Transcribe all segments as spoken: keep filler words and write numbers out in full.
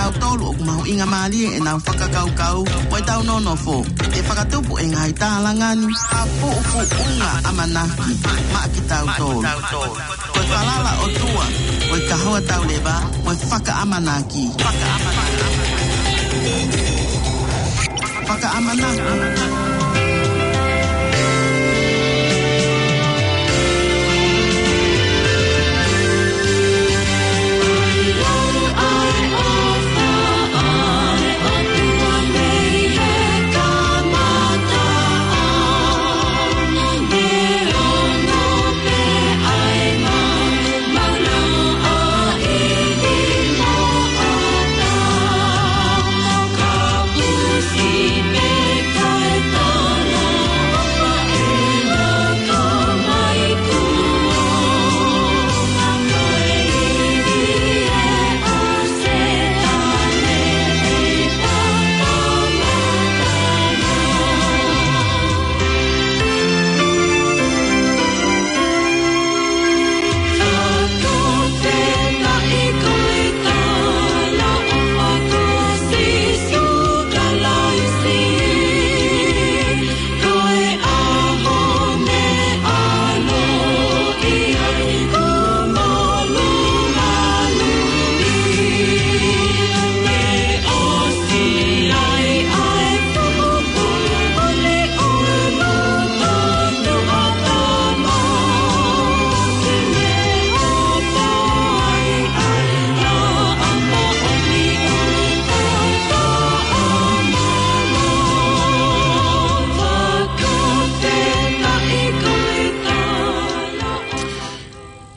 Tautolu ʻoku mahuʻinga mālie ʻenau fakakaukau mo ʻetau nonofo. Ke fakatupu e ngaahi tālanga ni, ha puʻupuʻunga ʻamanaki maʻa kitautolu. Ko e falala ʻOtua, ko e kahoa tauleva, ko e fakaʻamanaki. Fakaʻamanaki.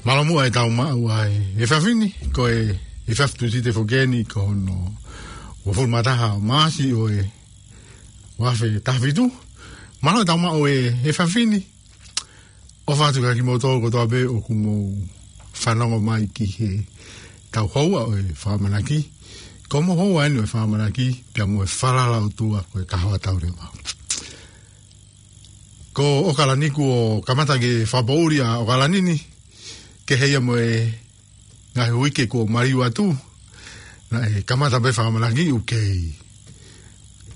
Mālō muʻa e tau maʻu ai e efiafi ni, ko e efiafi Tūsite foki eni, ko hono uofulu mā taha ʻo Maʻasi ʻo e ua afe taha fitu. Mālō e tau maʻu e efiafi ni. ʻOfa atu kia kimoutolu kotoa pē ʻoku mou fanongo mai ki he tau houa ʻo e fakaʻamanaki. Ko hoʻomou houa eni ʻo e fakaʻamanaki, pea mo e falala ʻOtua ko e kahoa tauleva. Ko ʻOkalani kuo kamata ke fakapoʻuli ʻa ʻOkalani ni, kehe ia mo e ngaahi uike kuo maliu atu, naʻe kamata pē fakaʻamanaki ʻoku kei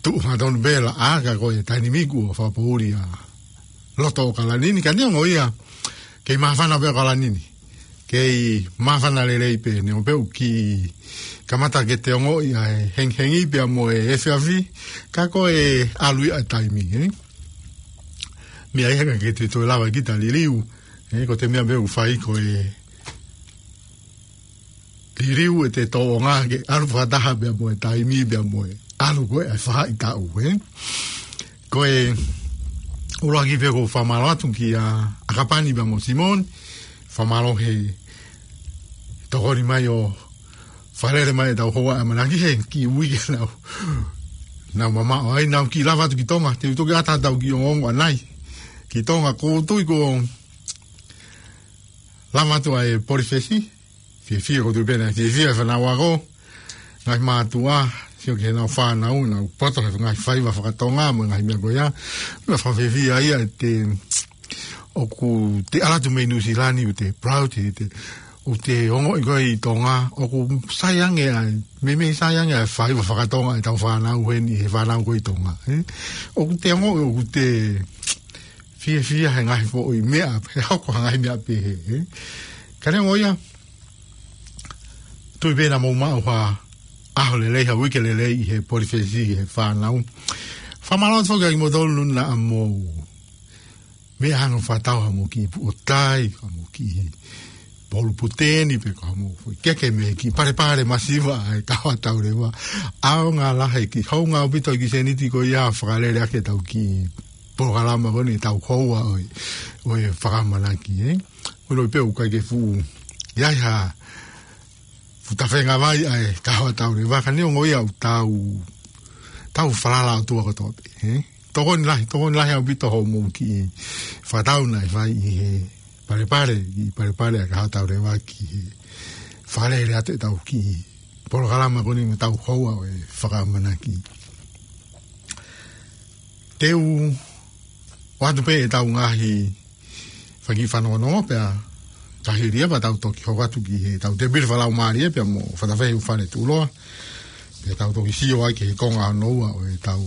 tuʻu hangatonu pē laʻā, ka ko e taimi ni kuo fakapoʻuli ʻa loto ʻOkalani ni, ka neongo ia, kei māfana pē ʻOkalani ni. Kei māfana lelei pē, neongo pē ʻoku kiʻi kamata ke te ongoʻi ʻa e hengihengi pea mo e efiafi, ka ko e ʻalu ia e taimi, ē? Meʻa ia ka ke te toe lava kita liliu, ē, ko e meʻa pē ʻoku fai ko e liliu ʻete tōʻonga ke ʻalu fakataha pea mo e taimi pea mo e ʻalu ko ē ʻa e faʻahitaʻu, ē. Ko e ʻuluaki pē ʻoku ou fakamālō atu kia ʻAkapani pea mo Simone, fakamālō he tokoni mai ʻo fakalele mai e tau houa ʻamanaki he kiʻi uike naʻa nau mamaʻo ai, naʻa nau kiʻi lava atu ki Tonga, te u toki ʻatā tau kiʻi ongoongo ʻanai ki Tonga, ko u tui ko lava atu ʻa e Polifesi, fiefia ko u tui pē naʻe fiefia e fānau ako, ngaahi mātuʻa, sio ki heʻenau fānau, nau poto he ngaahi faiva fakatonga, mo e ngaahi meʻa ko ia, meʻa fakafiefia ia ʻete, ʻoku te ʻalu atu mei Nuʻusila ni, ʻoku te proud, ʻoku te, ʻoku te ongoʻi ko ē ʻi Tonga, ʻoku sai ange ai, meimei sai ange ʻa e faiva fakatonga ʻetau fānau heni, he fānau ko ē ʻi Tonga, ē? ʻOku te ongoʻi, ʻoku te fiefia he ngaahi foʻi meʻa, he hoko ha ngaahi meʻa pehē, ē? Ka neongo ia, tui pē naʻa mou maʻu ha ʻaho lelei, ha uike lelei ʻi he Polifesi, ʻi he fānau. Fakamālō atu foki kia kimoutolu naʻa mou meʻa hano fakatau haʻamou kiʻi puʻotai, haʻamou kiʻi polu puteni, pe ko haʻamou foʻi keke mei he kiʻi palepale masiva ʻa e kahoa tauleva. ʻAonga lahi, kiʻi hounga ʻaupito e kiʻi sēniti ko ia fakalele ake ʻetau kiʻi polokalama ko eni ʻetau houa ʻo e, ʻo e fakaʻamanaki, ē. Ko e ʻilo pē ʻoku ʻikai ke fuʻu ʻi ai ha fuʻu tafenga vai ʻa e kahoa tauleva, ka neongo ia ʻoku tau, tau falala ʻOtua kotoa pē, ē? Tokoni lahi, tokoni lahi ʻaupito hoʻomou kiʻi fakatau naʻe fai ʻi he palepale, ʻi he palepale ʻa e kahoa tauleva ki he fakalele atu ʻetau kiʻi polokalama ko eni mo ʻetau houa ʻo e fakaʻamanaki. Te u ʻoatu pē ʻetau ngaahi fanga kiʻi fanongonongo pea ka hili ia pea tau toki hoko atu ki heʻetau tēpile fakalaumālie pea mo Fatafehi ʻUfale Tuʻuloa. Te tau toki sio ai ki he konga hono ua ʻo ʻetau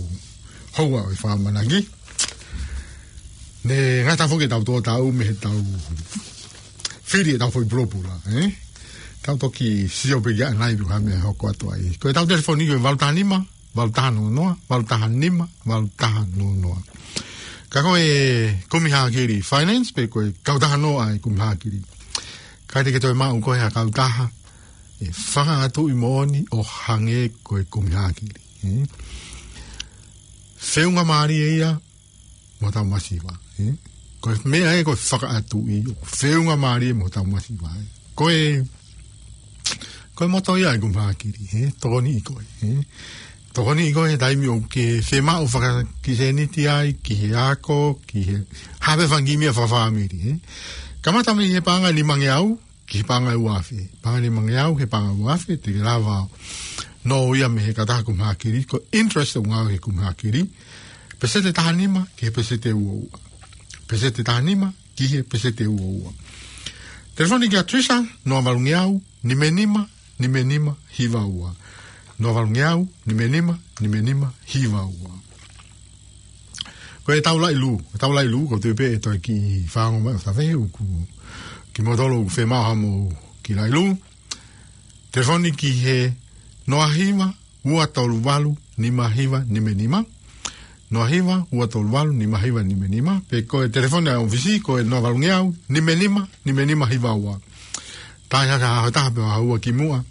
houa ʻo e fakamanaki. Ne ngata foki ʻetau tō tau mei heʻetau fili ʻetau foʻi pulopula, ē? Tau toki sio pē ki ai nai pe ko e hā e meʻa ʻe hoko atu ai. Ko ʻetau telefoni ko e valu taha nima, valu taha noa noa, valu taha nima, valu taha noa noa. Ka ko e Kumi Hākili Finance, pe ko e kautaha noa ʻa e Kumi Hākili. Ka te ke toe maʻu ko e ha kautaha ʻe fakaʻatuʻi moʻoni ʻo hangē ko e Kumi Hākili, ē? Feʻunga mālie ia mo hotau masiva, ē? Ko e meʻa ē ko e fakaʻatuʻi, ʻoku feʻunga mālie mo hotau masiva, ē? Ko e, ko e moto ia ʻa e Kumi Hākili, ē? Tokoniʻi koe, ē? Tokoniʻi koe he taimi ʻoku ke fiemaʻu fakakisēniti ai, ki he ako, ki he hā pē fanga kiʻi meʻa fakafāmili, ē? Kamata mei he paʻanga ʻe nimangeau, ki he paʻanga ʻe ua afe. Paʻanga ʻe nimangeau, he paʻanga ʻe ua afe, te ke lava ʻo nofo ia mei he kautaha Kumi Hākili, ko e interest ʻoku ngāueʻaki he Kumi Hākili. Peseti ʻe taha nima, ki he peseti ʻe ua ua. Peseti ʻe taha nima, ki he peseti ʻe ua ua. Telefoni kia Trisha, noa valu ngeau, nima nima, nima nima, hiva ua. Noa valu ngeau, nima nima, nima nima, hiva ua. Ko ʻetau laʻi lū, ʻetau laʻi lū, ko e tuʻu pē ʻe toe kiʻi fanongo mai ʻo tave ʻoku kimoutolu ʻoku fiemaʻu haʻamou kiʻi laʻi lū. Telefoni ki he noa hiva, ua tolu valu, nima hiva, nima nima. Noa hiva, ua tolu valu, nima hiva, nima nima. Pe ko e telefoni ʻa e ʻōfisi, ko e noa valu ngeau, nima nima, nima nima hiva ua. Taʻe hake ha taha pē ʻo haʻu ki muʻa.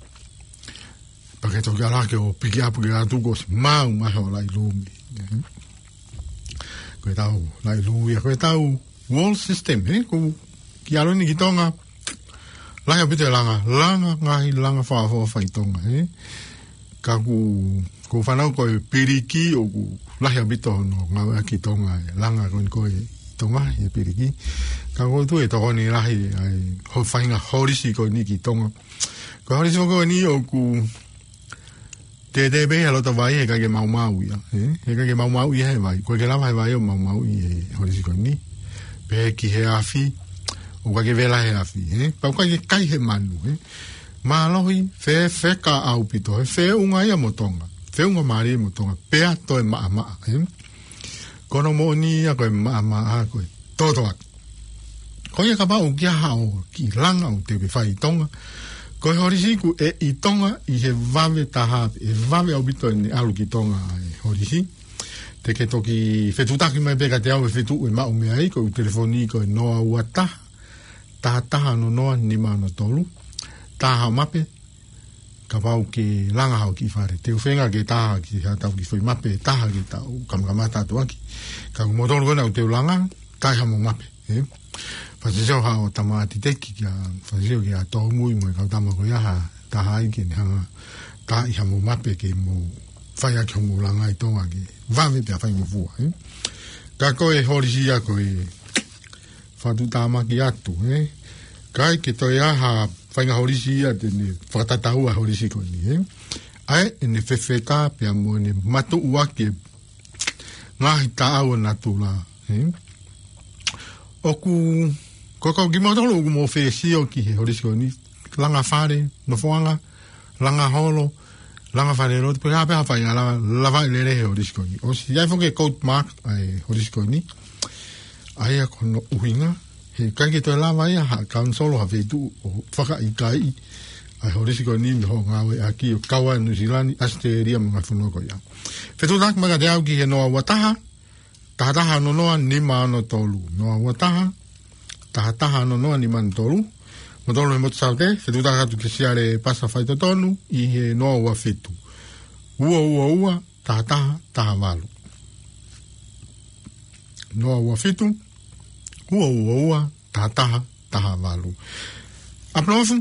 Pea ke toki ʻalu hake ʻo piki ʻapu ke ʻatu ko si mau mai ho laʻi lū mei. Ko ʻetau laʻi lū ia, ko ʻetau wall system, ē? Ko e kiʻi ʻalu eni ki Tonga. Lahi ʻaupito e langa, langa, ngaahi langa fakaʻofoʻofa ʻi Tonga, ē? Ka ʻoku, ʻoku ou fanongo ko e piliki, ʻoku lahi ʻaupito hono ngāueʻaki ʻi Tonga, ē? Langa ko eni ko ē ʻi Tonga, ʻi he piliki. Ka ʻoku ou tui ʻe tokoni lahi ai ho faʻahinga holisi ko eni ki Tonga. Ko e holisi ko eni ʻoku tētē pē he loto vai, heʻikai ke maumau ia, ē? Heʻikai ke maumau ia he vai. ʻOku ʻikai ke lava he vai ʻo maumauʻi e holisi ko eni. Pehē ki he afi, ʻoku ʻikai ke vela he afi, ē? Pea ʻoku ʻikai ke kai he manu, ē? Mālohi, fefeka ʻaupito, ē? Feʻunga ia mo Tonga. Feʻunga mālie mo Tonga. Pea toe maʻamaʻa, ē? Ko hono moʻoni ia ko e maʻamaʻa ko e totoaki. Ko ia kapau ʻoku ʻi ai haʻo kiʻi langa ʻoku te ke fai ʻi Tonga. Ko e holisi ʻoku ʻi Tonga ʻi he vave taha, ʻe vave ʻaupito ʻene ʻalu ki Tonga e holisi. Te ke toki fetuʻutaki mai pē kiate au e feituʻu ʻe maʻu mei ai, ko e telefoni ko e noa ua taha, taha taha noa noa, nima noa tolu. Taha mape, kapau ʻoku ke langa haʻo kiʻi fale. Te u feinga ke taha ki haʻatau kiʻi foʻi mape, taha ke tau kamakamata atu ʻaki. Ka ko moutolu ko ena ʻoku te u langa, kai haʻamou mape, ē? Fakatatau haʻo tama ʻAtiteki kia, fakatatau kia Tōmui mo e kau tama ko ia ha taha ai ke ne hanga ʻo taaʻi haʻamou mape ke mou fai ʻaki hoʻomou langa ʻi Tonga ke vave pea faingofua, ē? Ka ko e holisi ia ko e fakatuʻutāmaki atu, ē? ʻIkai ke toe ʻi ai ha faʻahinga holisi ia te ne fakatatau ai e holisi ko eni, ē? ʻA ia ʻene fefeka pea mo ʻene matuʻuaki e ngaahi taʻau ʻo natula, ē? ʻOku, ko e kau kimoutolu ʻoku mou fesiʻi ki he holisi ko eni, langa fale, nofoʻanga, langa holo, langa falelotu, pe ko e hā pē ha faʻahinga langa, lavaʻi lelei he holisi ko eni. ʻOsi ʻi ai foki e quote mark ʻa e holisi ko eni. ʻA ia ko hono ʻuhinga, heʻikai ke toe lava ia ha kaunisolo ha feituʻu ʻo fakaʻikaiʻi ʻa e holisi ko eni mei hono ngāueʻaki ʻo kau ai Nuʻu Sila ni, ʻAositelēlia mo e ngaahi fonua ko ia. Fetuʻutaki mai kiate au ki he noa ua taha, taha taha noa noa, nima noa tolu. Noa ua taha, taha taha noa noa, nima noa tolu. Moutolu he motu Saute, fetuʻutaki atu kia Siale Pasa Faitotonu ʻi he noa ua fitu, ua ua ua, taha taha taha valu. Noa ua fitu, ua ua ua, taha taha taha valu. ʻApolofu,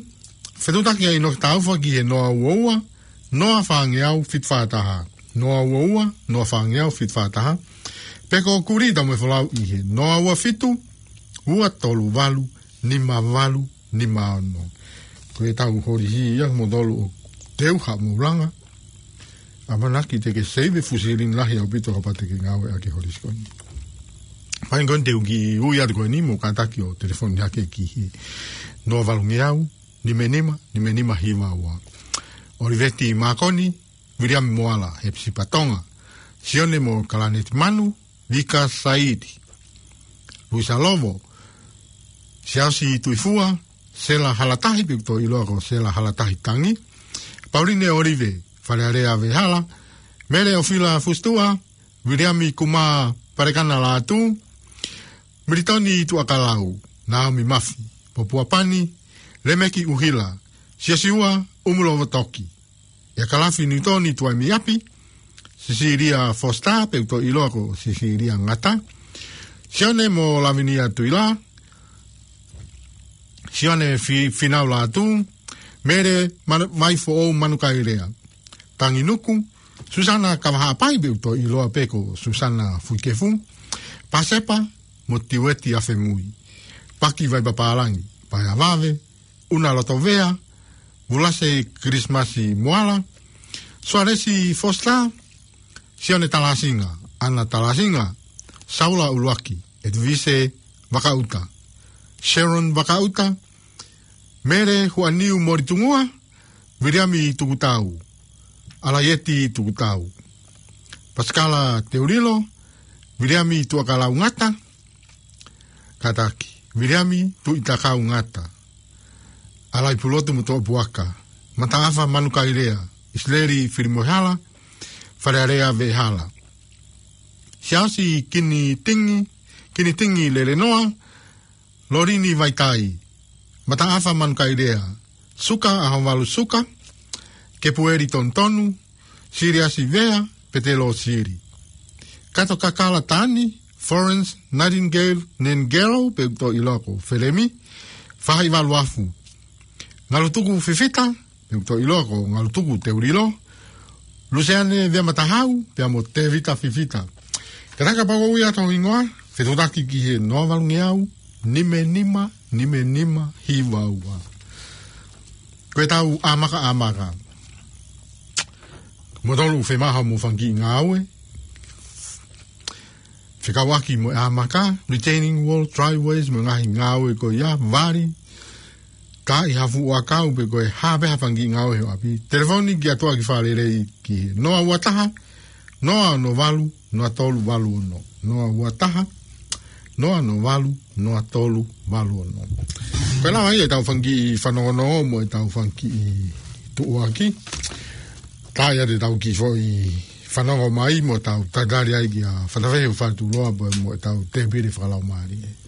fetuʻutaki ai ʻInoke Taufa ki he noa ua ua, noa fā ngeau fitu fā taha. Noa ua ua, noa fā ngeau fitu fā taha. Pe ko Kulita mo e Folau ʻi he noa ua fitu, ua tolu valu, nima valu, nima ono. Ko ʻetau holisi ia moutolu ʻoku te u haʻamou langa. ʻAmanaki te ke save e fuʻu silini lahi ʻaupito kapau te ke ngāueʻaki e holisi ko eni. Fai ko eni te u kiʻi ui atu ko eni mo kātaki ʻo telefoni hake ki he noa valu ngeau, nima nima, nima nima hiva ua. ʻOliveti Mākoni, Viliami Moala, Hepisipa Tonga, Sione mo Kalaneti Manu, Vika Saidi, Luisa Lovo, Siaosi Tuifua, Sela Halatahi pe ʻoku tau ʻiloa ko Sela Halatahi Tangi, Pauline Olive, Falealea Vehala, Mele ʻOfila Fusitua, Viliami Kuma Palekana Lātū, Militoni Tuʻakalau, Naomi Mafi, Popua Pani, Lemeki ʻUhila, Siosiua ʻUmulovotoki, ʻIa Kalafi Niutoni Tuaimiapi, Sisilia Foster, pe ʻoku tau ʻiloa ko Sisilia Ngata, Sione mo Lavinia Tuila, Sione Fi-, Finau Lātū, Mele Manu-, Vaifoʻou Manukaelea, Tangi Nuku, Susana Kavahaʻapai pe ʻoku tau ʻiloa pē ko Susana Fuikefu, Pasepa mo Tiueti Afemui, Paki Vaipapālangi, Paea Vave, Una Lotovea, Vulase Kilisimasi Moala, Sualesi Foster, Sione Talasinga, Ana Talasinga, Saula ʻUluaki, Edivise Vakaʻuta, Sharon Vakaʻuta, Mele Huaniu Molitungua, Viliami Tukutau, Alaieti Tukutau, Pasikala Teulilo, Viliami Tuʻakalau Ngata, Kataki, Viliami Tuʻitakau Ngata, Alai Pulotu mo Toʻopuaka, Mataʻafa Manukaelea, ʻIsileli Filimoehala, Falealea Vehala, Siaosi Kinitingi, Kinitingi Lelenoa, Lolini Vaitai, Mataʻafa Manukaelea, Suka ʻAhovalu Suka, Kepueli Tonutonu, Siliasi Vea, Petelo Sili, Kato Kakala Tani, Florence Nightingale Nengelo pe ʻoku tau ʻiloa ko Felemi, Fahaʻivalu Afu, Ngalutuku Fifita, pe ʻoku tau ʻiloa ko Ngalutuku Teulilo, Luseane Veamatahau, pea mo Tevita Fifita. Ka taka pau ia tau hingoa, fetuʻutaki ki he noa valungeau, nima nima, nima nima, hiva ua. Ko e tau ʻamaka ʻamaka. Mo tolu femaha mo fanga kiʻi ngāue. Fekauʻaki mo e ʻamaka, retaining wall, driveways, mo e ngaahi ngāue ko ia, vali, ka ʻi ha fuʻu ʻakau pe ko e hā pē ha fanga kiʻi ngāue he ʻapi. Telefoni ki ʻAtuʻaki Fakalelei ki he noa ua taha, noa ono valu, noa tolu valu ono. Noa ua taha, noa ono valu, noa tolu valu ono. Ko e lava ia e tau fanga kiʻi fanongonongo mo e tau fanga kiʻi tuʻuaki. Ka ʻi ai te tau kiʻi foʻi fanongo mai mo tau tatali ai kia Fatafehi ʻo Fatuloa pea mo e tau tēpile fakalaumālie.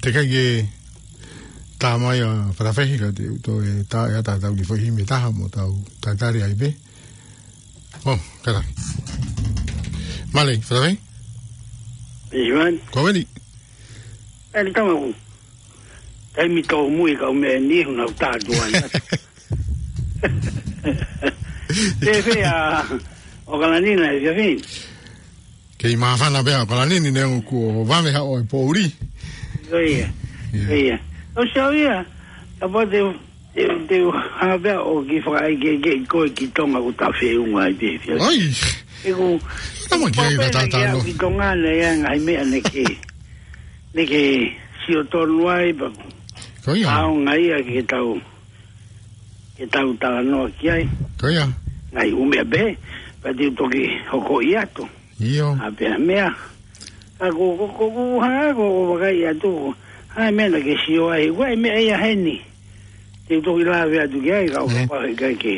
ʻIkai ke tā mai ʻa Fatafehi ka te u toe tā ʻe ʻatā tau ki foʻi himi ʻe taha mo tau tatali ai pē. ʻO, kātaki. Mālō, Fatafehi? Ivan. Ko veli. Eli tamaku. Taimi tōmui kau meʻa ni hu nau tātuai atu. Te fea, ʻo Kalanina e fiafin. Kei māfana pea ʻo Kalanini ne u kuo vave haʻo e poʻuli. Ko ia. Ia. Ko ia. ʻO se au ia, ka pau te, te, te u hanga pea ʻo ki fakaʻai ke, ke koe ki Tonga ko ta feunga ai pē fia. Oi. E ku, Tama ki ai pau pē ka ne ke tātā au no. Ki Tonga ne ia ngaahi meʻa ne ke, ne ke sio tonu ai pa. Ko ia. Au ngai ia ke tau, ke tau talanoa ki ai. Ko ia. Ngaahi ʻū meʻa pē, pa te u toki hoko i atu. ʻIo. A pea meʻa. Ka ko, ko, ko, ko, hanga ko, ko vakai atu ko. Hai meʻa na ke sio ai. Ko e meʻa ia heni. Te u toki lave atu ki ai, ka o Ē. Kapau he kai ke.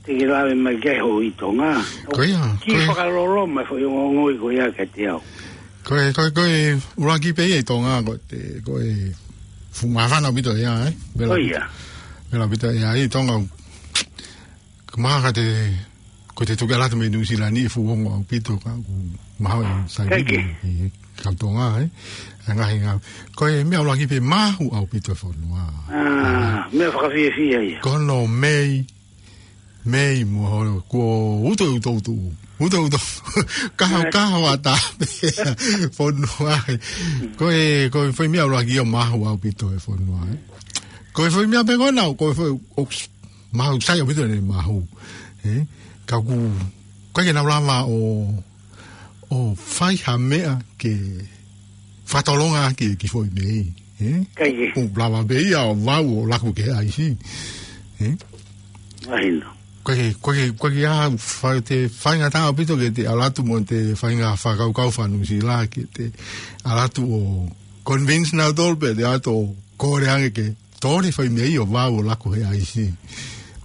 Te ke lave mai ke ho i Tonga. Ko ia, Ki ko ia. Fakalolo mai foʻi ongongoi ko ia ka te au. Ko e, ko e, ko e, ʻuluaki pē ia i Tonga ko te, ko e fuʻu māfana ʻaupito ia, ē? Vela Ko ia. Vela ʻaupito ia i Tonga. Ka maha ka te, ko te tuke alata me New Zealand ni e fuʻu ongo ʻaupito ka ku maha e sai Kai ke. I, i ka Tonga, ē? E ngahi ngā. Ko e meʻa ʻuluaki pē mahu ʻaupito e fonua. Ah, meʻa fakafiefia ia. Ko no mei, mei mo ho, ko uto, uto, uto. Uto, uto. Kaho, Ai. Kaho ata. Fonua. Ko e, ko e foʻi meʻa ʻuluaki ia mahu ʻaupito e fonua, ē? Ko e foʻi meʻa pē ko nau, ko e foʻi, oks, mahu, sai ʻaupito ne mahu. Ē? Ka ku, ka ke nau lava ʻo, ʻo fai ha meʻa ke fakatolonga ki, ki foʻi mei. Ē? Kai ke. ʻO lava pē ia ʻo vau ʻo laku ke ʻaisi. Ē? Mahino. Ko ke, ko ke, ko ke a fai te faingataʻa ʻaupito ke te ʻalu atu mo te fainga fakakaukau faka-Nuʻusila ke te ʻalu atu ʻo convince nautolu pe te ʻalu atu ʻo kole ange ke tole foʻi mei ʻo vau ʻo laku he ʻaisi.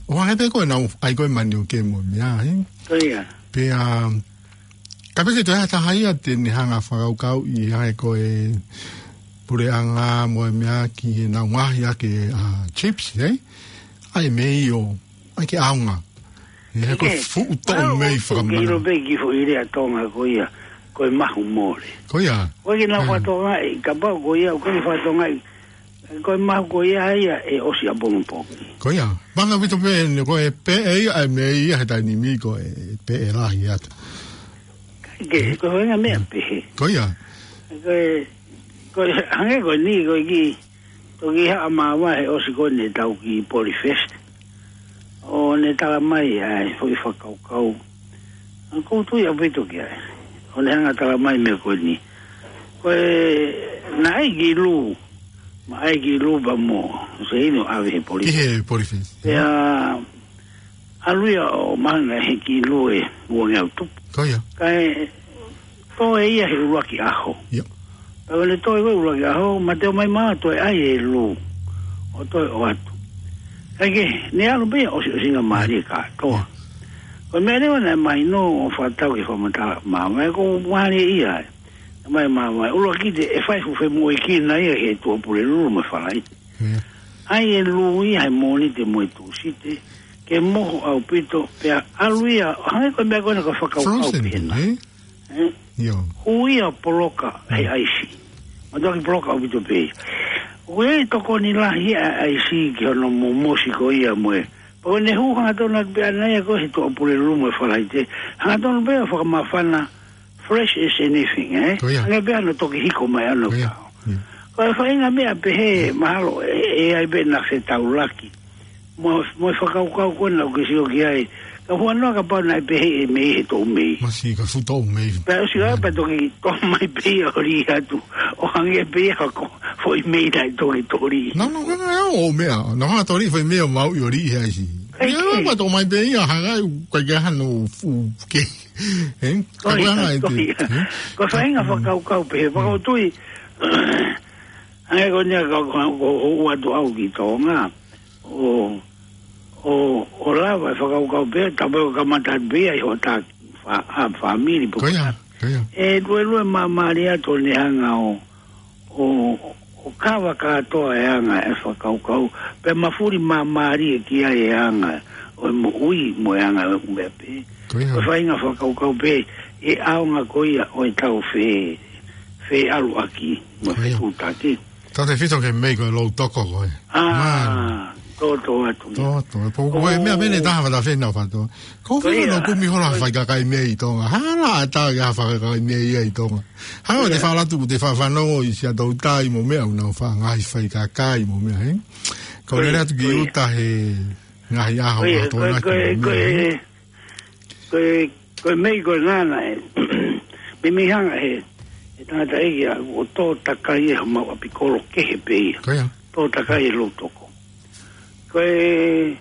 ʻO hangē pē ko e nau ʻai ko e mani ʻo ke mo meʻa, ē? Ko ia. Pea, ka peke toe ʻa taha ia te ne hanga fakakaukau ʻi ai ko e puleʻanga mo e meʻa ki he nau ngaohi ake ʻa chips, ē? ʻAi mei ʻo, ʻai ke ʻaonga. Ē, he ko e Ke, fuʻu toʻo au mei ʻo fakamana. Ke ilo pē ki foʻi lea Tonga ko ia, ko e mahu mole. Ko ia. Ko e ke nau Ē. Fatonga i, kapau ko ia, ko e fatonga i, Ko e mahu ko ia ia ʻe ʻosi ʻapongipongi. Ko ia. Mana vito pē, ne ko e pē ʻe ia, ʻai mei ia he taimi ni ko e pē ʻe lahi atu. Ke, ko e ngaahi meʻa pē. Ko ia. Ko e, ko e, hangē ko eni, ko e ki, toki haʻa māvae he ʻosi ko eni tau ki Polyfest. ʻO ne tala mai ʻa e foʻi fakakaukau. ʻOku ou tui ʻaupito ki ai. ʻO ne hanga tala mai meʻa ko eni. Ko e, naʻe ʻai ki Lū. Ma ʻai ki Lū pea mo. Se inu ʻave he Polyfest. Ki he Polyfest. Pea, ʻalu ia ʻo mahanga he ki Lū ʻe ua ngeau tupu. Ko ia. Kae, toe ia he ʻuluaki ʻaho. Ia. Pea ʻalu toe ko e ʻuluaki ʻaho, ma te o mai ma toe ʻai ʻe Lū. ʻO toe ʻoatu. Kae ke, ne ʻalu pē ʻosi, ʻosinga mālie kātoa. Ko e meʻa leva naʻe mahino ʻo fakatau ke fakamatala ma, ma ko mālie ia. Mai ma, ma, ʻuluaki te, ʻe fai fuʻu femoʻuekina ia he Tuʻapulelulu mo e Falaite. Ia. ʻAi ʻe Lū ia he Mōnite mo e Tūsite. Ke moho ʻaupito, pea ʻalu ia, hangē ko e meʻa ko ena ko e fakakaukau Frozen, pehena. Ē? Ē? Ia. Hū ia poloka he ʻaisi. Ma toki poloka ʻaupito pē ia. ʻOku ʻi ai e tokoni lahi ʻa e ʻaisi ki hono momosi ko ia mo e. Pea ko ʻene hū hangatonu atu pē ʻana ia ko e he Tuʻapulelulu mo e Falaite. Hangatonu pē ʻo fakamāfana fresh as anything, ē? Ko ia. Hangē pē ʻana toki hiko mai ʻana Ko ia. Tau. Ia. Ko e faʻahinga meʻa pehē mahalo ʻe, ʻe ʻai pē ʻena fetaulaki. Mo, mo e fakakaukau ko ena ʻoku ke sio ki ai. Ka huanoa kapau naʻe pehē ʻe mei he toʻu mei. Masi ka fuʻu toʻu mei. Pea ʻosi ʻa, pea toki toʻo mai pē ia ʻo lī atu. ʻO hangē pē ia ko foʻi mei naʻe toki toli. Nau, nau, nau, nau, ʻo meʻa. Nau hanga toli foʻi mei ʻo maʻu ʻi ʻo lī he ʻaisi. Kai Ia, ke. Pea toʻo mai pē ia hanga ʻu, kai ke hano fu, ke. Ē? Ko Ka ia, ko hanga ʻe ko te. Ia. Ē? Ko e faʻahinga fakakaukau pehē. Fakatui. Hangē ko eni ka, ka, ko, ko, ʻoatu au ki Tonga. ʻO, ʻo, ʻo lava e fakakaukau pē, tapu ʻo kamata pē ia ʻi hoʻo taki fa, a, fāmili pē. Ko ia, ko ia. ʻE luelue māmālie atu ʻo ne hanga ʻo, ʻo, ʻo kava kātoa e anga e fakakaukau, pea mafuli māmālie ki ai e anga ʻo e moʻui mo e anga ʻo e ʻū meʻa pē. Ko ia. Ko e faʻahinga fakakaukau pē, ʻe ʻaonga ko ia ʻo e tau fe-, feʻaluʻaki, mo e Ko ia. fetuʻutaki. Tautefito ki he mei ko e lou toko ko ē. ʻĀ, Mālie. tōtō atu ia. Tōtō. Pō ko e meʻa Ō. mene taha fata fena fato. Ko Ko fena ia. no kumi hola Ko fai kakai mei Tonga. Hala ata ia fai kakai mei ia ʻi Tonga. Hau te Ia. fala tu, te fa-, fanongo ʻi Siaʻatoutai mo meʻa, ʻoku nau fa-, ngaahi fai kakai mo meʻa, he? Ko Ko ia, lele atu ki ko ia. Uta he ngaahi ʻaho Ko ia, ʻa ko e, Tonga ko e, ki ko meʻa, he? e, ko e, ko e mei ko e nana e. Mei mei hanga he, he tangata ʻeiki ʻa ʻo tō takai e ha mau ʻapi kolo kehe pē ia. Ko ia. Tō takai e lou toko. Ko e,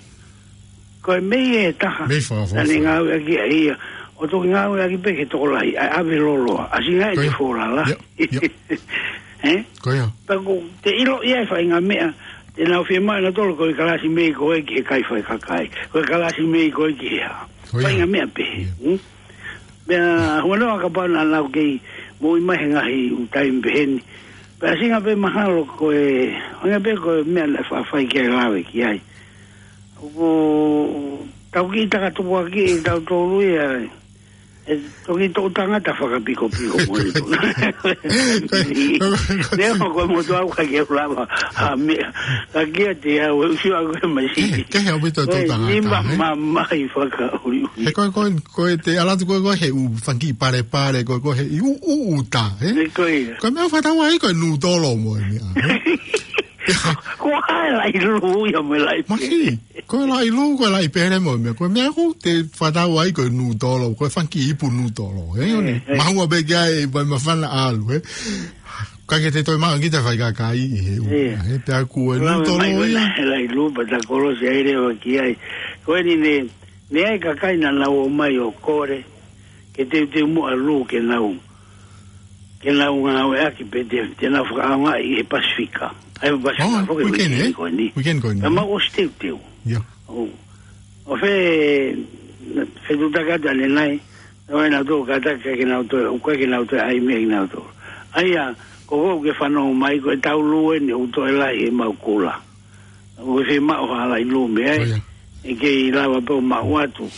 ko e mei e taha. Mei fakafoʻou. Naʻa ne ngāueʻaki ʻa ia. ʻO toki ngāueʻaki pē ke tokolahi, ʻa, ʻave loloa. ʻAsi ngai Ko te ia. fōlala. Ia, ia. He? Ko ia. Pea ko te ʻilo ia e faʻahinga meʻa. Te nau fiemaʻu nautolu ko e kalasi mei ko ē ki he kai fai kakai. Ko e kalasi mei ko ē ki he hā. Ko ia. Faʻahinga meʻa pē. Ia. Hmm? Pea huanoa kapau naʻa nau kei moʻui mai he ngaahi ʻū taimi peheni. Pea ʻasi ngai pē mahalo ko e, ʻasi ngai pē ko e meʻa naʻe faʻa fai ki ai lave ki ai. ʻOku tau kiʻi takatupuʻaki ʻe tautolu ia, ʻe toki toʻu tangata fakapikopiko mo e tu. Leo ko e motu au ka ke lava ha meʻa. Ka kia te au, e usi au e masi. Ke he au pito Ko e toʻu tangata, nima he? mamahi fakaʻuliʻuli. He ko e, ko e, ko e te ʻalu atu ko e, ko e he ʻū fanga kiʻi palepale, ko e, ko e he ʻū, ʻū, ʻuta, he? Ne ko ia. Ko e meʻa fakatau ai ko e nūtolo mo e meʻa, he? Ko e laʻi lū ia mo e laʻi Maki, pele. Ko e laʻi lū, ko e laʻi pele mo e meʻa. Ko e meʻa ʻoku te fakatau ai ko e nūtolo, ko e fanga kiʻi ipu nūtolo, he? ʻIo ne. Eh, eh. Mahua pē ki ai, pai mafana ʻalu, he? Ka ke te toe maʻu kita fai kakai ʻi he ʻū, Ia. he pea ko e Lave nūtolo mai ko e ia. la-, laʻi lū pea ta kolosi ai leva ki ai. Ko eni ne, ne ai kakai naʻa nau ō mai ʻo kole, ke teuteu muʻa lū ke nau, ke nau ngāueʻaki pē te, te nau fakaʻaongaʻi he Pasifika. ʻAi Pasifika, Oh, foki weekend, weekend eh? ko eni. Weekend ko eni. Ka mau ʻosi teuteu. Ia. ʻO, ʻo fe, fetuʻutaki atu ʻanenai, ʻo e nau tō kātaki ke nau tō, ʻo koe ke nau tō ai meʻa ke nau tō. ʻA ia, ko ko ke fanongo mai ko e tau lū eni ʻoku toe lahi he mau kula. ʻOku ke fiemaʻu ha laʻi lū mei ai, Ko ia. ʻe kei lava pē ʻo maʻu atu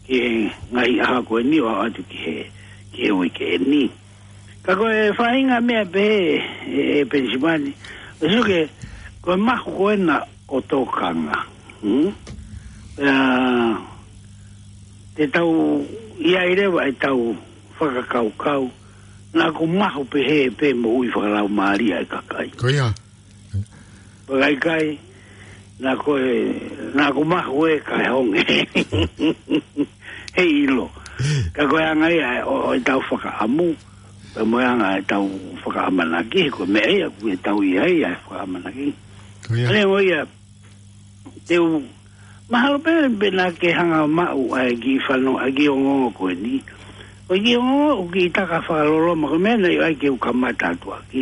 ki he ngaahi ʻaho ko eni ʻo aʻu atu ki he, ki he uike ni. Ka ko e faʻahinga meʻa pē ē, ē, Penisimani, ʻo suke, ko e mahu ko ena ʻo tokanga. Hmm? Pea, te tau, ʻi ai leva e tau fakakaukau, naʻa ku mahu pē he pē moʻui fakalaumālie e kakai. Ko ia. Pea ʻikai, naʻa ko e, naʻa ku mahu e kae honge. He ʻilo. Ka ko e anga ia ʻo, ʻo e tau fakaʻamu, pea mo e anga e tau fakaʻamanaki, ko e meʻa ia, ko e tau ʻi ai ʻa e fakaʻamanaki. Ko ia. ʻA ia, ko ia, te u, mahalo pē, pē naʻa ke hanga maʻu ʻa e kiʻi fano, ʻa e kiʻi ongoongo ko eni. Ko e kiʻi ongoongo, ʻoku kiʻi taka fakaloloma, ko e meʻa naʻe ʻai ke u kamata atu ʻaki.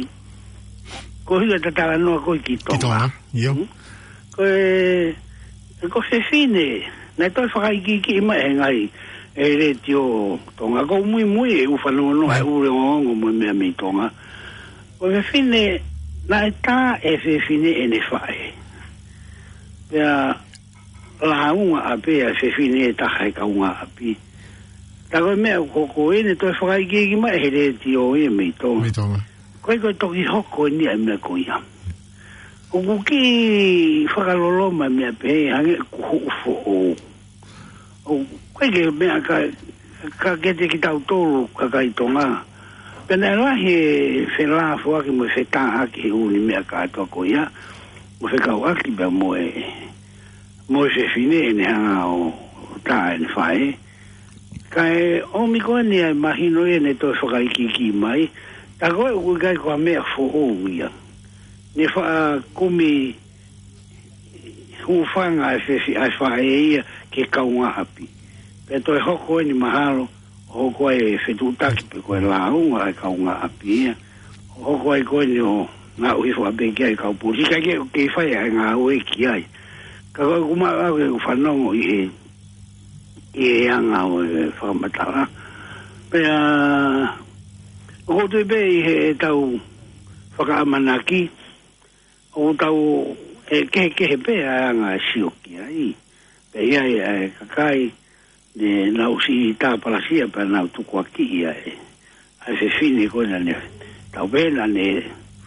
Ko hila tatala noa ko e ki Ki Tonga. Tonga, ʻio. Hmm? Ko e, ko e fefine, naʻe toe fakaikiiki mai he ngaahi, e letiō Tonga. Ko e muimui e ʻū fanongonongo, e ʻū ongoongo mo e meʻa mei Tonga. Ko e fefine, naʻe tā e fefine ʻene faʻē. Pea lāunga ʻapē ʻa e fefine ʻe taha he kaungāʻapi. Tā ko e meʻa ko, ko eni toe fakaikiiki mai he letiō ia mei Tonga. Mei Tonga. Ko e ko e toki hoko eni ʻa e meʻa ko ia. ʻOku kiʻi fakaloloma e meʻa pehē hangē ʻoku huʻu foʻou. ʻOku ʻikai ke meʻa ka, ka ke te kitautolu kakai Tonga. Pea naʻe lahi e felāfoaki mo e fetāʻaki he ʻū meʻa kātoa ko ia. Mo fekauʻaki pea mo e, mo e fefine ʻene hanga ʻo tā ʻene faʻē. Kae ʻomi ko eni ʻa e mahino ʻene toe fakaikiiki mai. Tā ko ē ʻoku ʻikai ko ha meʻa foʻou ia. Ne faʻa kumi hūfanga e fefi-, ʻa e faʻē ia ki he kaungāʻapi. Pea toe hoko eni mahalo, hoko ai e fetuʻutaki pe ko e lāunga ʻa e kaungāʻapi ia. Hoko ai ko eni ʻo ngaʻuhi faʻa pē ki ai e kau polisi. Ka ke, ke fai ʻa e ngāue ki ai. Ka ko e ʻoku maʻu au ke u fanongo ʻi he, ʻi he anga ʻo e fakamatala. Pea, ʻoku ou tui pē ʻi he tau fakaʻamanaki, ʻoku tau, ʻe kehekehe pē ʻa e anga e sio ki ai. Pea ʻi ai ʻa e kakai, ne nau siʻi tāpalasia pea nau tukuakiʻi ʻa e, ʻa e fefine ko ē naʻa ne, tau pehē naʻa ne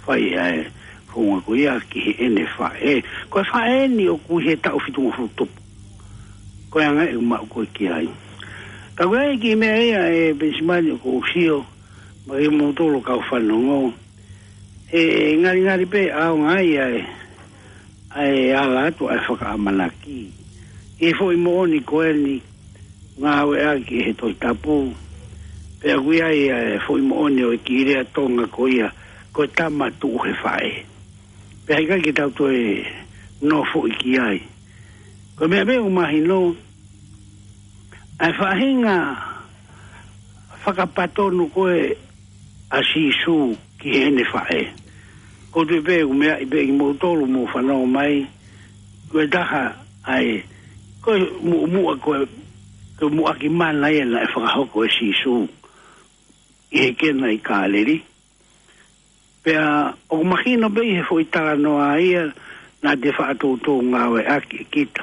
fai ʻa e founga ko ia ki heʻene faʻē. Ko e faʻē ni ʻoku ʻi he taʻu fitungofulu tupu. Ko e anga ʻeku maʻu ko ē ki ai. Ka ko e kiʻi meʻa ia ʻe Penisimani ʻoku ou sio, mo kimoutolu kau fanongo, ʻe ngalingali pē ʻaonga ai ʻa e, ʻa e ala atu ʻa e fakaʻamanaki. ʻI he foʻi moʻoni ko eni, ngāueʻaki he Tohi Tapu, pea ʻoku ʻi ai ʻa e foʻi moʻoni ʻo e kiʻi lea Tonga ko ia, ko e tama tuʻu he faʻē. Pea ʻikai ke tau toe nofoʻi ki ai. Ko e meʻa pē ʻoku mahino, ʻa e faʻahinga fakapatonu ko ē ʻa Sīsū ki heʻene faʻē. ʻOku ou tui pē ʻoku meaʻi pē kimoutolu mou fanongo mai, ko e taha ʻa e, ko e muʻomuʻa ko e, ko e muʻaki mana ia naʻe fakahoko ʻe Sīsū ʻi he Kena ʻi Kāleli. Pea ʻoku mahino pē ʻi he foʻi talanoa ia naʻa te faʻa toutou ngāueʻaki ʻe kita.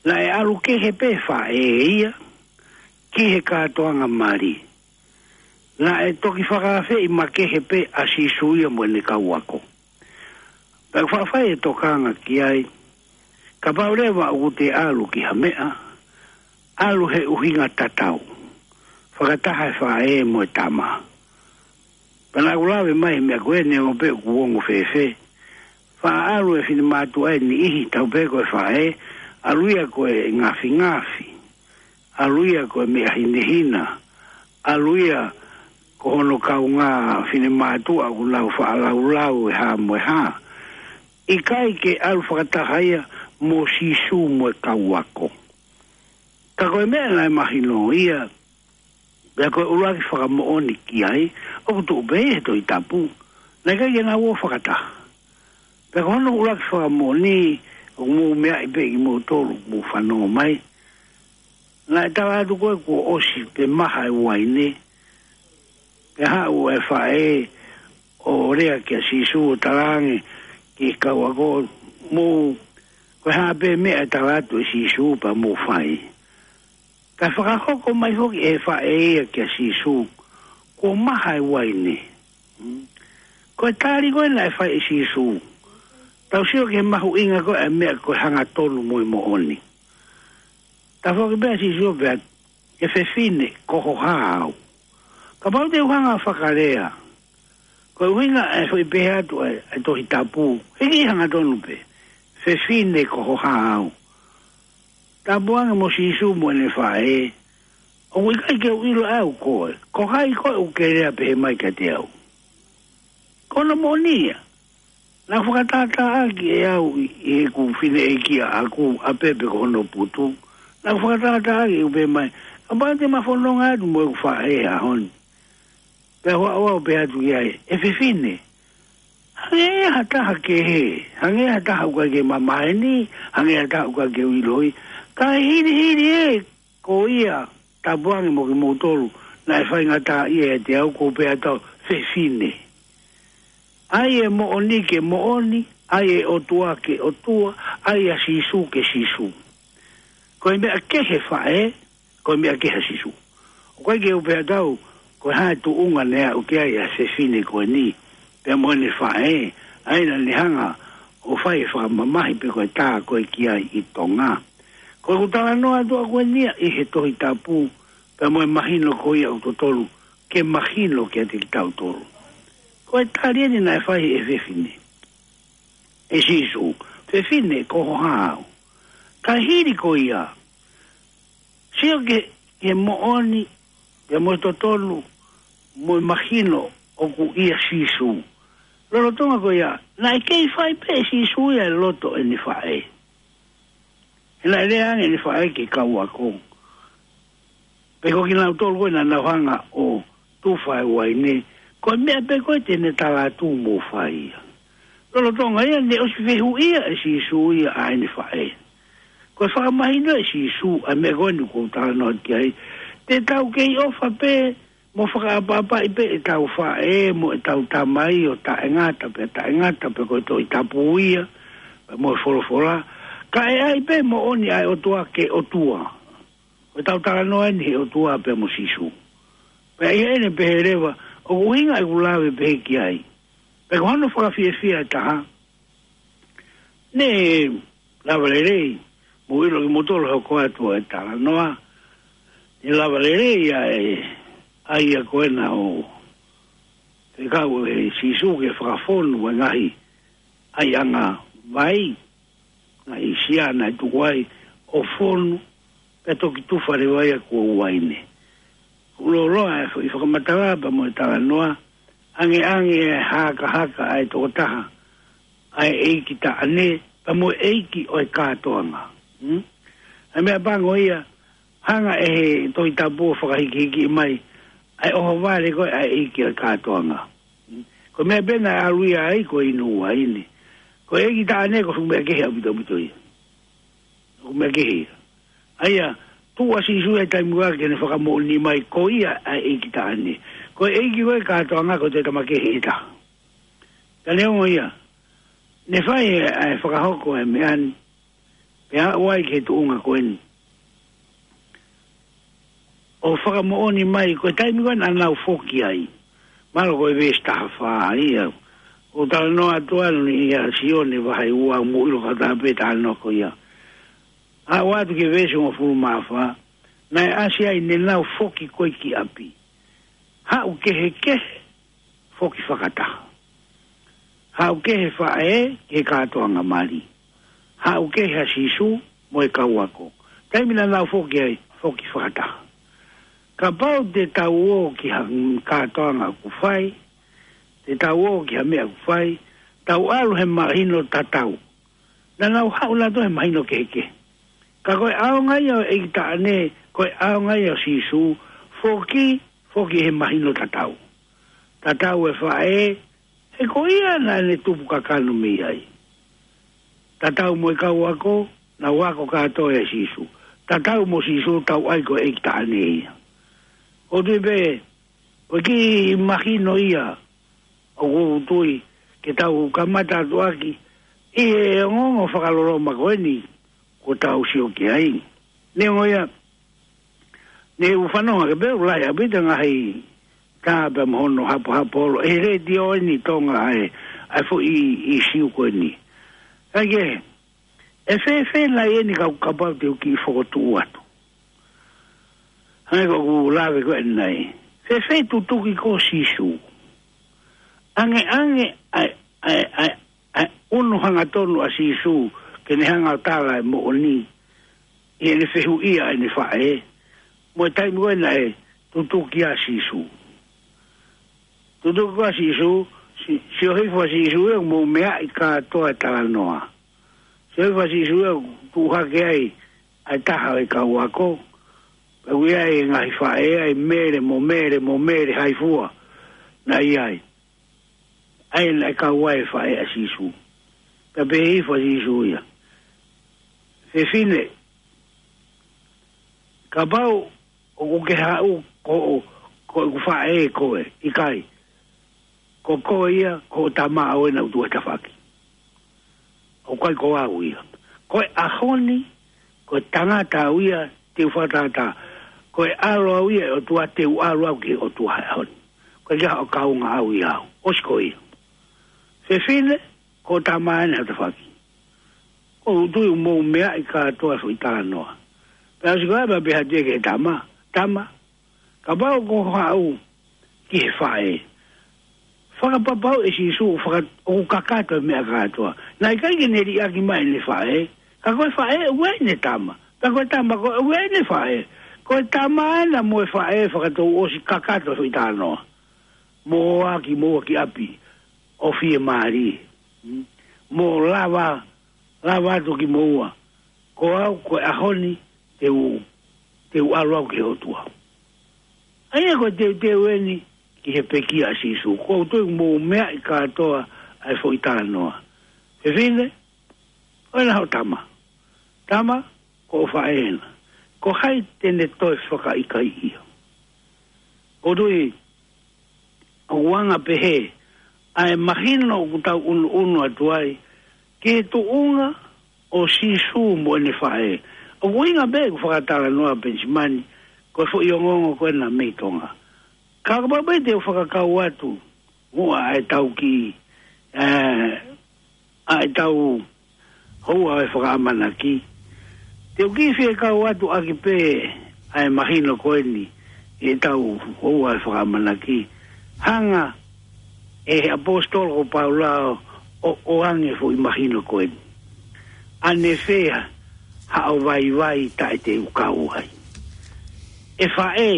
Naʻe ʻalu kehe pē faʻē ia ki he kātoanga mali. Naʻe toki fakaafeʻi makehe pē ʻa Sīsū ia mo ʻene kau ako. Pea ʻoku faʻa fai e tokanga ki ai, kapau leva ʻoku te ʻalu ki ha meʻa, ʻalu he ʻuhinga tatau, fakataha e faʻē mo e tama. Pea naʻa ku lave mai he meʻa ko eni, neongo pē ʻoku ongo fēfē. Faʻa ʻalu e finemātuʻa ʻe niʻihi, tau pehē ko e faʻē, ʻalu ia ko e ngafingafi, ʻalu ia ko e meʻa hinehina, ʻalu ia ko hono kaungā finemātuʻa ʻoku nau faʻa laulau e hā mo e hā. ʻIkai ke ʻalu fakataha ia mo Sīsū mo e kau ako. Ka ko e meʻa naʻe mahino ia, pea ko e ʻuluaki fakamoʻoni ki ai, ʻoku tuʻu pē ʻi he Tohi Tapu, naʻe ʻikai ke nau ō fakataha. Pea ko hono ʻuluaki fakamoʻoni, ʻoku mou meaʻi pē kimoutolu, mou fanongo mai. Naʻe tala atu ko ē kuo ʻosi pē maha e uaine, pea haʻu e faʻē ʻo lea kia Sīsū ʻo talaange ki he kau ako, mou, ko e hā pē meʻa ʻe tala atu ʻe Sīsū pea mou fai. Ka fakahoko mai foki ʻe he faʻē ia kia Sīsū, kuo maha e uaine. Mm. Ko e tali ko ē naʻe fai ʻe Sīsū, tau sio ki he mahuʻinga ko ē ʻa e meʻa ko e hangatonu mo e moʻoni. Tafoki pē ʻa Sīsū pea, ʻe fefine, ko ho hā au. Kapau te u hanga fakalea, ko e ʻuhinga e foʻi pehē atu ʻa e, ʻa e Tohi Tapu, he kiʻi hangatonu pē, fefine, ko ho hā au. Tāpuange mo Sīsū mo ʻene faʻē, ʻoku ʻikai ke u ʻilo ʻe au koe. Ko hai koe ʻoku ke lea pehē mai kiate au? Ko hono moʻoni ia. Naʻa ku fakatātāʻaki ʻe au ʻi, ʻi heʻeku fineʻeiki ʻaʻaku, ʻa Pepe ko hono putu. Naʻa ku fakatātāʻaki ʻeku pehē mai, kapau te ma fononga atu mo ʻeku faʻē he ʻaho ni, pea u haʻu au ʻo pehē atu ki ai, ʻe fefine, hangē ha taha kehe, hangē ha taha ʻoku ʻikai ke ma maheni, hangē ha taha ʻoku ʻikai ke u ʻiloʻi, kae hilihili ē, ko ia, tāpuange mo kimoutolu naʻe faingataʻaʻia ʻiate au, ʻoku ou pehē atu au, fefine. ʻAi e moʻoni ke moʻoni, ʻai e ʻOtua ke ʻOtua, ʻai ʻa Sīsū ke Sīsū. Ko e meʻa kehe faʻē, ko e meʻa kehe ʻa Sīsū. ʻOku ʻikai ke u pehē atu au, ko e hā e tuʻunga naʻe aʻu ki ai ʻa e fefine ko eni, pea mo ʻene faʻē, ʻa ia naʻa ne hanga ʻo fai e fakamamahi pe ko e tā ko ē ki ai ʻi Tonga. Ko ʻeku talanoa atu ʻaʻaku eni ia ʻi he Tohi Tapu, pea mo e mahino ko ia ʻoku totonu ke mahino kiate kitautolu. Ko e tali eni naʻe fai ʻe he fefine, ʻe Sīsū, fefine, ko ho hā au. Ka hili ko ia, sio ki he, ki he moʻoni, pea mo e totonu, mo e mahino ʻoku ʻia Sīsū. Lolotonga ko ia, naʻe kei fai pē ʻe Sīsū ia e loto ʻene faʻē. He naʻe lea ange ʻene faʻē ki he kau ako, pe ko kinautolu ko ē naʻa nau hanga ʻo tufa e uaine, ko e meʻa pē ko ē te ne tala atu mou fai ia. Lolotonga ia, naʻe ʻosi fehuʻia ʻe Sīsū ia ʻa ʻene faʻē. Ko e fakamahino ʻe Sīsū ʻa e meʻa ko eni ʻoku ou talanoa ki ai, te tau kei ʻofa pē mo fakaʻapaʻapaʻi pē ʻetau faʻē mo ʻetau tamai ʻo taʻengata pē, taʻengata pē ko e Tohi Tapu ia, pea mo e folofola. Ka ʻe ʻai pē moʻoni ʻa e ʻOtua ke ʻOtua. Ko ʻetau talanoa eni he ʻOtua pea mo Sīsū. Pea ʻi heʻene pehē leva, ʻoku ʻuhinga ʻeku lave pehē ki ai. Pea ko hono fakafiefia ʻe taha, ne lava lelei, mou ʻilo kimoutolu he ʻoku ʻoatu e talanoa, ne lava lelei ʻa e, ʻa ia ko ena ʻo fekau ʻe Sīsū ke fakafonu e ngaahi ʻaiʻanga vai, ngaahi sia naʻe tuku ai ʻo fonu, pea toki tufa leva ia kuo uaine. Kuo lōloa e foʻi fakamatala pea mo e talanoa, angeange e hakahaka ʻa e tokotaha, ʻa e ʻeiki taʻane, pea mo e ʻeiki ʻo e kātoanga. Hmm? ʻA e meʻapango ia, hanga ʻe he Tohi Tapu ʻo fakahikihiki mai, ʻa e ʻohovale ko ē ʻa e ʻeiki ʻo e kātoanga. Hmm? Ko e meʻa pē naʻe ʻalu ia ai ko e inu uaine. Ko e ʻeiki taʻane ko e fuʻu meʻa kehe ʻaupito ʻaupito ia. Ko e meʻa kehe ia. ʻA ia, tuʻu ʻa Sīsū he taimi ko ē ke ne fakamoʻoni mai ko ia ʻa e ʻeiki taʻane. Ko e ʻeiki ko ē kātoanga ko e toe tama kehe ʻe taha. Ka neongo ia, ne fai e, e fakahoko e meʻa ni, pea aʻu ai ki he tuʻunga ko eni. ʻO fakamoʻoni mai, ko e taimi ko ē naʻa nau foki ai. Mahalo ko e veesi taha fā ia. ʻOku talanoa atu ʻa eni ia Sione vahe ua, mou ʻilo kātoa pē talanoa ko ia. Aʻu atu ki he veesi hongofulu mā fā, naʻe ʻasi ai ne nau foki ko ē ki ʻapi. Haʻu kehekehe, foki fakataha. Haʻu kehe faʻē ki he kātoanga mali. Haʻu kehe ʻa Sīsū mo e kau ako. Taimi naʻa nau foki ai, foki fakataha. Kapau te tau ō ki ha kātoanga ʻoku fai, te tau ō ki ha meʻa ʻoku fai, tau ʻalu he mahino tatau. Naʻa nau haʻu nautolu he mahino kehekehe. Ka ko e ʻaonga ia ʻo e ʻeiki taʻane, ko e ʻaonga ia ʻo Sīsū, foki, foki he mahino tatau. Tatau e faʻē, he ko ia naʻa ne tupu kakano mei ai. Tatau mo e kau ako, nau ako kātoa ʻia Sīsū. Tatau mo Sīsū, tau ʻai ko e ʻeiki taʻane ia. ʻOku ou tui pē, ko e kiʻi mahino ia, ʻoku ou tui, ke tau kamata atu ʻaki, ʻi he ongoongo fakaloloma ko eni, kuo tau sio ki ai. Neongo ia, ne u fanongo hake pē ʻoku lahi ʻaupito e ngaahi tā pea mo hono hapohapo holo. ʻE he letiō eni Tonga ʻa e, ʻa e foʻi ʻīsiu ko eni. Kae kehe, ʻe fēfē nai eni ka, kapau te u kiʻi fokotuʻu atu. Hangē ko ʻeku lave ko eni nai. Fēfē tutuki ko ē ʻa Sīsū. Angeange ʻa e, ʻa e, ʻa e, ʻa e ʻunu hangatonu ʻa Sīsū, ke ne hanga ʻo tala e moʻoni, ʻi heʻene fehuʻia ʻene faʻē, mo e taimi ko ē naʻe tutuki ai ʻa Sīsū. Tutuki ko ē ʻa Sīsū, si-, sio hifo ʻa Sīsū ia mou meaʻi kātoa e talanoa. Sio hifo ʻa Sīsū ia tuʻu hake ai, ʻa e taha ʻo e kau ako, pea ui ai e ngaahi faʻē ai Mele mo Mele mo Mele hai fua, naʻe ʻi ai. ʻA ia naʻe kau ai e faʻē ʻa Sīsū. Pea pehē hifo ʻa Sīsū ia. Fefine, kapau ʻoku ke haʻu ko, ko ʻeku faʻē koe, ʻikai. Ko koe ia, ko hoʻo tama ʻoʻou ena ʻoku tuʻu he tafaʻaki. ʻOku ʻikai ko au ia. Ko e ʻaho ni, ko e tangata au ia, te u fakatātā. Ko e ʻAlo au ia ʻo e ʻOtua, te u ʻalu au ki he ʻOtua he ʻaho ni. Ko e ʻikai haʻo kaunga au ia au. ʻOsi ko ia. Fefine, ko hoʻo tama ena he tafaʻaki. ʻOku ou tui ʻoku mou meaʻi kātoa e foʻi talanoa. Pea ʻosi ko ia pea pehē atu ia ki he tama. Tama, kapau ʻoku ke haʻu ki he faʻē. Fakapapauʻi ʻe Sīsū, faka-, ʻoku kakato e meʻa kātoa. Naʻe ʻikai ke ne liʻaki mai ʻene faʻē. Ka ko e faʻē, ʻoku ʻi ai ʻene tama. Ka ko e tama, ko e, ʻoku ʻi ai ʻene faʻē. Ko e tama ena mo e faʻē fakatouʻosi kakato e foʻi talanoa. Mou ō ā kimoua ki ʻapi ʻo fiemālie. Mm. Mou lava, lava atu kimoua. Ko au, ko e ʻaho ni, te u, te u ʻalu au ki he ʻOtua. ʻA ia ko e teuteu eni ki he pekia ʻa Sīsū. ʻOku ou tui ʻoku mou meaʻi kātoa ʻa e foʻi talanoa. Fefine, ko ena hoʻo tama. Tama, ko hoʻo faʻē ena. Ko hai te ne toe fakaʻikaiʻi ia? ʻOku ou tui, ʻoku anga pehē ʻa e mahino ʻoku tau ʻunuʻunu atu ai ki he tuʻunga ʻo Sīsū mo ʻene faʻē. ʻOku ʻuhinga pē ʻeku fakatalanoa, Penisimani, ko e foʻi ongoongo ko ena mei Tonga. Ka kapau pē te u fakakau atu muʻa ʻa e tau kiʻi, ē, ʻa e tau houa ʻo e fakaʻamanaki. Te u kiʻi fie kau atu ʻaki pē ʻa e mahino ko eni ʻi he tau houa ʻo e fakaʻamanaki. Hanga ʻe he ʻaposetolo ko Paula ʻo, ʻo ʻoange foʻi mahino ko eni. ʻAnefē haʻo vaivai taʻe te u kau ai? ʻE faʻē,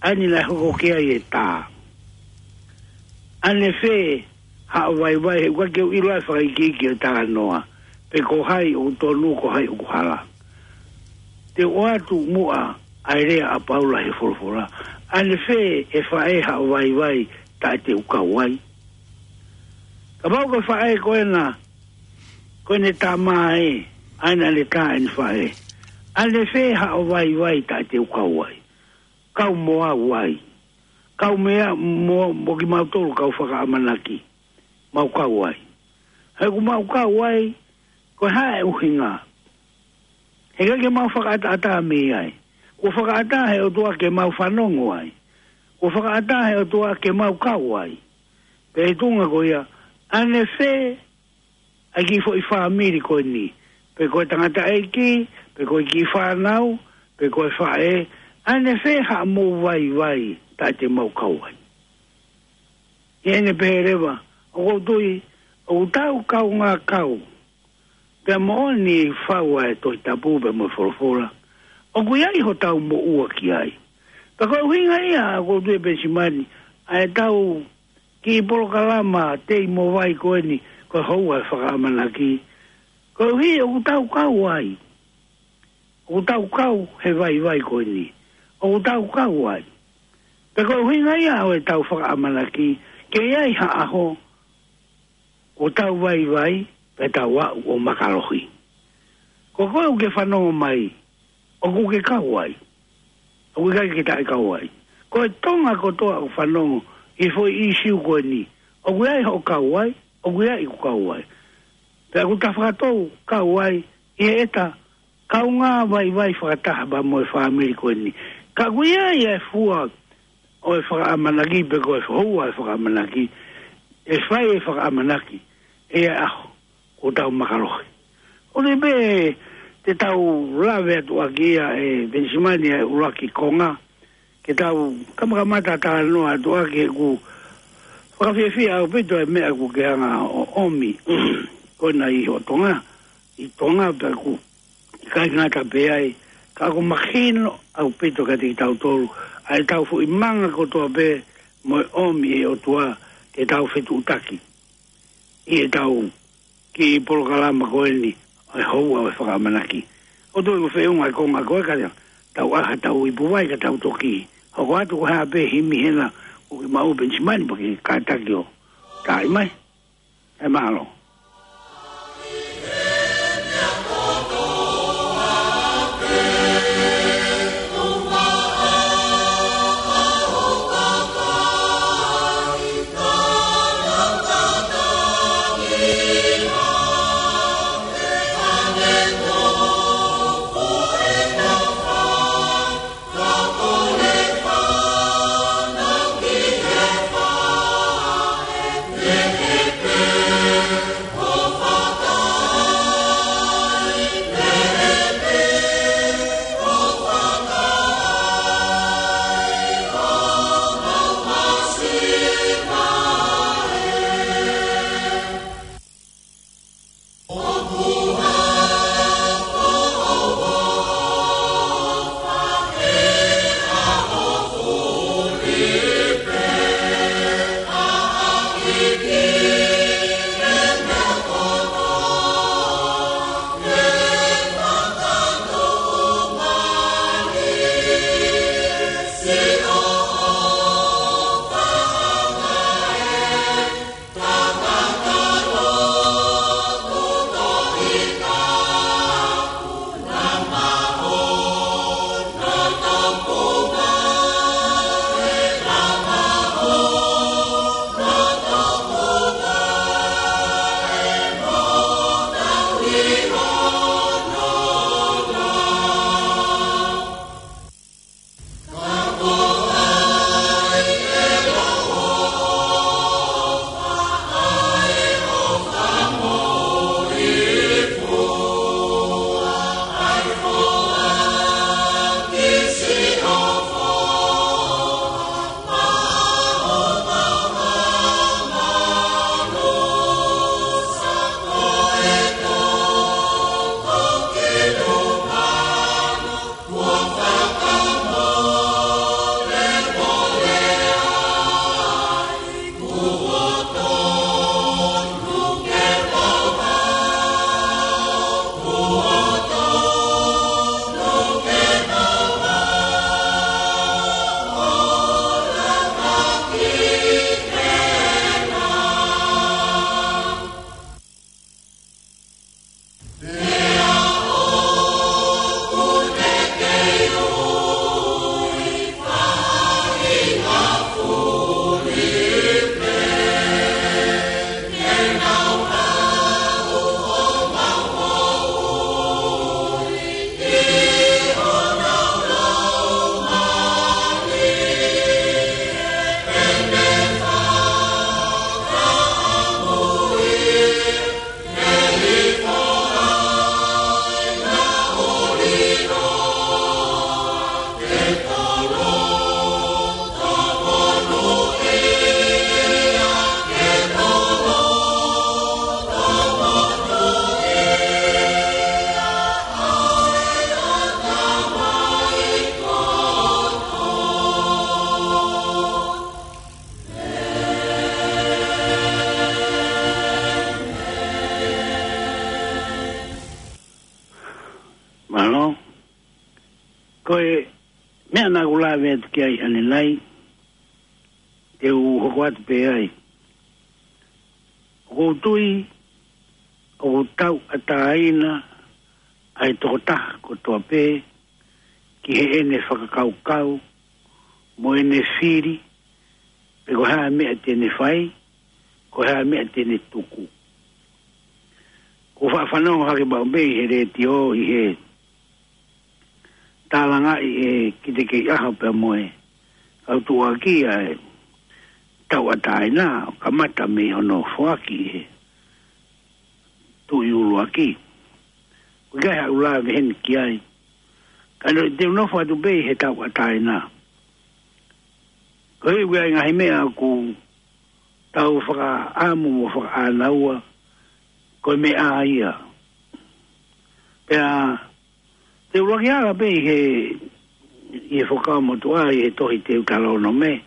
ʻa eni naʻe hoko ki ai e tā. ʻAnefē haʻo vaivai, he ʻoku ʻikai ke u ʻilo ʻa e fakaikiiki ʻo e talanoa, pe ko hai ʻoku tonu, ko hai ʻoku hala. Te u ʻoatu muʻa ʻa e lea ʻa Paula he folofola. ʻAnefē ʻe faʻē haʻo vaivai taʻe te u kau ai? Kapau ko e faʻē ko ena, ko ʻene tama ē, ʻa ena ʻene tā ʻene faʻē. ʻAnefē haʻo vaivai taʻe te u kau ai? Kau mo au ai. Kau meia mo, mo kimautolu kau fakaʻamanaki. Mau kau ai. He ʻoku mau kau ai, ko e hā e ʻuhinga? He ʻikai ke mau fakaʻataʻatā mei ai. Kuo fakaʻatā he ʻOtua ke mau fanongo ai. Kuo fakaʻatā he ʻOtua ke mau kau ai. Pea ʻi he tuʻunga ko ia, ʻanefē ʻa e kiʻi foʻi fāmili ko eni, pe ko e tangataʻeiki, pe ko e kiʻi fānau, pe ko e faʻē, ʻanefē haʻamou vaivai taʻe te mau kau ai? ʻI heʻene pehē leva, ʻoku ou tui, ʻoku tau kaungā kau, pea moʻoni fau ʻa e Tohi Tapu pea mo e folofola, ʻoku ʻi ai hotau moʻua ki ai. Pea ko e ʻuhinga ia, ʻoku ou tui, Penisimani, ʻa e tau kiʻi polokalama tei mo vai ko eni, ko e houa ʻo e fakaʻamanaki. Koeʻuhi ʻoku tau kau ai. ʻOku tau kau he vaivai ko eni. ʻOku tau kau ai. Pea ko e ʻuhinga ia ʻo e tau fakaʻamanaki, ke ʻi ai ha ʻaho ʻoku tau vaivai, pea tau aʻu ʻo makalohi. Ko koe ʻoku ke fanongo mai, ʻoku ke kau ai? ʻOku ʻikai ke taʻe kau ai? Ko e Tonga kotoa ʻoku fanongo ʻi he foʻi ʻīsiu ko eni, ʻoku ʻi ai hoʻo kau ai? ʻOku ʻi ai ʻeku kau ai? Pea ʻoku ta fakatou kau ai ʻi heʻeta kaungā vaivai fakataha pea mo e fāmili ko eni. Ka ʻoku ʻi ai e fua ʻo e fakaʻamanaki, pe ko e houa ʻo e fakaʻamanaki, ʻe fai e fakaʻamanaki ʻi he ʻaho ʻoku tau makalohi. ʻOku ou tui pē te tau lave atu ʻaki ia, ʻe Penisimani, ʻa e ʻuluaki konga, ke tau kamakamata talanoa atu ʻaki, he ʻoku fakafiefia ʻaupito e meʻa ʻoku ke hanga ʻo ʻomi ko ena ʻi hoʻo Tonga, ʻi Tonga, pea ʻoku ʻikai ngata pē ai, ka ʻoku mahino ʻaupito kiate kitautolu ʻa e tau foʻi manga kotoa pē mo e ʻomi ʻe he ʻOtua ke tau fetuʻutaki ʻi he tau kiʻi polokalama ko eni ʻo e houa ʻo e fakaʻamanaki. ʻOku ou tui ʻoku feʻunga e konga ko ē, ka tau ʻai ha tau ipu vai ka tau toki hoko atu, ko e hā pē himi hena ʻoku ke maʻu, Penisimani, pea ke kātaki ʻo taaʻi mai. ʻE mālō. E, meʻa naʻa ku lave atu ki ai ʻanenai, te u hoko atu pē ai. ʻOku ou tui, ʻoku tauʻatāina ʻa e tokotaha kotoa pē, ki heʻene fakakaukau, mo ʻene fili, pe ko e hā e meʻa te ne fai, ko e hā e meʻa te ne tuku. Ko e faʻa fanongo hake pau pē ʻi he letiō ʻi he tālangaʻi ʻe Kitekeiʻaho pea mo e kau tuʻuaki ʻa e tauʻatāina, ʻo kamata mei hono foaki ʻe he tuʻi ʻuluaki. ʻOku ʻikai haʻu lave heni ki ai. Ka naʻa te u nofo atu pē ʻi he tauʻatāina. Ko e ʻuhinga ʻi he ngaahi meʻa ʻoku tau fakaʻamu mo fakaʻānaua, ko e meʻa ia. Pea, te u ʻuluaki ala pē ʻi he, ʻi he Fuakava Motuʻa, ʻi he tohi Teutalōnome,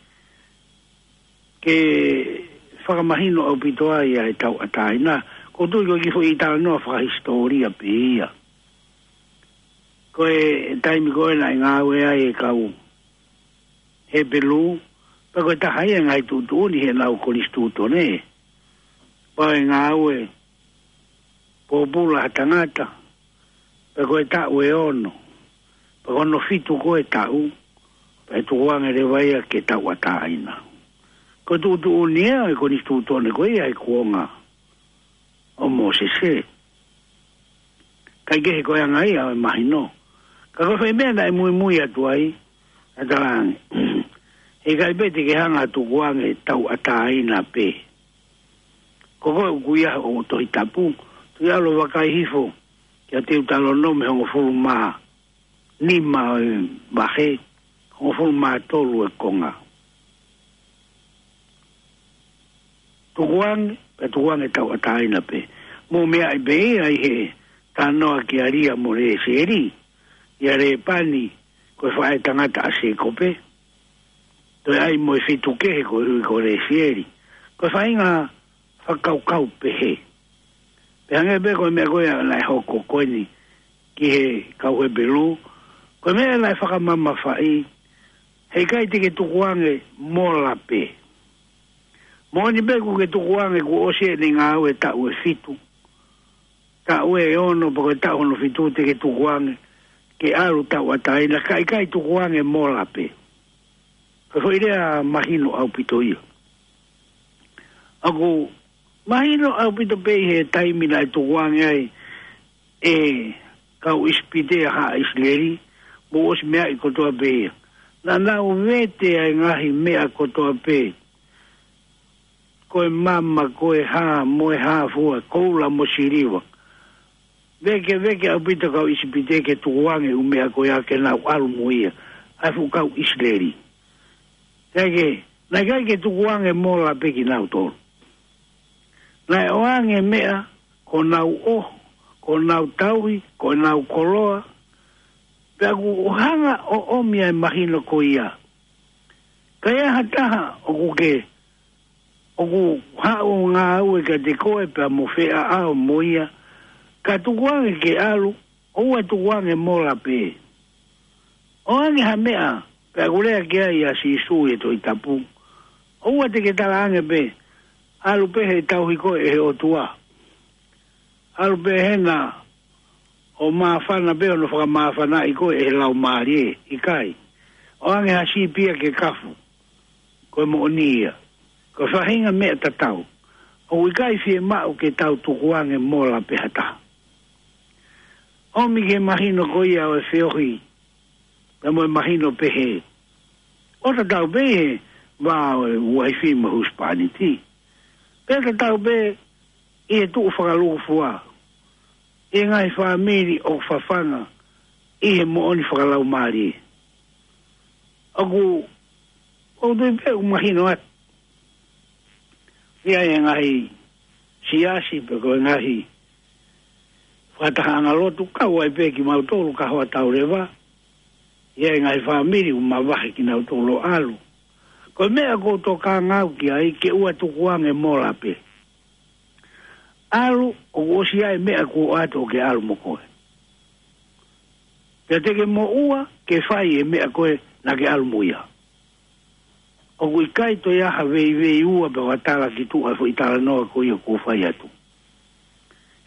ke fakamahino ʻaupito ai ʻa e tauʻatāina. ʻOku ou tui ko e kiʻi foʻi talanoa fakahisitōlia pē ia. Ko e taimi ko ē naʻe ngāue ai e kau Hepelū, pea ko e taha ia e ngaahi tuʻutuʻuni heʻenau konisitūtone. Pea ʻe ngāue pōpula ha tangata, pea ko e taʻu ʻe ono, pea ko hono fitu ko ē taʻu, pea ʻe tukuange leva ia ke tauʻatāina. Ko e tuʻutuʻuni ia e konisitūtone ko ia he kuonga ʻo Mōsese. Kae kehe ko e anga ia ʻo e mahino. Ka ko e foʻi meʻa naʻe muimui atu ai, ʻa e talaange, heʻikai pē te ke hanga ʻo tukuange tauʻatāina pē. Ko koe ʻoku ʻi ai hoʻo Tohi Tapu, tuʻu ʻo vakai hifo kia Teutalōnome hongofulu mā nima ʻo e vahe, hongofulu mā tolu ʻo e konga. Tukuange, pea tukuange tauʻatāina pē. Mou meaʻi pē ia ʻi he talanoa kia Lia mo Lesieli, ʻia Lēpani, ko e faʻē tangata ʻa Sēkope. Toe ʻai mo e fitu kehe ko e ui ko Lesieli. Ko e faʻahinga fakakaukau pehē. Pea hangē pē ko e meʻa ko ia naʻe hoko ko eni ki he kau Hepelū. Ko e meʻa naʻe fakamamafaʻi, heʻikai te ke tukuange mola pē. Moʻoni pē kuo ke tukuange kuo ʻosi ʻene ngāue taʻu ʻe fitu. Taʻu ʻe ono pea ko e taʻu hono fitu te ke tukuange ke ʻalu tauʻatāina, ka ʻikai tukuange mola pē. Ko e foʻi lea mahino ʻaupito ia. ʻOku mahino ʻaupito pē ʻi he taimi naʻe tukuange ai e kau ʻIsipite ʻa haʻa ʻIsileli, mou ʻosi meaʻi kotoa pē ia. Naʻa nau vete ʻa e ngaahi meʻa kotoa pē. Ko e mama, ko e hā, mo e hā fua, koula mo siliva. Vekeveke ʻaupito kau ʻIsipite ke tukuange ʻū meʻa ko ia ke nau ʻalu mo ia, ʻa e fuʻu kau ʻIsileli. Kae kehe, naʻe ʻikai ke tukuange mola pē kinautolu. Naʻe ʻoange meʻa, ko ʻenau ʻoho, ko ʻenau tauhi, ko ʻenau koloa. Pea ʻoku hanga ʻo ʻomi ʻa e mahino ko ia. Ka ʻi ai ha taha ʻoku ke, ʻoku haʻu ʻo ngāue kiate koe pea mo feʻaʻao mo ia, ka tukuange ke ʻalu, ʻoua tukuange mola pē. ʻOange ha meʻa, pea ʻoku lea ki ai ʻa Sīsū ʻi he Tohi Tapu. ʻOua te ke talaange pē, ʻalu pē he tauhi koe ʻe he ʻOtua. ʻAlu pē hena ʻo māfana pē hono fakamāfanaʻi koe ʻe he laumālie, ʻikai. ʻOange ha sipi ia ke kafu. Ko e moʻoni ia. Ko e faʻahinga meʻa tatau. ʻOku ʻikai fiemaʻu ke tau tukuange mola pē ha taha. ʻOmi ke mahino ko ia ʻo e feohi. Pea mo e mahino pehē. ʻO tatau pē he vā ʻo e uaifi mo e husepāniti. Pea tatau pē ʻi he tuʻu fakalūkufua. ʻI he ngaahi fāmili ʻoku fafanga ʻi he moʻoni fakalaumālie. ʻOku, ʻoku ou tui pē ʻoku mahino atu. ʻI ai e ngaahi siasi pe ko e ngaahi fakatahaʻanga lotu kau ai pē kimautolu ka hoa tau leva. ʻI ai e ngaahi fāmili ʻoku mavahe kinautolu ʻo ʻalu. Ko e meʻa ʻoku ou tokanga au ki ai ke ʻoua tukuange mola pē. ʻAlu, ʻoku ʻosi ʻi ai e meʻa kuo ʻoatu ʻo ke ʻalu mo koe. Pea te ke moʻua, ke fai e meʻa ko ē naʻa ke ʻalu mo ia. ʻOku ʻikai toe ʻi ai ha veiveiua pe ʻo ha tala ki tuʻa ʻo e foʻi talanoa ko ia ʻoku ou fai atu.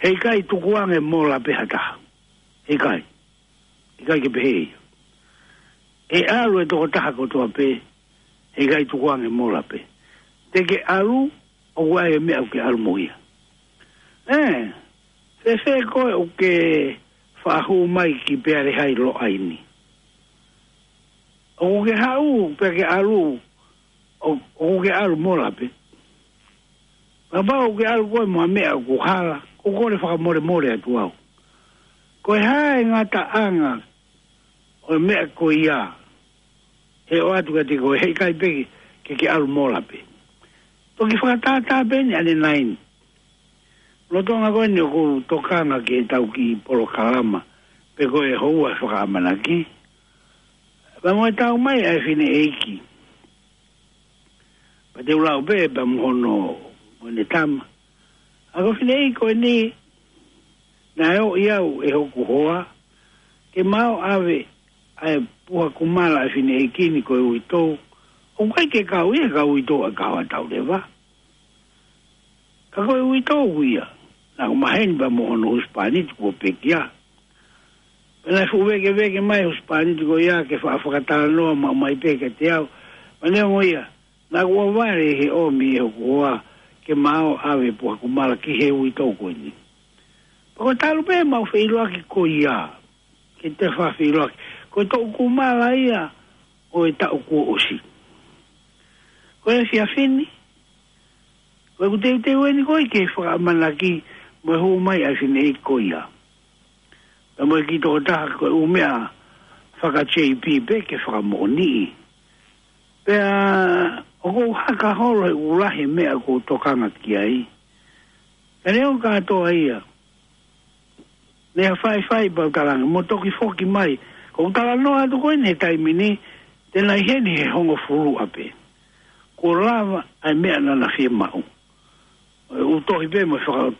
Heʻikai tukuange mola pē ha taha. Heʻikai. ʻIkai ke pehē ia. ʻE ʻalu e tokotaha kotoa pē, heʻikai tukuange mola pē. Te ke ʻalu, ʻoku ʻi ai e meʻa ʻoku ke ʻalu mo ia. ʻE, fēfē koe ʻoku ke faʻa hū mai ki Pealehai Loʻaini? ʻOku ke haʻu pea ke ʻalu, ʻo, ʻoku ke ʻalu mola pē? Kapau ʻoku ke ʻalu koe mo ha meʻa ʻoku hala, ʻoku ou kole fakamolemole atu au. Ko e hā e ngataʻanga ʻo e meʻa ko ia, he ʻoatu kiate koe, heʻikai pē ke, ke ke ʻalu mola pē? Toki fakatātā pē eni ʻanenai ni. Lolotonga ko eni ʻoku ou tokanga ki heʻetau kiʻi polokalama, pe ko e houa fakaʻamanaki. Pea mo e tau mai ʻa e fineʻeiki. Pea te u lau pē pea mo hono, mo ʻene tama. ʻA ko e fineʻeiki ko eni, naʻe ʻoʻi au ʻe hoku hoa ke ma ō ʻave ʻa e puha kumala ʻa e fineʻeiki ni ko e uitou. ʻOku ʻikai ke kau ia, kau uitou ʻa e kahoa tau leva. Ka ko e uitou ia, naʻa ku maheni pea mo hono husepāniti kuo pekia. Pea naʻe fuʻu vēkeveke mai e husepāniti ko ia ke faʻa fakatalanoa maʻu mai pē kiate au. Pea neongo ia, naʻa ku ʻohovale he ʻomi ʻe hoku hoa ke ma ō ʻave puha kumala ki he uitou ko eni. Pea ko e talu pē ʻemau feʻiloaki ko ia, ke te faʻa feʻiloaki. Ko e toʻu kumala ia ʻo e taʻu kuo ʻosi. Ko e efiafi ni, ko ʻeku teuteu eni ko ē ke fakaʻamanaki mo e hū mai ʻa e fineʻeiki ko ia. Pea mo e kiʻi tokotaha ko e ʻū meʻa faka-J P pē ke fakamoʻoniʻi. Pea ʻoku ou haka holo he ʻoku lahi e meʻa ʻoku ou tokanga ki ai. Ka neongo kātoa ia, ne ha faifai pea u talaange mo toki foki mai. Ko ʻeku talanoa atu ko eni he taimi ni, te na ʻi heni he hongofulu ʻapē. Kuo lava ʻa e meʻa naʻa na fiemaʻu. ʻOku tohi pē mo faka-,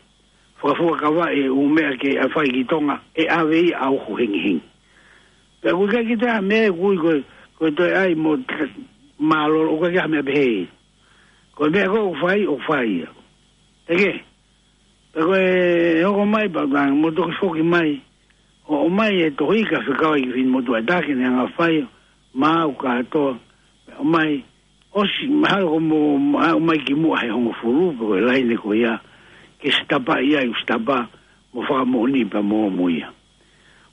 fakafuakava e ʻū meʻa ke ʻai fai ki Tonga, ʻe ʻave ia ʻa uhu hengihengi. Pea ʻoku ʻikai ke toe ʻi ai ha meʻa ʻoku ui ko e, ko e toe ʻai mo t-, mālōlō, ʻoku ʻikai ke ʻi ai ha meʻa pehē. Ko e meʻa ko ē ʻoku fai, ʻoku fai ia. Teke, pea ko e hoko mai pea u talaange mo toki foki mai. ʻO, ʻomai e tohi ka fekau ai ki he finemotuʻa ʻe taha ke ne hanga fai, maʻu kātoa, ʻomai, ʻosi, mahalo ko mo, mo, ʻomai ki muʻa he hongofulu, pe ko e laine ko ia, ke sitapaʻi ai, ʻo sitapa, mo fakamoʻoni pea mo, mo ia.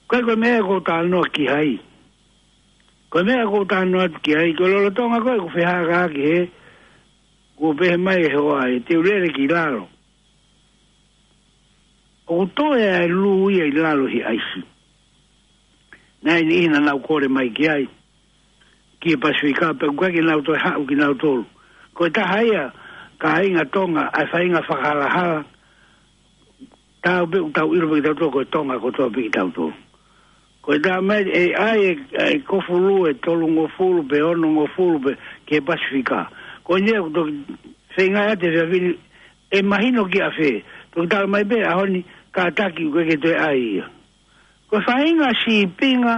Ka ko e meʻa ʻoku ou talanoa ki ai. Ko e meʻa ʻoku ou talanoa atu ki ai, ko e lolotonga ko ē ʻeku fehālaaki he, kuo pehē mai e hoa ē, te u lele ki lalo. ʻOku toe ʻa e lū ia ʻi lalo he ʻaisi. Naʻe ʻi ai e niʻihi naʻa nau kole mai ki ai, ki he Pasifika, pea ʻoku ʻikai ke nau toe haʻu kinautolu. Ko e taha ia, kāinga Tonga, ʻa e faʻahinga fakahalahala, tau pē ʻoku tau ʻilo pē kitautolu, ko e Tonga kotoa pē kitautolu. Ko e taha mai, ʻe ʻai e, e kofu lū, ʻe tolungofulu, pe onongofulu, pe ki he Pasifika. Ko eni ia ʻoku toki feinga ʻa e te fia fili, ʻe mahino kia fē. Toki tala mai pē, ʻaho ni, kātaki ʻoku ʻikai ke toe ʻai ia. Ko e faʻahinga sīpinga,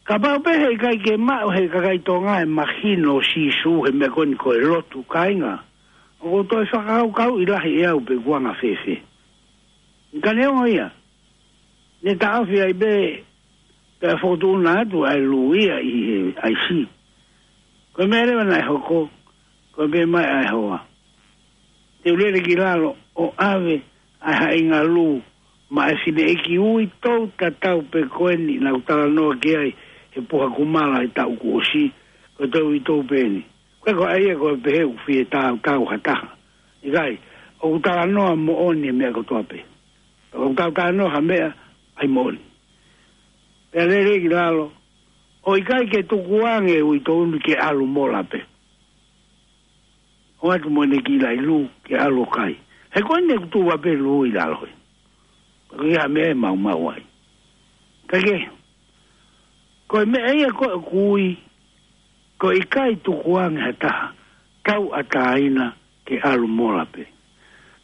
kapau pē heʻikai ke maʻu he kakai Tonga e mahino ʻo Sīsū he meʻa ko eni ko e lotu kāinga. ʻOku ou toe fakakaukauʻi lahi ʻe au pe ʻoku anga fēfē. Ka neongo ia, ne taʻofi ai pē, pea fokotuʻuna atu ʻa e lū ia ʻi he ʻaisi. Ko e meʻa leva naʻe hoko, ko e pehē mai ʻa e hoa, te u lele ki lalo ʻo ʻave ʻa e haʻinga lū maʻa e fineʻeiki uitou tatau pē ko eni naʻa ku talanoa ki ai he puha kumala he taʻu kuo ʻosi, ko e toe uitou pē eni. Ko e ko ʻai ia ko e pehē ʻoku fie tautau ha taha. ʻIkai, ʻoku talanoa moʻoni e meʻa kotoa pē. ʻOku tau talanoa ha meʻa, ʻai moʻoni. Pea lele ki lalo, ʻo ʻikai ke tukuange uitou ni ke ʻalu mola pē. ʻOatu mo ʻene kiʻi laʻi lū ke ʻalu ʻo kai. He ko eni ʻoku tuʻu pē lū ʻi lalo ē. Ko ia meʻa ʻe maumau ai. Ka ke, ko e meʻa ia ko ē ʻoku ui, ko e ʻikai tukuange ha taha tauʻatāina ke ʻalu mola pē.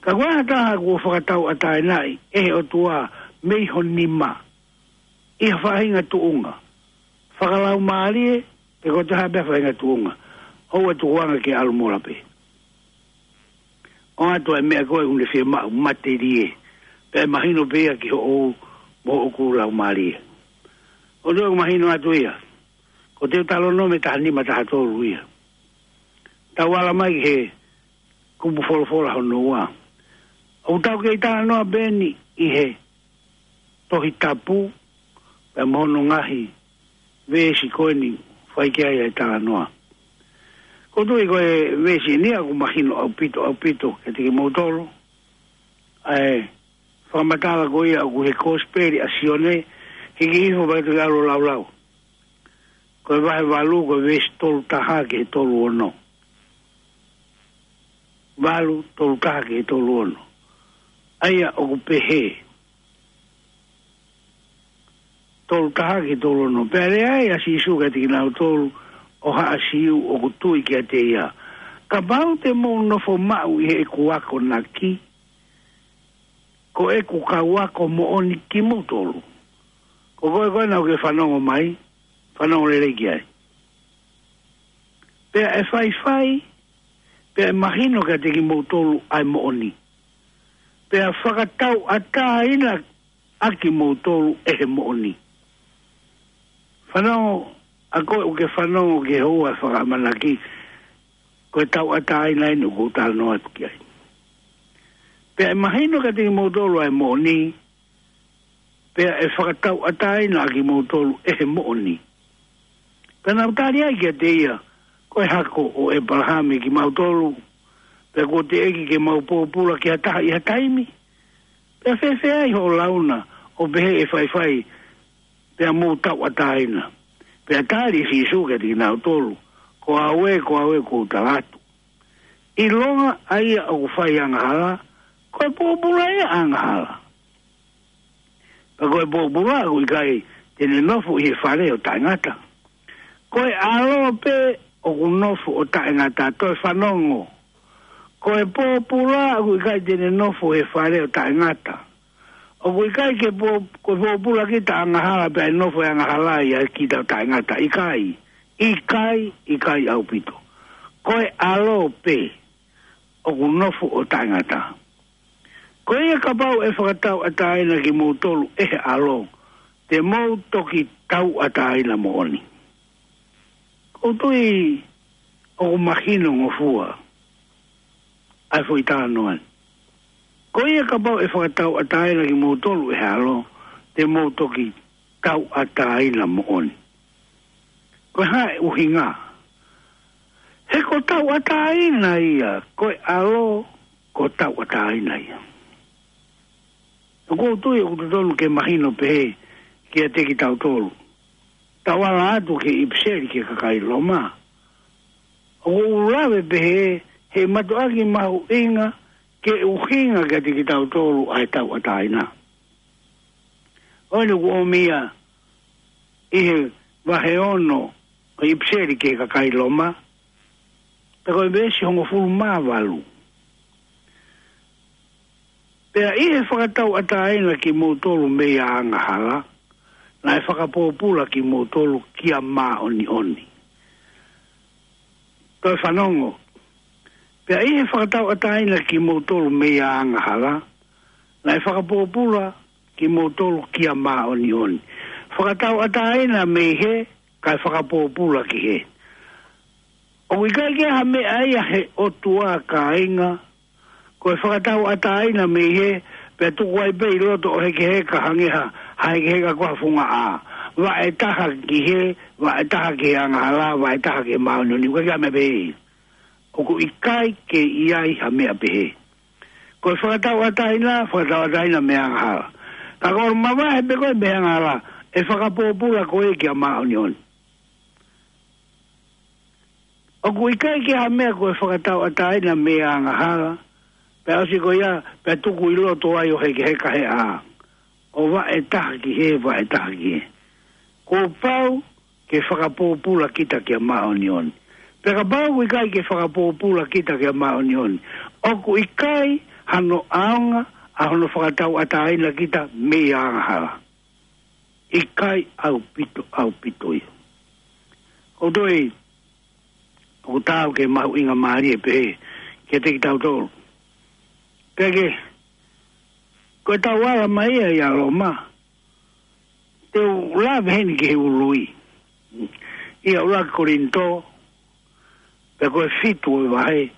Ka ko e hā ha taha kuo fakatauʻatāinaʻi ʻe he ʻOtua mei ho nima, ʻi ha faʻahinga tuʻunga, fakalaumālie, pe ko e hā pē ha faʻahinga tuʻunga. ʻOua ʻe tukuange ke ʻalu mola pē. ʻOatu e meʻa ko ē ʻoku ne fiemaʻu, matelie. Pea mahino pē ia ki hoʻo, mo hoʻo laumālie. ʻOku ou mahino atu ia. Ko e talanoa mei he taha nima taha tolu ia. Tau ala mai ki he kupu folofola hono ua. ʻOku tau kei talanoa pē eni ʻi he Tohi Tapu, pea mo hono ngaahi veesi ko eni fai ki ai e talanoa. ʻOku ou tui ko e veesi eni ia ʻoku mahino ʻaupito, ʻaupito, kiate kimoutolu. ʻA e fakamatala ko ia ʻoku ʻi he Kosipeli ʻa Sione, hiki hifo pea tau ʻalu ʻo laulau. Ko e vahe valu, ko e veesi tolu taha ki he tolu ono. Valu, tolu taha ki he tolu ono. ʻA ia ʻoku pehē. Tolu taha ki he tolu ono. Pea lea ai ʻa Sīsū kiate kinautolu ʻo haʻa Siu ʻoku tui kiate ia. Kapau te mou nofo maʻu ʻi heʻeku akonaki, ko ʻeku kau ako moʻoni kimoutolu. Ko koe ko ena ʻoku ke fanongo mai, fanongo lelei ki ai. Pea ʻe faifai, pea ʻe mahino kiate kimoutolu ʻa e moʻoni. Pea fakatauʻatāina ʻa kimoutolu ʻe he moʻoni. Fanongo, ʻa koe ʻoku ke fanongo ki he houa fakaʻamanaki, ko e tauʻatāina eni ʻoku ou talanoa atu ki ai. Pea ʻe mahino kiate kimoutolu ʻa e moʻoni, pea ʻe fakatauʻatāina ʻa kimoutolu ʻe he moʻoni. Pea nau tali ai kiate ia, ko e hako ʻo ʻĒpalahame kimautolu, pea kuo teʻeki ke mau pōpula ki ha taha ʻi ha taimi. Pea fēfē ai hoʻo lau na, ʻo pehē ʻe faifai, pea mou tauʻatāina. Pea tali ʻe Sīsū kiate kinautolu, ko au ē, ko au ē ʻoku ou tala atu. ʻIlonga ʻa ia ʻoku fai angahala, ko e pōpula ia angahala. Pea ko e pōpula ʻoku ʻikai te ne nofo ʻi he fale ʻo taʻengata. Ko e ʻAlo pē ʻoku nofo ʻo taʻengata, toe fanongo. Ko e pōpula ʻoku ʻikai te ne nofo he fale ʻo taʻengata. ʻOku ʻikai ke pō-, ko e pōpula kita angahala pea ʻe nofo e angahala ia kita ʻo taʻengata. ʻIkai, ʻikai, ʻikai ʻaupito. Ko e ʻAlo pē ʻoku nofo ʻo taʻengata. Ko ia kapau ʻe fakatauʻatāina kimoutolu ʻe he ʻAlo, te mou toki tauʻatāina moʻoni. ʻOku ou tui ʻoku mahino ngofua ʻa e foʻi talanoa ni. Ko ia kapau ʻe fakatauʻatāina kimoutolu ʻe he ʻAlo, te mou toki tauʻatāina moʻoni. Ko e hā e ʻuhinga? He ko e tauʻatāina ia, ko e ʻAlo, ko e tauʻatāina ia. ʻOku ou tui ʻoku totonu ke mahino pehē kiate kitautolu. Tau ala atu ki he ʻipiseli ki he kakai Loma. ʻOku ou lave pehē, he mātuʻaki mahuʻinga ke ʻuhinga kiate kitautolu ʻa e tauʻatāina. ʻOku ne kuo ʻomai ʻi he vahe ono ʻo e ʻipiseli ki he kakai Loma. Pea ko e veesi hongofulu mā valu. Pea ʻi he fakatauʻatāina kimoutolu mei he angahala, naʻe fakapōpula kimoutolu kia māʻoniʻoni. Toe fanongo. Pea ʻi he fakatauʻatāina kimoutolu mei he angahala, naʻe fakapōpula kimoutolu kia māʻoniʻoni. Fakatauʻatāina mei he, kae fakapōpula ki he. ʻOku ʻikai ke ha meʻa ia he ʻOtua kāinga, ko e fakatauʻatāina mei he, pea tuku ai pē ʻi loto ʻo hekeheka hangē ha, ha hekeheka ko ha funga ʻā. Vaʻe taha ki he, vaʻe taha ki he angahala, vaʻe taha ki he māʻoniʻoni, ʻoku ʻikai ke ha meʻa pehē. ʻOku ʻikai ke ʻi ai ha meʻa pehē. Ko e fakatauʻatāina, fakatauʻatāina mei he angahala. Ka ko e mavahe pē ko e mei he angahala, ʻe fakapōpula koe kia māʻoniʻoni. ʻOku ʻikai ke ha meʻa ko e fakatauʻatāina mei he angahala, pea ʻosi ko ia, pea tuku ʻi loto ai ʻo hekeheka he ʻā. ʻO vaʻe taha ki he, vaʻe taha ki he. Kuo pau ke fakapōpula kita kia māʻoniʻoni. Pea kapau ʻoku ʻikai ke fakapōpula kita kia māʻoniʻoni, ʻoku ʻikai hano ʻaonga ʻa hono fakatauʻatāina kita mei he angahala. ʻIkai ʻaupito, ʻaupito ia. ʻOku toe, ʻoku taau ke mahuʻinga mālie pehē kiate kitautolu. Pea ke, ko e tau ala mai ia ʻia Loma, te u lave heni ki he ului. ʻIa ʻUluaki Kolinitō, pea ko e fitu ʻo e vahe,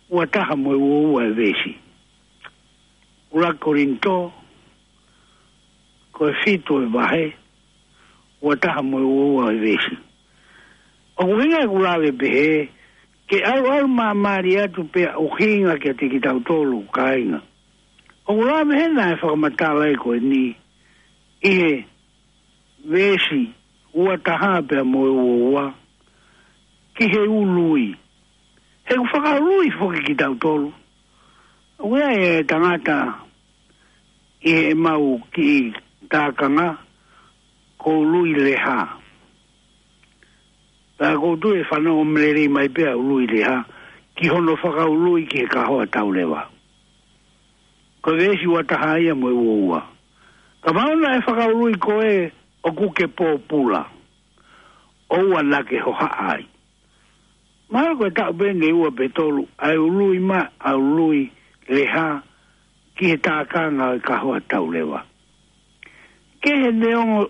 ua taha mo e ua ua e veesi. ʻUluaki Kolinitō, ko e fitu ʻo e vahe, ua taha mo e ua ua e veesi. ʻOku ʻuhinga ʻeku lave pehē, ke ʻalu ʻalu māmālie atu pea ʻuhinga kiate kitautolu kāinga. ʻOku lave hena e fakamatala ʻe ko eni, ʻi he veesi ua taha pea mo e ua ua, ki he ului. He ʻoku fakaului foki kitautolu. ʻOku ʻi ai e tangata ʻi heʻemau kiʻi tākanga, ko Ului Leha. Pea ʻoku ou tui ʻe fanongo lelei mai pē ʻa Ului Leha, ki hono fakaului ki he kahoa tauleva. Ko e veesi ua taha ia mo e ua ua. Kapau naʻe fakaului koe ʻoku ke pōpula, ʻoua naʻa ke hohaʻa ai. Mahalo ko e taʻu pē eni ʻe ua pe tolu, ʻa e ului mai ʻa Ului Leha ki he tākanga ʻo e kahoa tauleva. Kehe neongo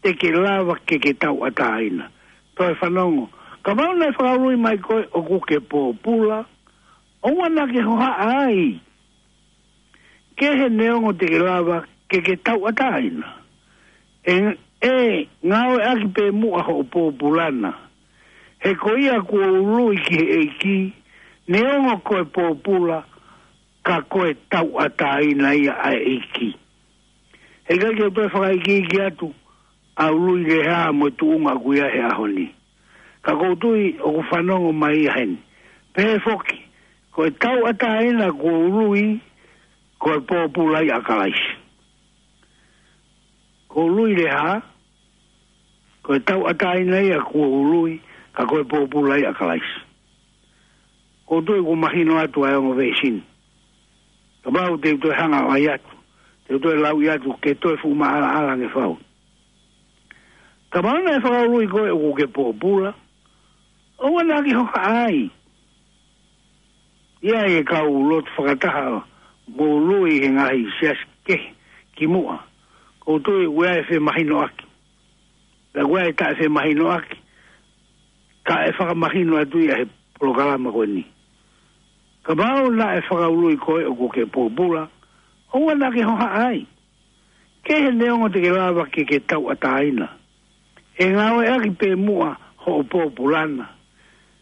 te ke lava ke ke tauʻatāina. Toe fanongo. Kapau naʻe fakaului mai koe ʻoku ke pōpula, ʻoua naʻa ke hohaʻa ai. Kehe neongo te ke lava ke ke tauʻatāina. ʻE, ʻe ngāueʻaki pē muʻa hoʻo pōpula na. He ko ia kuo ului ki he ʻEiki, neongo ko e pōpula, ka ko e tauʻatāina ia ʻa e ʻEiki. He ʻikai ke u toe fakaikiiki atu ʻa Ului Leha mo e tuʻunga ʻoku ʻi ai he ʻaho ni. Ka ʻoku ou tui ʻoku fanongo mai ia heni. Pehē foki, ko e tauʻatāina kuo ului, ko e pōpula ia ʻa Kalaisi. Ko Ului Leha, ko e tauʻatāina ia kuo ului, ka ko e pōpula ia ʻa Kalaisi. ʻOku ou tui kuo mahino atu ʻa e ongo veesi ni. Kapau te u toe hanga ʻo ʻai atu, te u toe lauʻi atu, ke toe fuʻu maʻalaʻala ange fau. Kapau naʻe fakaului koe ʻoku ke pōpula, ʻoua naʻa ke hohaʻa ai. ʻI ai e kau lotu fakataha mo Ului he ngaahi siasi kehe kimuʻa. ʻOku ou tui ʻoku ʻi ai e femahinoʻaki. Pea ʻoku ʻi ai e taʻefemahinoʻaki. Ka ʻe fakamahino atu ia he polokalama ko eni. Kapau naʻe fakaului koe ʻoku ke pōpula, ʻoua naʻa ke hohaʻa ai. Kehe neongo te ke lava ke ke tauʻatāina. ʻE ngāueʻaki pē muʻa hoʻo pōpula na.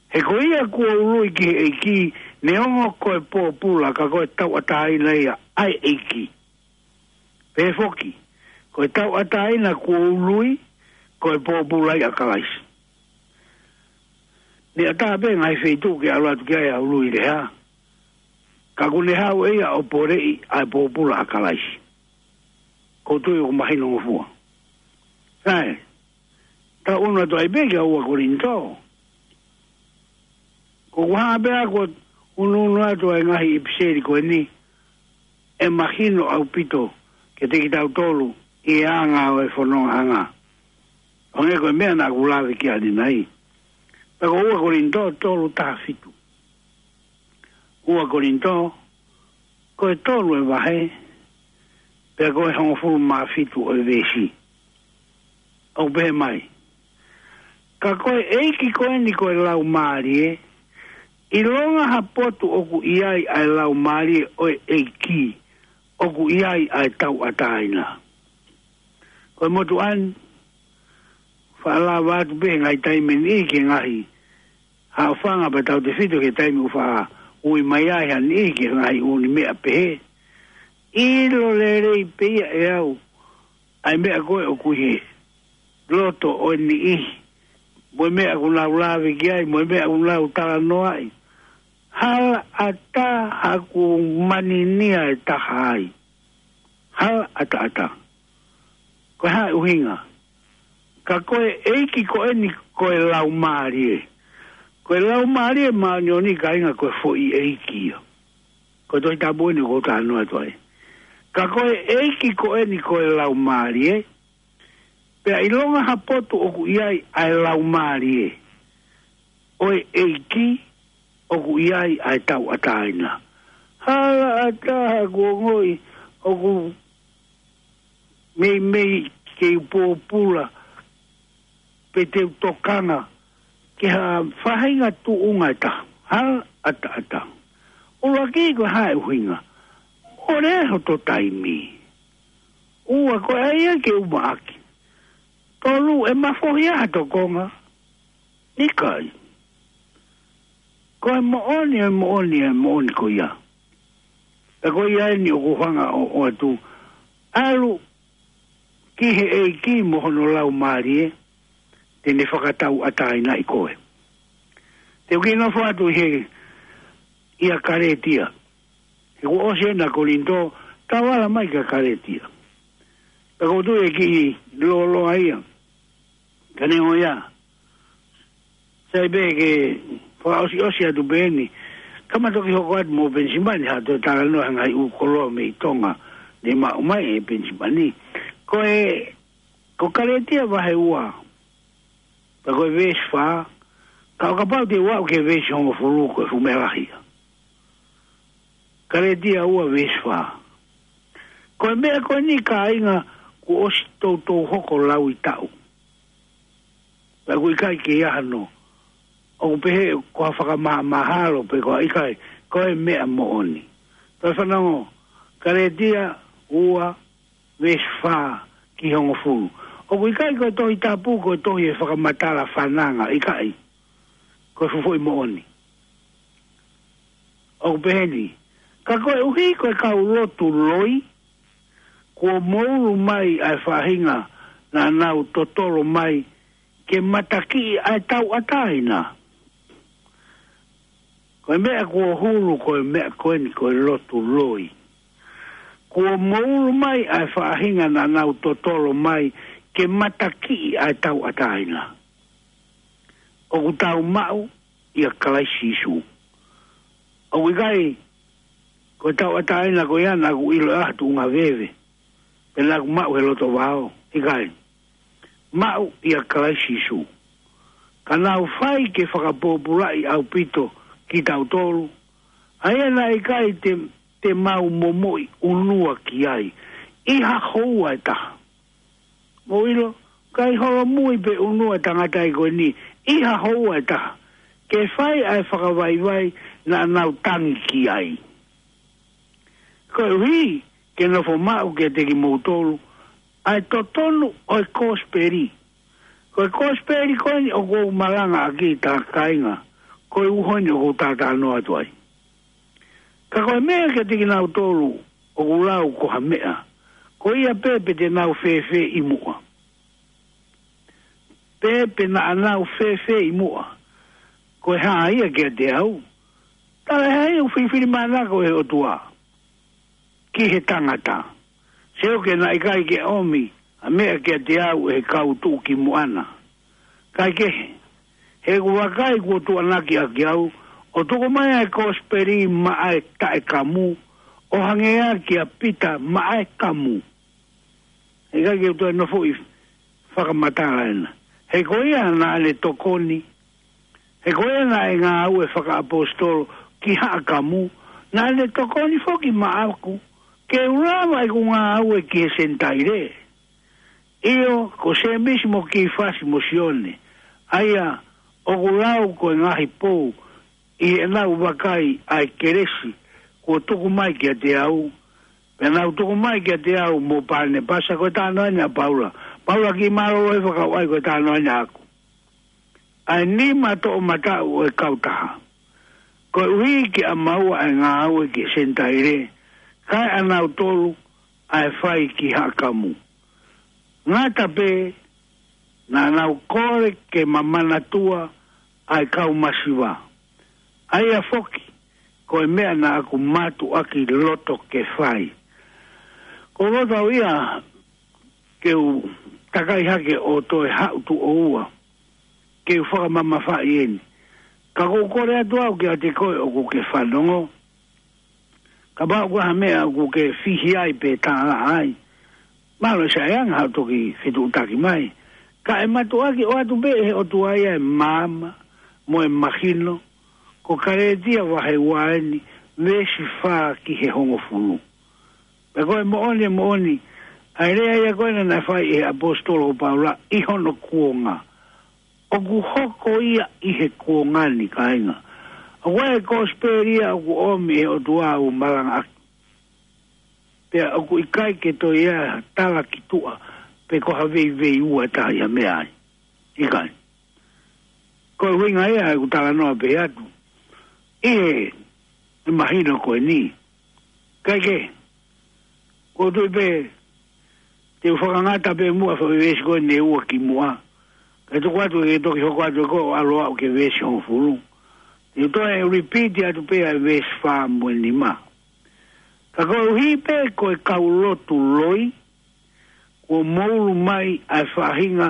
He ko ia kuo ului ki he ʻEiki, neongo ko e pōpula ka ko e tauʻatāina ia ʻa e ʻEiki. Pehē foki, ko e tauʻatāina kuo ului, ko e pōpula ia ʻa Kalaisi. Naʻe ʻatā pē ngaahi feituʻu ke ʻalu atu ki ai ʻa Ului Leha. Ka ʻoku ne haʻu ʻe ia ʻo poleʻi ʻa e pōpula ʻa Kalaisi. ʻOku ou tui ʻoku mahinongofua. Sai, tau ʻunu atu ai pē ki he ua Kolinitō. Ko ʻeku hanga pē ʻaku ʻo ʻunuʻunu atu ʻa e ngaahi ʻipiseli ko eni, ʻe mahino ʻaupito kiate kitautolu ʻi he anga ʻo e fonongaʻanga. ʻO hangē ko e meʻa naʻa ku lave ki ai ʻanenai. Pea ko ua Kolinitō tolu taha fitu. Ua Kolinitō, ko e tolu e vahe, pea ko e hongofulu mā fitu ʻo e veesi. ʻOku pehē mai. Ka ko e ʻEiki ko eni ko e Laumālie, ʻilonga ha potu ʻoku ʻi ai ʻa e Laumālie ʻo e ʻEiki, ʻoku ʻi ai ʻa e tauʻatāina. Ko e motuʻa ni, faʻa lava atu pē he ngaahi taimi ni ki he ngaahi haʻofanga pea tautefito ki he taimi ʻoku faʻa ui mai ai ha niʻihi ki he ngaahi ʻū meʻa pehē. ʻIlo lelei pē ia ʻe au ʻa e meʻa ko ē ʻoku ʻi he loto ʻo e niʻihi. Mo e meʻa ʻoku nau lave ki ai, mo e meʻa ʻoku nau talanoaʻi. Hala ʻatā haʻaku maninia e taha ai. Hala ʻataʻatā. Ko e hā e ʻuhinga? Ka ko e ʻEiki ko eni ko e Laumālie. Ko e Laumālie Māʻoniʻoni kāinga ko e foʻi ʻEiki ia. Ko e Tohi Tapu eni ʻoku ou talanoa atu ai. Ka ko e ʻEiki ko eni ko e Laumālie, Pea ʻilonga ha potu ʻoku ʻi ai ʻa e laumālie ʻo e ʻEiki, ʻoku ʻi ai ʻa e tauʻatāina. Hala ʻa taha kuo ngoi ʻoku meimei ke u pōpula pe te u tokanga ki ha faʻahinga tuʻunga ʻe taha. Hala ʻa taha. ʻUluaki, ko e hā e ʻuhinga? ʻOku lea hoto taimi. Ua, ko e ʻai ia ke u maʻaki. Tolu, ʻe mafohi ʻa ha tokonga? ʻIkai. Ko e moʻoni, e moʻoni, e moʻoni ko ia. Pea ko ia eni ʻoku ou hanga ʻo ʻoatu. ʻAlu ki he ʻEiki mo hono laumālie, te ne fakatauʻatāinaʻi koe. Te u kiʻi nofo atu ʻi he, ʻia Kalētia. He kuo ʻosi ena Kolinitō, tau ala mai kia Kalētia. Pea ʻoku ou tui ʻe kiʻi lōloa ia. Ka neongo ia, sai pē ke fakaʻosiʻosi atu pē eni. Ka ma toki hoko atu mo Penisimani, ha toe talanoa he ngaahi ʻū koloa mei Tonga ne maʻu mai ʻe Penisimani. Ko e, ko Kalētia vahe ua, pea ko e veesi fā, ka ʻo kapau te u aʻu ki he veesi hongofulu, ko e fuʻu meʻa lahi ia. Kalētia ua veesi fā. Ko e meʻa ko eni, kāinga, kuo ʻosi toutou hoko lauʻi taʻu. Pea ʻoku ʻikai ke ʻi ai hano ʻoku pehē ko ha fakamahamahalo pe ko ha ʻikai, ko e meʻa moʻoni. Toe fanongo, Kalētia ua veesi fā ki he hongofulu. ʻOku ʻikai ko e Tohi Tapu ko e tohi ʻe fakamatala fananga, ʻikai. Ko e fuʻu foʻi moʻoni. ʻOku pehē ni, ka koeʻuhi ko e kau lotu loi, kuo moulu mai ʻa e faʻahinga naʻa nau totolo mai ke matakiʻi ʻa e tauʻatāina. Ko e meʻa kuo hulu, ko e meʻa ko eni, ko e lotu loi. Kuo moulu mai ʻa e faʻahinga naʻa nau totolo mai ke matakiʻi ʻa e tauʻatāina. ʻOku tau maʻu ʻia Kalaisi Sīsū. ʻOku ʻikai ko e tauʻatāina ko ia naʻa ku ʻilo ʻa e tuʻunga veve, pe naʻa ku maʻu he loto vao, ʻikai. Maʻu ʻia Kalaisi Sīsū. Ka naʻa ku fai ke fakapōpulaʻi ʻaupito kitautolu, ʻa ia naʻe ʻikai te, te mau momoʻi ʻunua ki ai ʻi ha houa ʻe taha. Mou ʻilo, ʻikai holomui pe ʻunua tangata ʻi ko eni ʻi ha houa ʻe taha, ke fai ʻa e fakavaivai naʻa nau tangi ki ai. Koeʻuhi ke nofo maʻu kiate kimoutolu ʻa e totonu ʻo e kosipeli. Ko e kosipeli ko eni ʻoku ou malangaʻaki, kāinga, ko e uho eni ʻoku ou talanoa atu ai. Ka ko e meʻa kiate kinautolu ʻoku lau ko ha meʻa, ko ia pē pe te nau fēfē ʻi muʻa. Pe, pe naʻa nau fēfē ʻi muʻa. Ko e hā ia kiate au? Tala ʻe hai ʻoku filifilimānako ʻe he ʻOtua ki he tangata? Seuke naʻe ʻikai ke ʻomi ha meʻa kiate au ʻe he kau tuʻukimuʻa na. Kaekehe, he ʻoku vakai kuo tuʻuaki ʻaki au ʻo tuku mai ʻa e kosipeli maʻa e taʻekamu, ʻo hangē ia kia Pita maʻa e kamu. He ʻikai ke u toe nofoʻi fakamatala ena. He ko ia naʻa ne tokoni. He ko ia naʻe ngāue fakaʻaposetolo ki haʻa kamu, naʻa ne tokoni foki maʻaku ke u lava ʻeku ngāue ki he Senitaile. ʻIo, ko Sēmisi mo Kīfasi mo Sione, ʻa ia ʻoku lau ko e ngaahi pou ʻi heʻenau vakai ʻa e kelesi kuo tuku mai kiate au, pea nau tuku mai kiate au mo Panepasa, ko e talanoa eni ʻa Paula. Paula kiʻi mālōlō he fakakaukau ko e talanoa eni ʻaʻaku. ʻA e nima toʻomataʻu ʻo e kautaha, koeʻuhi ke ʻamaua ʻa e ngāue ki he Senitaile, kae ʻanautolu ʻa e fai ki haʻa kamu. Ngata pē, naʻa nau kole ke ma manatua ʻa e kau masiva. ʻA ia foki, ko e meʻa naʻa ku mātuʻaki loto ke fai. Ko u loto au ia ke u takai hake ʻo toe haʻu tuʻo ua ke u fakamamafaʻi eni. Ka ʻoku ou kole atu au kiate koe ʻoku ke fanongo, kapau ʻoku ʻi ai ha meʻa ʻoku ke fihi ai pe tālaʻa ai, Mālō Saianga hoʻo toki fetuʻutaki mai. Ka ʻe mātuʻaki ʻoatu pē ʻe he ʻOtua ia e maama mo e mahino, ko Kalētia vahe ua eni, veesi fā ki he hongofulu. Pea ko e moʻoni, e moʻoni, ʻa e lea ia ko ena naʻe fai ʻe he ʻaposetolo ko Paula ʻi hono kuonga. ʻOku hoko ia ʻi he kuonga ni, kāinga. ʻOku ʻi ai e kosipeli ia ʻoku ʻomi ʻe he ʻOtua ʻo malangaʻaki. Pea ʻoku ʻikai ke toe ʻi ai ha tala ki tuʻa, pe ko ha veiveiua ʻe taha ia mei ai. ʻIkai. Ko e ʻuhinga ia ʻeku talanoa pē atu. ʻI he, e mahino ko eni. Kae kehe, ʻoku ou tui pē, te u fakangata pē muʻa foʻi veesi ko eni ʻe ua ki muʻa. Kae tuku atu ke toki hoko atu ʻe koe ʻo ʻalu ʻo aʻu ki he veesi hongofulu. Te u toe repeat atu pē ʻa e veesi fā mo e nima. Ka koeʻuhi pē ko e kau lotu loi, kuo moulu mai ʻa e faʻahinga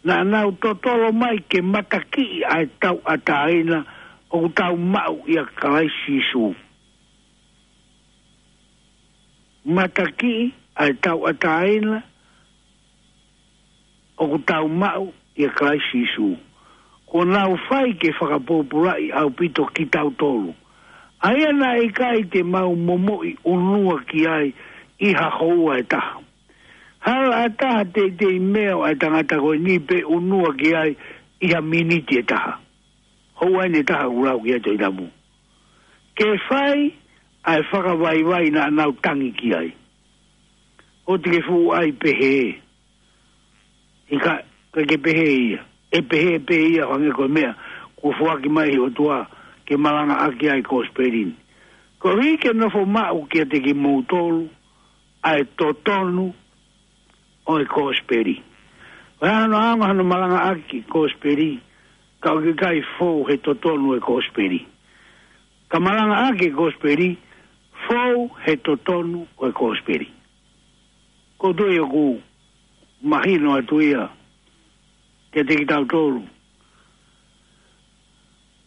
naʻa nau totolo mai ke matakiʻi ʻa e tauʻatāina ʻoku tau maʻu ʻia Kalaisi Sīsū. Matakiʻi ʻa e tauʻatāina ʻoku tau maʻu ʻia Kalaisi Sīsū. Kuo nau fai ke fakapōpulaʻi ʻaupito kitautolu, ʻa ia naʻe ʻikai te mau momoʻi ʻunua ki ai ʻi ha houa ʻe taha. Hala ʻe taha teitei meʻa ʻa e tangata ko eni pe ʻunua ki ai ʻi ha miniti ʻe taha. Houa eni ʻe taha ʻoku lau ki ai e Tohi Tapu. Ke fai ʻa e fakavaivai naʻa nau tangi ki ai. ʻOua te ke fuʻu ʻai pehē. ʻIkai, ʻikai ke pehē ia. ʻE pehē pē ia ʻo hangē ko e meʻa kuo foaki mai ʻe he ʻOtua ke malangaʻaki ai e kosipeli ni. Koeʻuhi ke nofo maʻu kiate kimoutolu ʻa e totonu ʻo e kosipeli. ʻOku ʻi ai hano ʻaonga hono malangaʻaki e kosipeli, ka ʻoku ʻikai fou he totonu e kosipeli. Ka malangaʻaki e kosipeli, fou he totonu ʻo e kosipeli. ʻOku ou tui ʻoku mahino atu ia kiate kitautolu.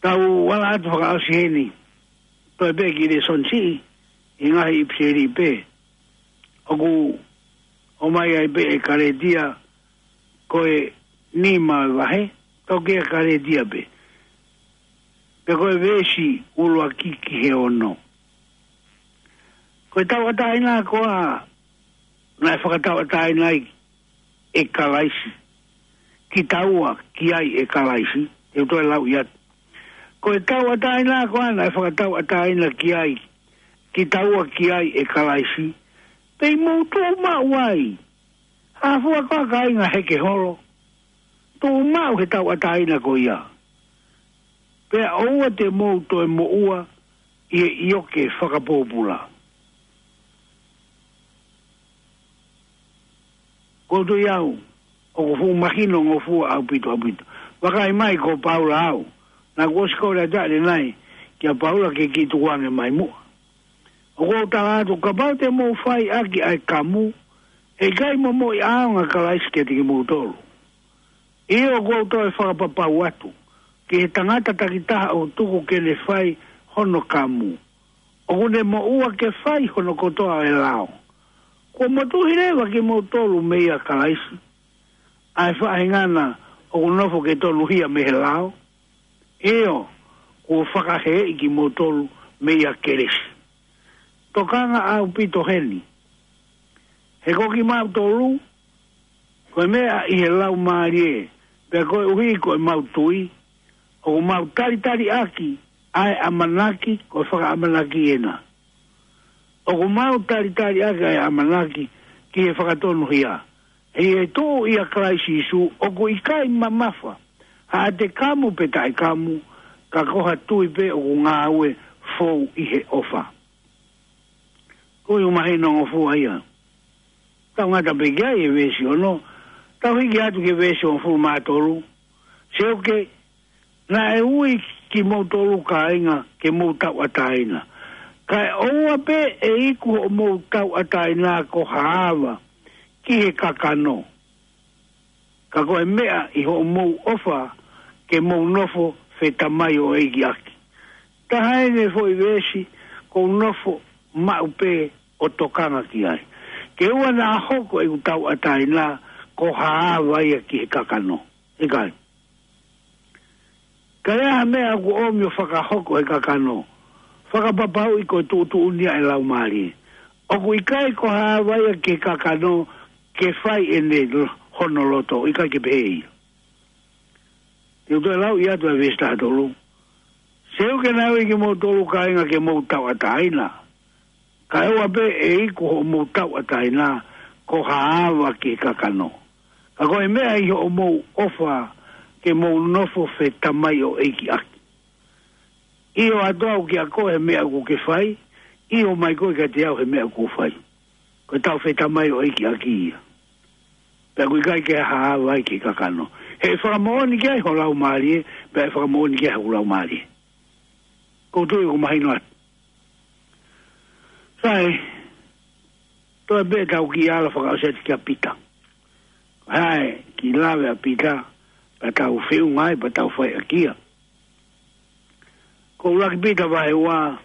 Tau ala atu fakaʻosi heni, toe pē ki he lēsoni siʻi, ʻi he ngaahi ʻipiseli pē. ʻOku ʻomai ai pē ʻe Kalētia, ko e nima e vahe, tau kei Kalētia pē. Pea ko e veesi ʻuluaki ki he ono. Ko e tauʻatāina ko ā naʻe fakatauʻatāina ai ʻe Kalaisi, kitaua ki ai ʻe Kalaisi, te u toe lau atu. Ko e tauʻatāina ko ā naʻe fakatauʻatāina ki ai, kitaua ki ai ʻe Kalaisi, pea mou tuʻu maʻu ai. Hā fua koā, kāinga, he ke holo? Tuʻu maʻu he tauʻatāina ko ia. Pea ʻoua te mou toe moʻua ʻi he ʻioke fakapōpula. ʻOku ou tui au ʻoku fuʻu mahinongofua ʻaupito, ʻaupito. Vakai mai ko Paula au. Naʻá ku ʻosi kole atu ʻanenai kia Paula ke kiʻi tukuange mai muʻa. ʻOku ou tala atu, kapau te mou fai ʻaki ʻa e kamu, ʻe ʻikai momoʻi ʻaonga ʻa Kalaisi kiate kimoutolu. ʻIo, ʻoku ou toe fakapapau atu ki he tangata takitaha ʻoku tuku ke ne fai hono kamu, ʻoku ne moʻua ke fai hono kotoa ʻo e lao. Kuo motuhi leva kimoutolu meia Kalaisi, ʻa e faʻahinga na ʻoku nofo ke tonuhia mei he lao? ʻIo, kuo fakaheeʻi kimoutolu meia Kelesi. Tokanga ʻaupito heni. He ko kimautolu, ko e meʻa ʻi he laumālie, pea koeʻuhi ko ʻemau tui, ʻoku mau talitali ʻaki ʻa e ʻamanaki, ko e fakaʻamanaki ena. ʻOku mau talitali ʻaki ʻa e ʻamanaki ki he fakatonuhia. ʻI he tuʻu ʻia Kalaisi Sīsū, ʻoku ʻikai mamafa haʻate kamu pe taʻekamu, ka ko ha tui pē ʻoku ngāue fou ʻi he ʻofa. Ko e ʻuhinga mahinongofua ia. Tau ngata pē ki ai e veesi ono, tau hiki atu ki he veesi hongofulu mā tolu. Seuke, naʻe ui kimoutolu kāinga ke mou tauʻatāina. Kae ʻoua pē ʻe iku hoʻomou tauʻatāina ko ha ava ki he kakano. Ka ko e meʻa ʻi hoʻomou ʻofa ke mou nofo fetamai ʻo e ʻEiki ʻaki. Taha eni e foʻi veesi ʻoku ou nofo maʻu pē ʻo tokanga ki ai. Ke ʻoua naʻa hoko ʻeku tauʻatāina ko ha ava ia ki he kakano. ʻIkai. Ka ʻi ai ha meʻa ʻoku ʻomi ʻo fakahoko he kakano, fakapapauʻi ko e tuʻutuʻuni ia ʻa e Laumālie. ʻOku ʻikai ko ha ava ia ki he kakano ke fai ʻene lo-, hono loto, ʻikai ke pehē ia. Te u toe lau atu ʻa e veesi taha tolu. Seuke naʻe ui kimoutolu kāinga ke mou tauʻatāina. Kae ʻoua pē ʻe iku hoʻomou tauʻatāina ko ha ava ki he kakano. Ka ko e meʻa ʻi hoʻomou ʻofa ke mou nofo fetamaioʻeiki ʻaki. ʻIo atu au kiate koe he meʻa ʻoku ke fai, ʻio mai koe kiate au he meʻa ʻoku ou fai. Ko e tau fetamaioʻeiki ʻaki ia. Pea ʻoku ʻikai ke ha ava ia ki he kakano. He ʻe fakamoʻoni ki ai ho laumālie, pea ʻe fakamoʻoni ki ai hoku laumālie. ʻOku ou tui ʻoku mahino atu. Sai, toe pē tau kiʻi ala fakaʻosi atu kia Pita. Hai, kiʻi lave ʻa Pita, pea tau feʻunga ai, pea tau fai ʻaki ia. Ko ʻUluaki Pita vahe ua,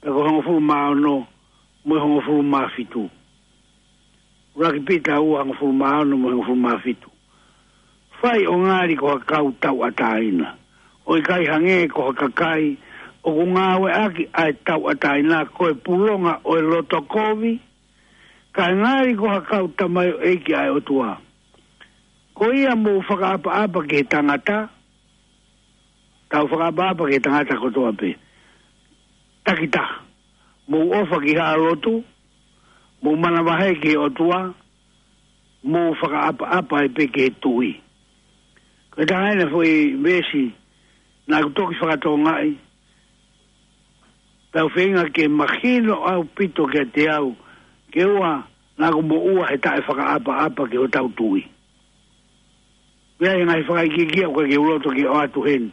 pea ko e hongofulu mā ono, mo e hongofulu mā fitu. ʻUluaki Pita ua hongofulu mā ono mo e hongofulu mā fitu. Fai ʻo ngali ko ha kau tauʻatāina. ʻO ʻikai hangē ko ha kakai ʻoku ngāueʻaki ʻa e tauʻatāina ko e pulonga ʻo e loto kovi, kae ngali ko ha kau tamaioʻeiki ʻa e ʻOtua. Ko ia mou fakaʻapaʻapa ki he tangata, tau fakaʻapaʻapa ki he tangata kotoa pē. Takitaha. Mou ʻofa ki haʻa lotu, mou manavahē ki he ʻOtua, mou fakaʻapaʻapa ai pē ki he tuʻi. Ko e taha eni e foʻi veesi naʻa ku toki fakatokangaʻi, tau feinga ke mahino ʻaupito kiate au, ke ʻoua naʻa ku moʻua he taʻefakaʻapaʻapa ki hotau tuʻi. Pea ʻi he ngaahi fakaikiiki ʻoku ʻikai ke u loto ke ʻoatu heni.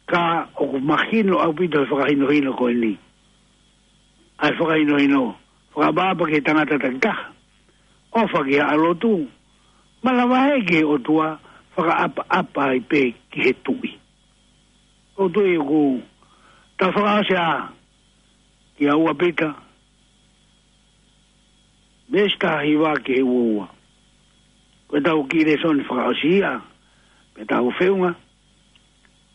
Ka ʻoku mahino ʻaupito he fakahinohino ko eni. ʻA e fakahinohino, fakaʻapaʻapa ki he tangata takitaha. ʻOfa ki haʻa lotu, manavahē ki he ʻOtua, fakaʻapaʻapa ai pē ki he tuʻi. ʻOku ou tui ʻoku tau fakaʻosi ā, kia ua Pita, veesi taha hiva ki he ua ua. Ko e tau kiʻi lēsoni fakaʻosi ia, pea tau feʻunga.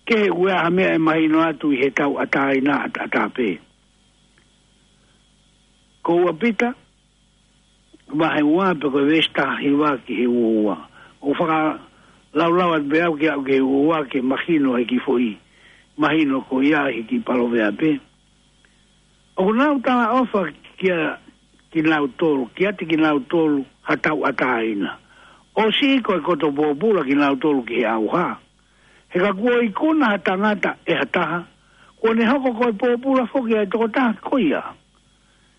Kehe ʻoku ʻi ai ha meʻa ʻe mahino atu ʻi he tauʻatāina ʻataʻatā pē. Ko ua Pita, vahe ua pea ko e veesi taha hiva ki he ua ua. ʻOku fakalaulau atu pē au ke aʻu ki he ua ua ke mahino ai ki foʻi. Mahino ko ia he kiʻi Palōvepi. ʻOku nau talaʻofa kia kinautolu, kiate kinautolu ha tauʻatāina. ʻOsi ko e koto pōpula kinautolu ki he ʻauha. He ka kuo ikuna ha tangata ʻe ha taha, kuo ne hoko ko e pōpula foki ʻa e tokotaha ko ia.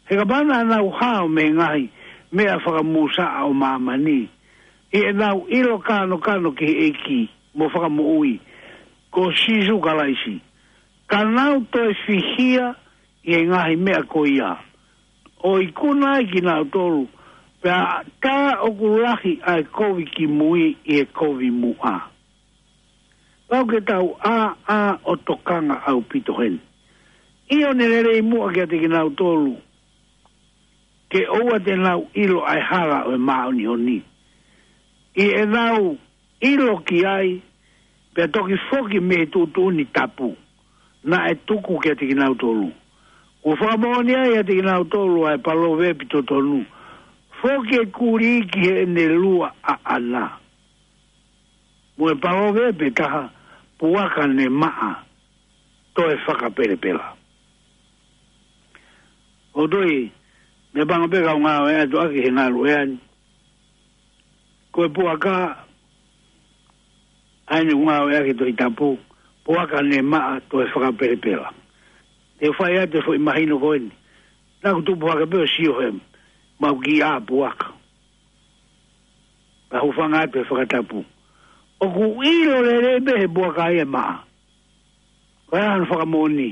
He kapau naʻa nau hao mei he ngaahi meʻa fakamūsaʻa ʻo māmani, ʻi heʻenau ʻilo kānokano ki he ʻEiki mo Fakamoʻui, ko Sīsū Kalaisi, ka nau toe fihia ʻi he ngaahi meʻa ko ia. ʻO ikuna ai kinautolu, pea tā ʻoku lahi ʻa e kovi kimui ʻi he kovi muʻa. Pau ke tau ʻā, ʻā ʻo tokanga ʻaupito heni. ʻIo, ne lelei muʻa kiate kinautolu, ke ʻoua te nau ʻilo ʻa e hala ʻo e māʻoniʻoni. ʻI heʻenau ʻilo ki ai, pea toki foki mei he tuʻutuʻuni tapu naʻe tuku kiate kinautolu. Kuo fakamoʻoni ai ʻiate kinautolu ʻa e palōvepi totonu. Foki e kulī ki heʻene lua ʻaʻana. Mo e palōvepi ʻe taha, puaka ne maʻa, toe fakapelepela. ʻOku ou tui, meʻapango pē kau ngāue atu ʻaki he ngalu ʻe ani. Ko e puaka, ʻa eni ʻoku ngāueʻaki he Tohi Tapu, puaka ne maʻa toe fakapelepela. Te u fai atu e foʻi mahino ko eni. Naʻa ku tupu hake pē ʻo sio he mau kiʻi ʻā puaka. Ka hūfanga atu he fakatapu. ʻOku ʻilo lelei pē he puaka ia ʻe maʻa. Ko e hā hono fakamoʻoni?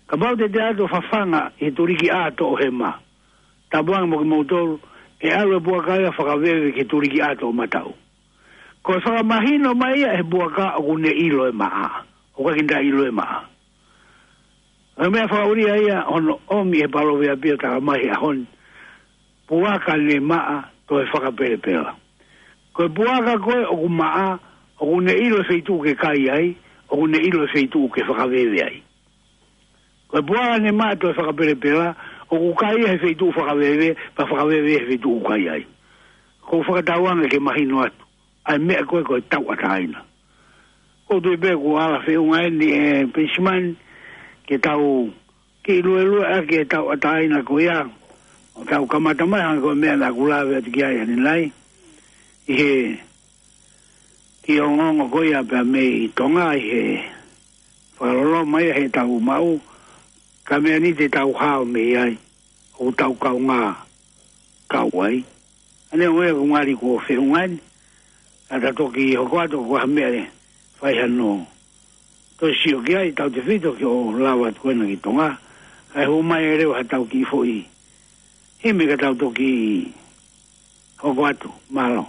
Kapau te te ʻalu ʻo fafanga ʻi he tuliki ʻā toʻohema, tapu ange mo kimoutolu, ʻe ʻalu e puaka ia ʻo fakaveve ki he tuliki ʻā toʻomataʻu. Ko e fakamahino mai ia ʻe he puaka ʻoku ne ʻilo e maʻa. ʻOku ʻikai ke ne ʻilo e maʻa. Ko e meʻa fakaʻulia ia hono ʻomi ʻe he palōveape ʻo talamai he ʻaho ni, puaka ne maʻa toe fakapelepela. Ko e puaka ko ē ʻoku maʻa, ʻoku ne ʻilo e feituʻu ke kai ai, ʻoku ne ʻilo e feituʻu ke fakaveve ai. Ko e puaka ne maʻa toe fakapelepela, ʻoku kai he feituʻu fakaveve, pea fakaveve he feituʻu kai ai. Ko e fakatauange ke mahino atu ʻa e meʻa ko ē ko e tauʻatāina. Ko u tui pē kuo ala feʻunga eni ʻe Penisimani ke tau kiʻi luelue ʻaki e tauʻatāina ko ia. ʻO tau kamata mai hangē ko e meʻa naʻa ku lave atu ki ai ʻanenai, ʻi he kiʻi ongoongo ko ia pea mei Tonga ʻi he fakaloloma ia heʻetau maʻu, ka meʻa ni te tau hao mei ai, ʻoku tau kaungā kau ai. ʻA eni ʻoku ngali kuo feʻunga eni, ka ta toki hoko atu ko ha meʻa ʻe fai hano toe sio ki ai, tautefito ki hoʻo lava atu ko ena ki Tonga, kae hū mai e leo ha tau kiʻi foʻi himi ka tau toki hoko atu. Mālō.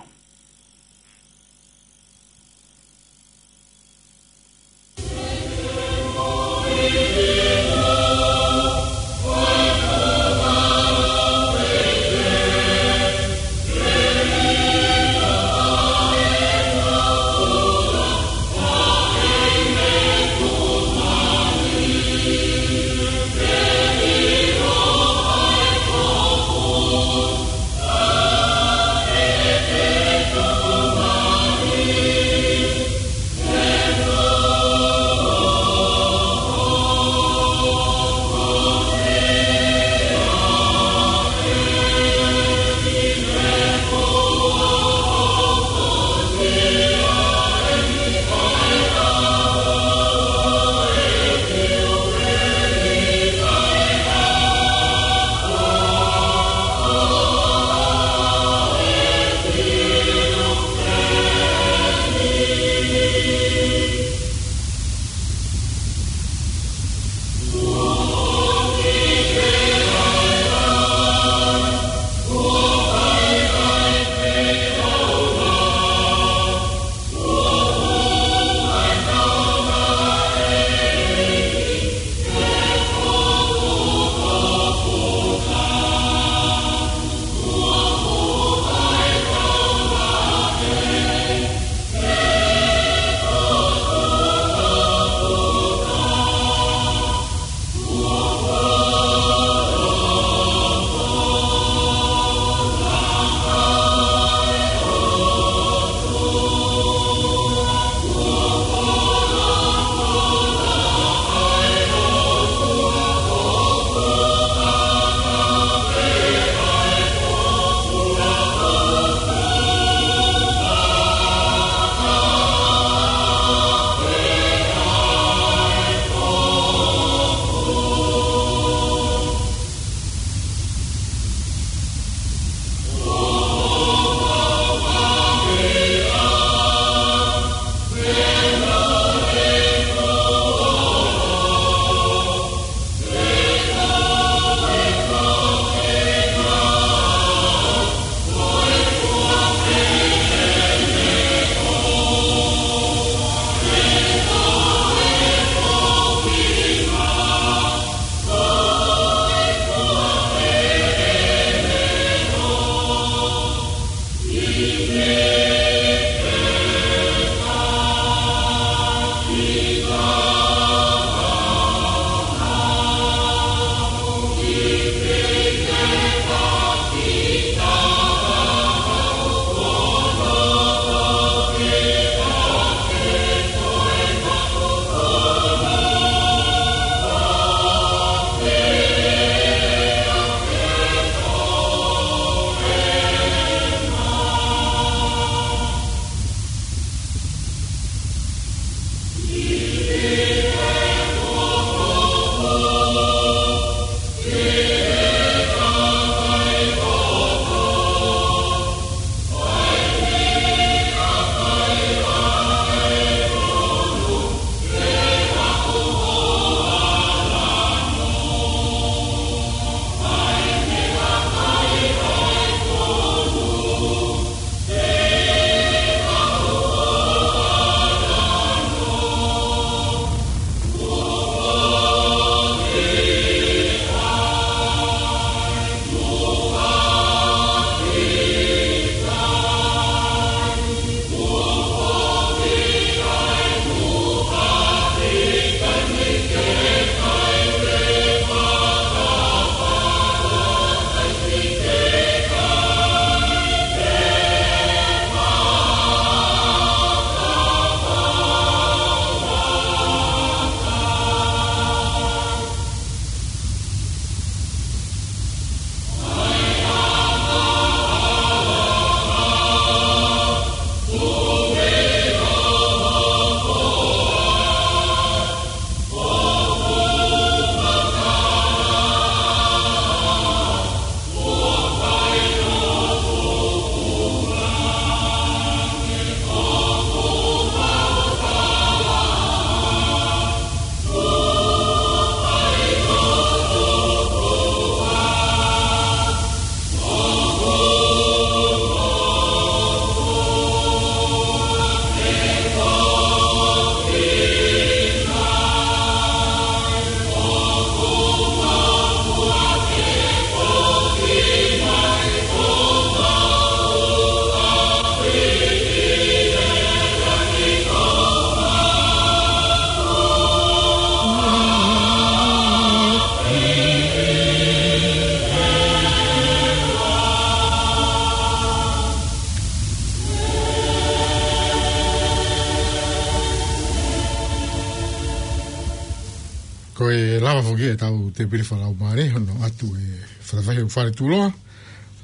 Ko e lava foki ʻetau tēpile fakalaumālie, hono ʻoatu e falefahi ʻo e faletuloa,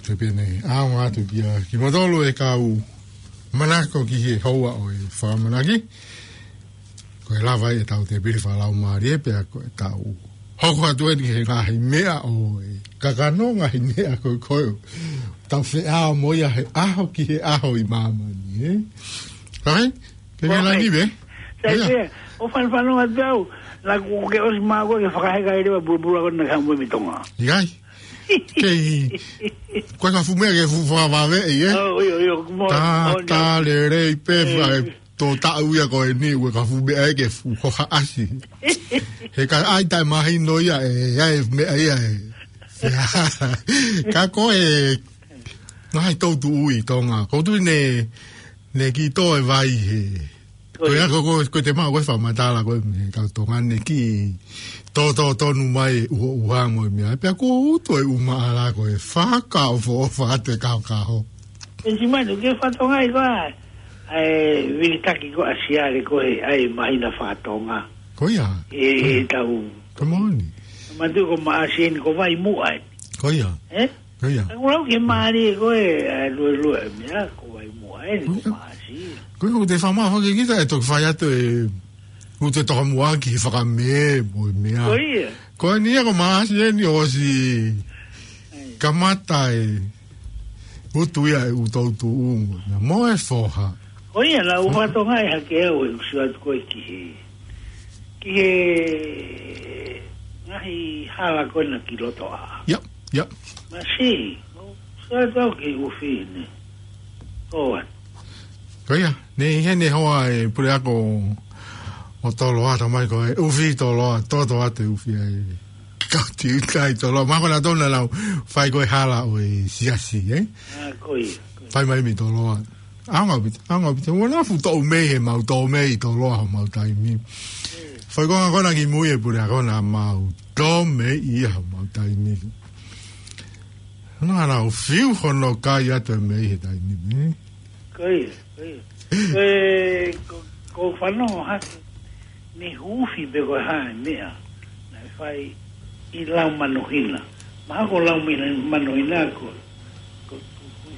te pene ʻaonga atu kia kimoutolu e kau manako ki he houa ʻo e fakamanaki. Ko e lava ʻetau tēpile fakalaumālie, pea ko ʻetau hoko atu eni he ngaahi meʻa ʻo e kakano, ngaahi meʻa ko ē ʻoku tau feʻao mo ia he ʻaho ki he ʻaho ʻi māmani, ē? Right? Ke ke Right. langi, ē? Sai Ia. pē, ʻo fanafana atu au, naʻa ku ke ʻosi mā koe ke fakaheka e leva pulupulu ko ena ka mo mi Tonga. ʻIkai. Kei, ko e ka fuʻu meʻa ke fuʻu fakavave, ē? Oh, ʻio, ʻio, mo, Tā, mo, tā lelei pē, Eh. fai, tō taʻu ia ko eni, ʻoku ka fuʻu meʻa ē ke fuʻu hohaʻasi. He ka ʻai taʻemahino ia, ē, ʻai meʻa ia, ē. Ka ko e, ngaahi tautuʻu ʻi Tonga. Ko tu ne, ne ki tō e vai he. Ko ia, ko, ko, ko te mau, ko e fakamatala, ko e, kau Tonga ne ki tō, tō, tonu mai, uho, uha mo e meʻa. Pea ko uto e uma ala ko e faka o fo, o fa te kau kaho. Penisimani, ke fatonga i koa, ai, vilitaki ko asiale ko e, ai, mahina fatonga. Ko ia. E, e tau. Come on. Matu ko maʻasi eni ko vai muʻa ē. Ko ia. Eh? Ko ia. Ka kulau ke mālie ko e, ai, lue, lue, mea, ko vai muʻa eni, ko Ko ia. maʻasi. Ko ia, ko te fama, fake kita, e toki fai atu e, ko te toka muʻa ki he fakamē, mo e mea. Ko ia. Ko eni ia ko maʻasi eni ʻosi Ai. kamata e, utu ia e utu utu umu. Mo e foha. Ko ia, la Ko ia. ufa tonga e hake au e usu atu ko e ki he, ki he ngahi hala ko ena ki loto a. Ia, ia. Masi, usu atu au ki ufi ne. Ko atu. Ko ia, ne ʻi heni hoa e puleako ʻo Toloa, tamai ko e ufi Toloa, toto atu e ufi ai. Kau ti utai Toloa, mako na tona lau, fai ko e hala ʻo e siasi, ē? Ah, ko ia, ko ia. Fai mai mi Toloa. ʻAonga pita, ʻaonga pita. Ua na fuʻu tō mei he mau tō mei Toloa ho mau taimi. Fai ko nga kona ki mui e puleako na mau tō mei ia ho mau taimi. Na, na, ʻo fiu hono kai atu e mei he taimi, ē? Ko ia, ko ia. Ko e, ko, ko fano hake, ne hufi pe ko e hā e meʻa, naʻe fai ʻi lau manohina. Maha ko lau manohina ko, ko, ko,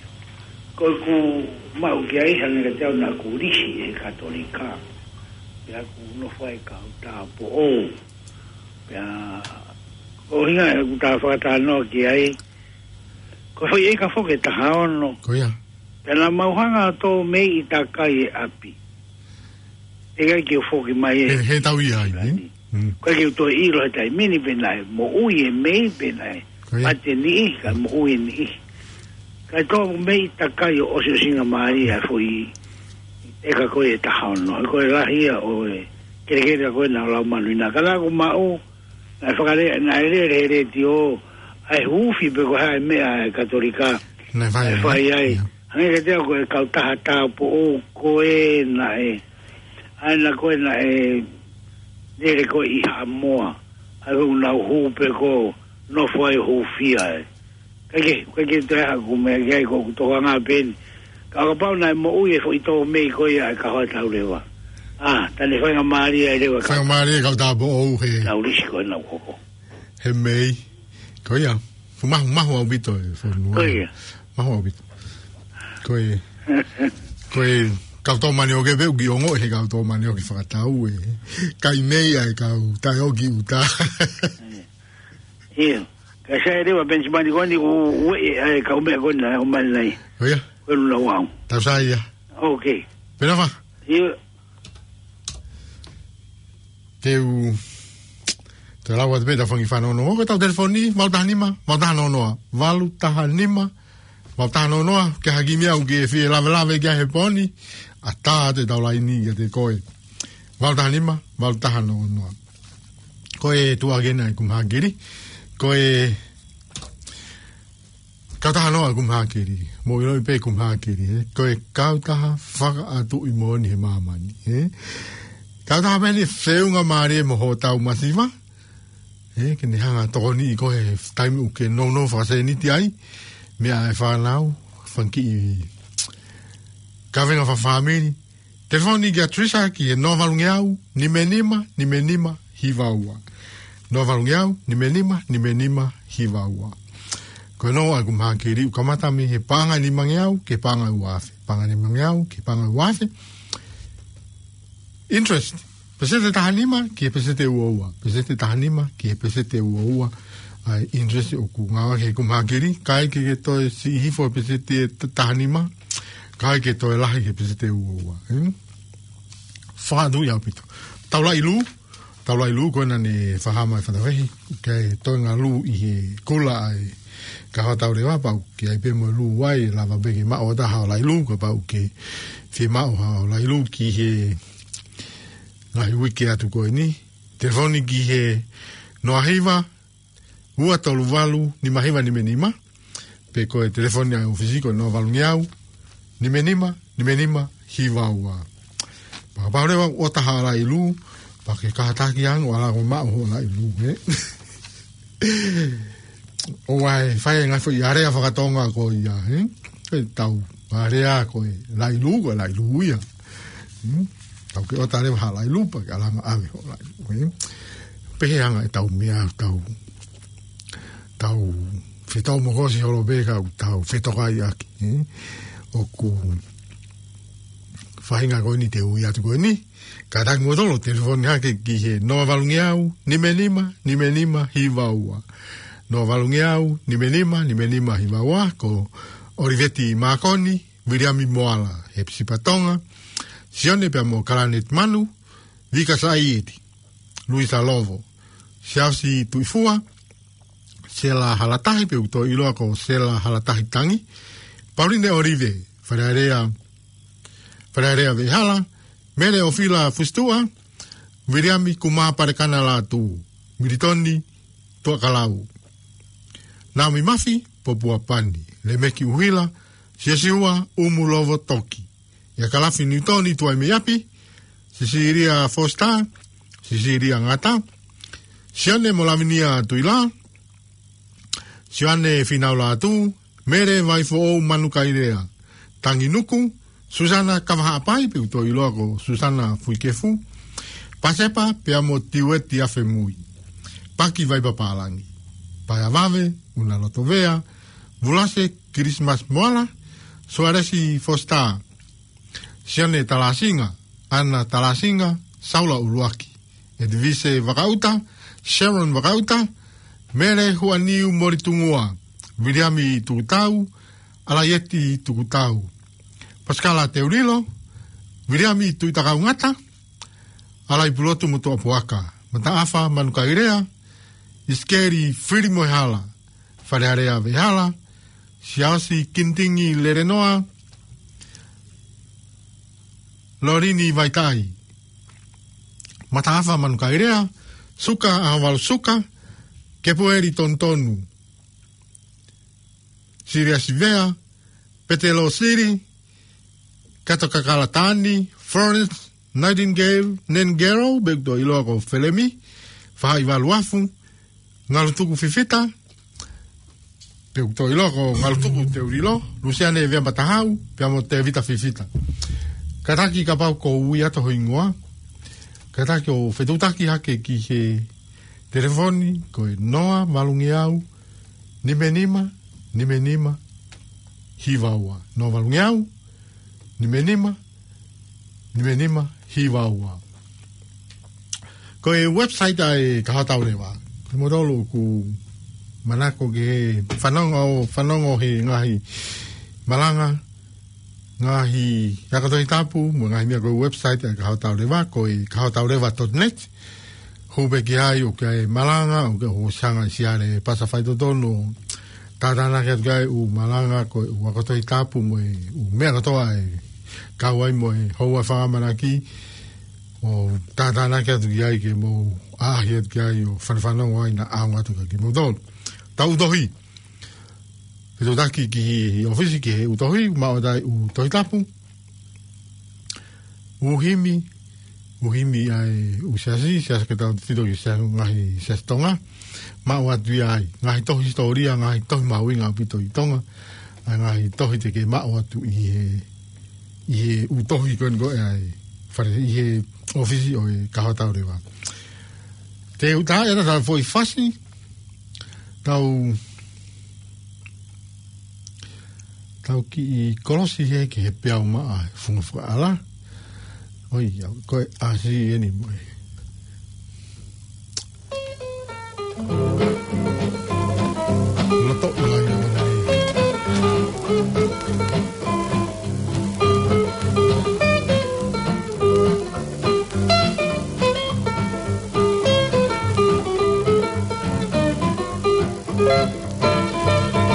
ko, ko maʻu ki ai hangē ka te au naʻa ku lisi e Katolika. Pea ku nofo ai kau tāpoʻou. Pea, ko hinga e ku tā fakatanoa ki ai, ko fai e ka foke taha ono. Ko ia. Pea na mau hanga tō mei i takai e api. E kai ke foki mai e. He, he tau ia ai, ē? Mm. Ko e ke uto e ilo he taimi ni pe naʻe moʻui e mei pe naʻe Ko ia. mate niʻi, ka moʻui e niʻi. Ka tō mei takai ʻo ʻosi ʻosinga mālie a foʻi e ka ko e taha ono. Ko e lahi ia ʻo e kelekele ko e na lau manu ina. Ka la ko maʻu, naʻe fakalea, naʻe lele he letiō, ai hufi pe ko e hā e meʻa e Katolika. Naʻe fai Naʻe ai. fai ai. Ia. Hangē ka te au ko e kautaha tāpoʻou ko e naʻe, ai na ko e naʻe lele ko e ʻi Haʻamoa. Ai ko e nau hū pe ko nofo ai hūfia e. Kai ke, kai ke te haku mea ki ai ko ku toka ngā peni. Ka kapau naʻe moʻui e foʻi tō mei ko ia e ka hoa tau leva. Ah, tane fai ngā mālie ai leva ka Fai ngā mālie kau tāpoʻou he. Tau lisi ko e nau koko. He mei. Ko ia. Fumahu, mahu au pito e fonua. Ko ia. Mahu au pito. Ko e. Ko e. Kau tō mani o ke peu ki ongo he kau tō mani o ke fakatau e. Kai mei ai kau tae o ki uta. Ia. Ka sai e lewa Penisimani ko ni ko ue e ai kau meʻa ko na o mani nai. Ko ia. Ko e luna wau. Tau sai ia. Ok. Pena fa. Ia. Te u, te lau atu pē ta fangi fanono. Ko tau telefoni, valu taha nima, valu taha noa noa. Valu taha nima, valu taha noa noa. Ke haki mea u ke fie lave lave ke he poni. A tā te tau laini ia te koe. Valu taha nima, valu taha noa noa. Ko e tuʻa ke na e kumahakiri. Ko e kautaha noa e kumahakiri. Mo ilo i pē kumahakiri, ē. Ko e kautaha fakaʻatuʻi moʻoni he māmani, ē. Kautaha pē ni feʻunga mālie mo hotau masiva. Ē, ke ne hanga tokoni i ko he taimi u ke nounou fakasēniti ai. Meʻa e fānau, fanga kiʻi kavenga fakafāmili. Telefoni kia Trisha ki he noa valu ngeau, nima nima, nima nima, hiva ua. Noa valu ngeau, nima nima, nima nima, hiva ua. Ko e noa ʻa ʻeku mahaki liliu kamata mei he paʻanga ʻe nima ngeau ki he paʻanga ʻe ua afe. Paʻanga ʻe nima ngeau ki he paʻanga ʻe ua afe. Interest, pēseti ʻe taha nima ki he pēseti ʻe ua ua. Pēseti ʻe taha nima ki he pēseti ʻe ua ua. ʻA e interest ʻoku ngāueʻaki he ʻeku mahaki liliu, kae ʻikai ke toe siʻi hifo he pēseti ʻe t-, taha nima, kae ʻikai ke toe lahi he pēseti ʻe ua ua. Hmm? Fakatui ʻaupito. Taulaʻi lū, taulaʻi lū ko ena naʻe fakahā mai ʻe Fatavehi, ke toe ngaahi lū ʻi he kula ʻa e Kahoa Tauleva, pau ke ʻi ai pē mo e lū ai, lava pē ke maʻu ʻo taha ʻo laʻi lū, kapau ʻoku ke fie maʻu ha ʻo laʻi lū ki he ngaahi uike atu ko eni. Telefoni ki he noa hiva, ua tolu valu, nima hiva nima nima. Pe ko e telefoni ʻa e ʻōfisi ko e noa valu ngeau, nima nima, nima nima, hiva ua. Pea kapau leva ʻoku ʻi ai ha taha ʻoku laʻi lū, pea ke kātaki ange ʻo ala ʻo maʻu hoʻo laʻi lū, ē? ʻOua ʻe fai e ngaahi foʻi alea fakatonga ko ia, ē? Ko e tau alea ko e laʻi lū, ko e laʻi lū ia. Hmm? Tau ke ʻoatu leva ha laʻi lū pea ke ala ange ʻave hoʻo laʻi lū, ē? Pehē ange ʻetau meʻa, tau, tau fetau mo kosi holo pē ka ʻoku tau fetokaiʻaki, ē? ʻOku faʻahinga ko eni te u ui atu ko eni. Kātaki kimoutolu ʻo telefoni hake ki he noa valu ngeau, nima nima, nima nima, hiva ua. Noa valu ngeau, nima nima, nima nima, hiva ua, ko ʻOliveti Mākoni, Viliami Moala, Hepisipa Tonga, Sione pea mo Kalanet Manu, Vika Saieti, Luisa Lovo, Siaosi Tuʻifua, Sela Halatahi, pe ʻoku toe ʻiloa ko Sela Halatahi Tangi, Pauline ʻOlive, Falealea, Falealea Veʻehala, Mele ʻOfila Fusituʻa, Viliami Kumā Palekana Lātū, Militoni Tuʻakalau, Naomi Mafi, Popua Pani, Lemeki ʻUhila, Siosiua ʻUmulovo Toki, ʻIa Kalafi Niutoni Tuʻaimeiapi, Sisilia Fositā, Sisilia Ngata, Sione mo Lavinia Tuʻila, Sione Finau Lātū, Mele Vaifoʻou Manukaelea, Tangi Nuku, Susana Kavahaʻapai, pe ʻoku toe ʻiloa ko Susana Fuikefu, Pasepa pea mo Tiueti Afemui, Paki Vaipapālangi, Paea Vave, Una Lotovea, Vulase Kilisimasi Moala, Sualesi Fositā, Sione Talāsinga, ʻAna Talāsinga, Saula ʻUluaki, ʻEtivise Vakaʻuta, Sharon Vakaʻuta, Mele Huaniu Molitungua, Viliami Tukutau, ʻAlaieti Tukutau, Pasikala Teulilo, Viliami Tuʻitakaungata, ʻAlaipulotu Motuʻapuaka, Mataʻafa Manukaelea, ʻIsikeli Filimoehala, Falealea Veʻehala, Siaosi Kinitingi Lelenoa, Lolini Vaitaʻi, Mataʻafa Manukaelea, Suka ʻAhovalu Suka, Kepueli Tonutonu, Siliasi Vea, Petelo Sili, Kato Kakala Tani, Florence Nightingale, Nengero, pe ʻoku toe ʻiloa ko Felemi, Fahaʻi Valuafu, Ngalutuku Fifita, pe ʻoku toe ʻiloa ko Ngalutuku Teulilo, Lusiane Vea Matahau, pea mo Tevita Fifita. Kātaki kapau ʻoku ui atu ho hingoa, kātaki ʻo fetuʻutaki hake ki he telefoni, ko e noa valu ngeau, nima nima, nima nima, hiva ua. Noa valu ngeau, nima nima, nima nima, hiva ua. Ko e website ʻa e Kahoa Tauleva. Kimoutolu ʻoku manako ke fanongo, fanongo he ngaahi malanga, ngaahi ako Tohi Tapu, mo e ngaahi meʻa, ko e website ʻa e Kahoa Tauleva, ko e kahoa tauleva dot net. Hū pē ki ai ʻoku ʻi ai e malanga, ʻoku ʻi ai hoʻo siʻi ngaahi siale pasa faitotonu, tātānaki atu ki ai ʻū malanga, ko e ʻū ako Tohi Tapu mo e ʻū meʻa kotoa ʻe kau ai mo e houa fakaʻamanaki, ʻo tātānaki atu ki ai ke mou ʻaʻahi atu ki ai ʻo fanafanongo ai naʻa ʻaonga atu kia kimoutolu. Tau tohi. Fetuʻutaki ki he ʻōfisi ki he ʻū tohi, maʻu atu ai ʻū Tohi Tapu, ʻū himi, ʻū himi ʻa e ʻū siasi, siasi ke tau tito ki he siasi, ngaahi siasi Tonga, maʻu atu ia ai, ngaahi tohi hisitōlia, ngaahi tohi mahuʻinga ʻaupito ʻi Tonga, ʻa e ngaahi tohi te ke maʻu atu ʻi he, ʻi he ʻū tohi ko eni ko ē ʻa e fale, ʻi he ʻōfisi ʻo e Kahoa Tauleva. Te u tā ia ta foʻi fasi, tau, tau kiʻi kolosi he ki he peau maʻa funga fakaʻala. ʻOi, au, ko e ʻasi eni mo e. Loto ʻi ai ʻo nei.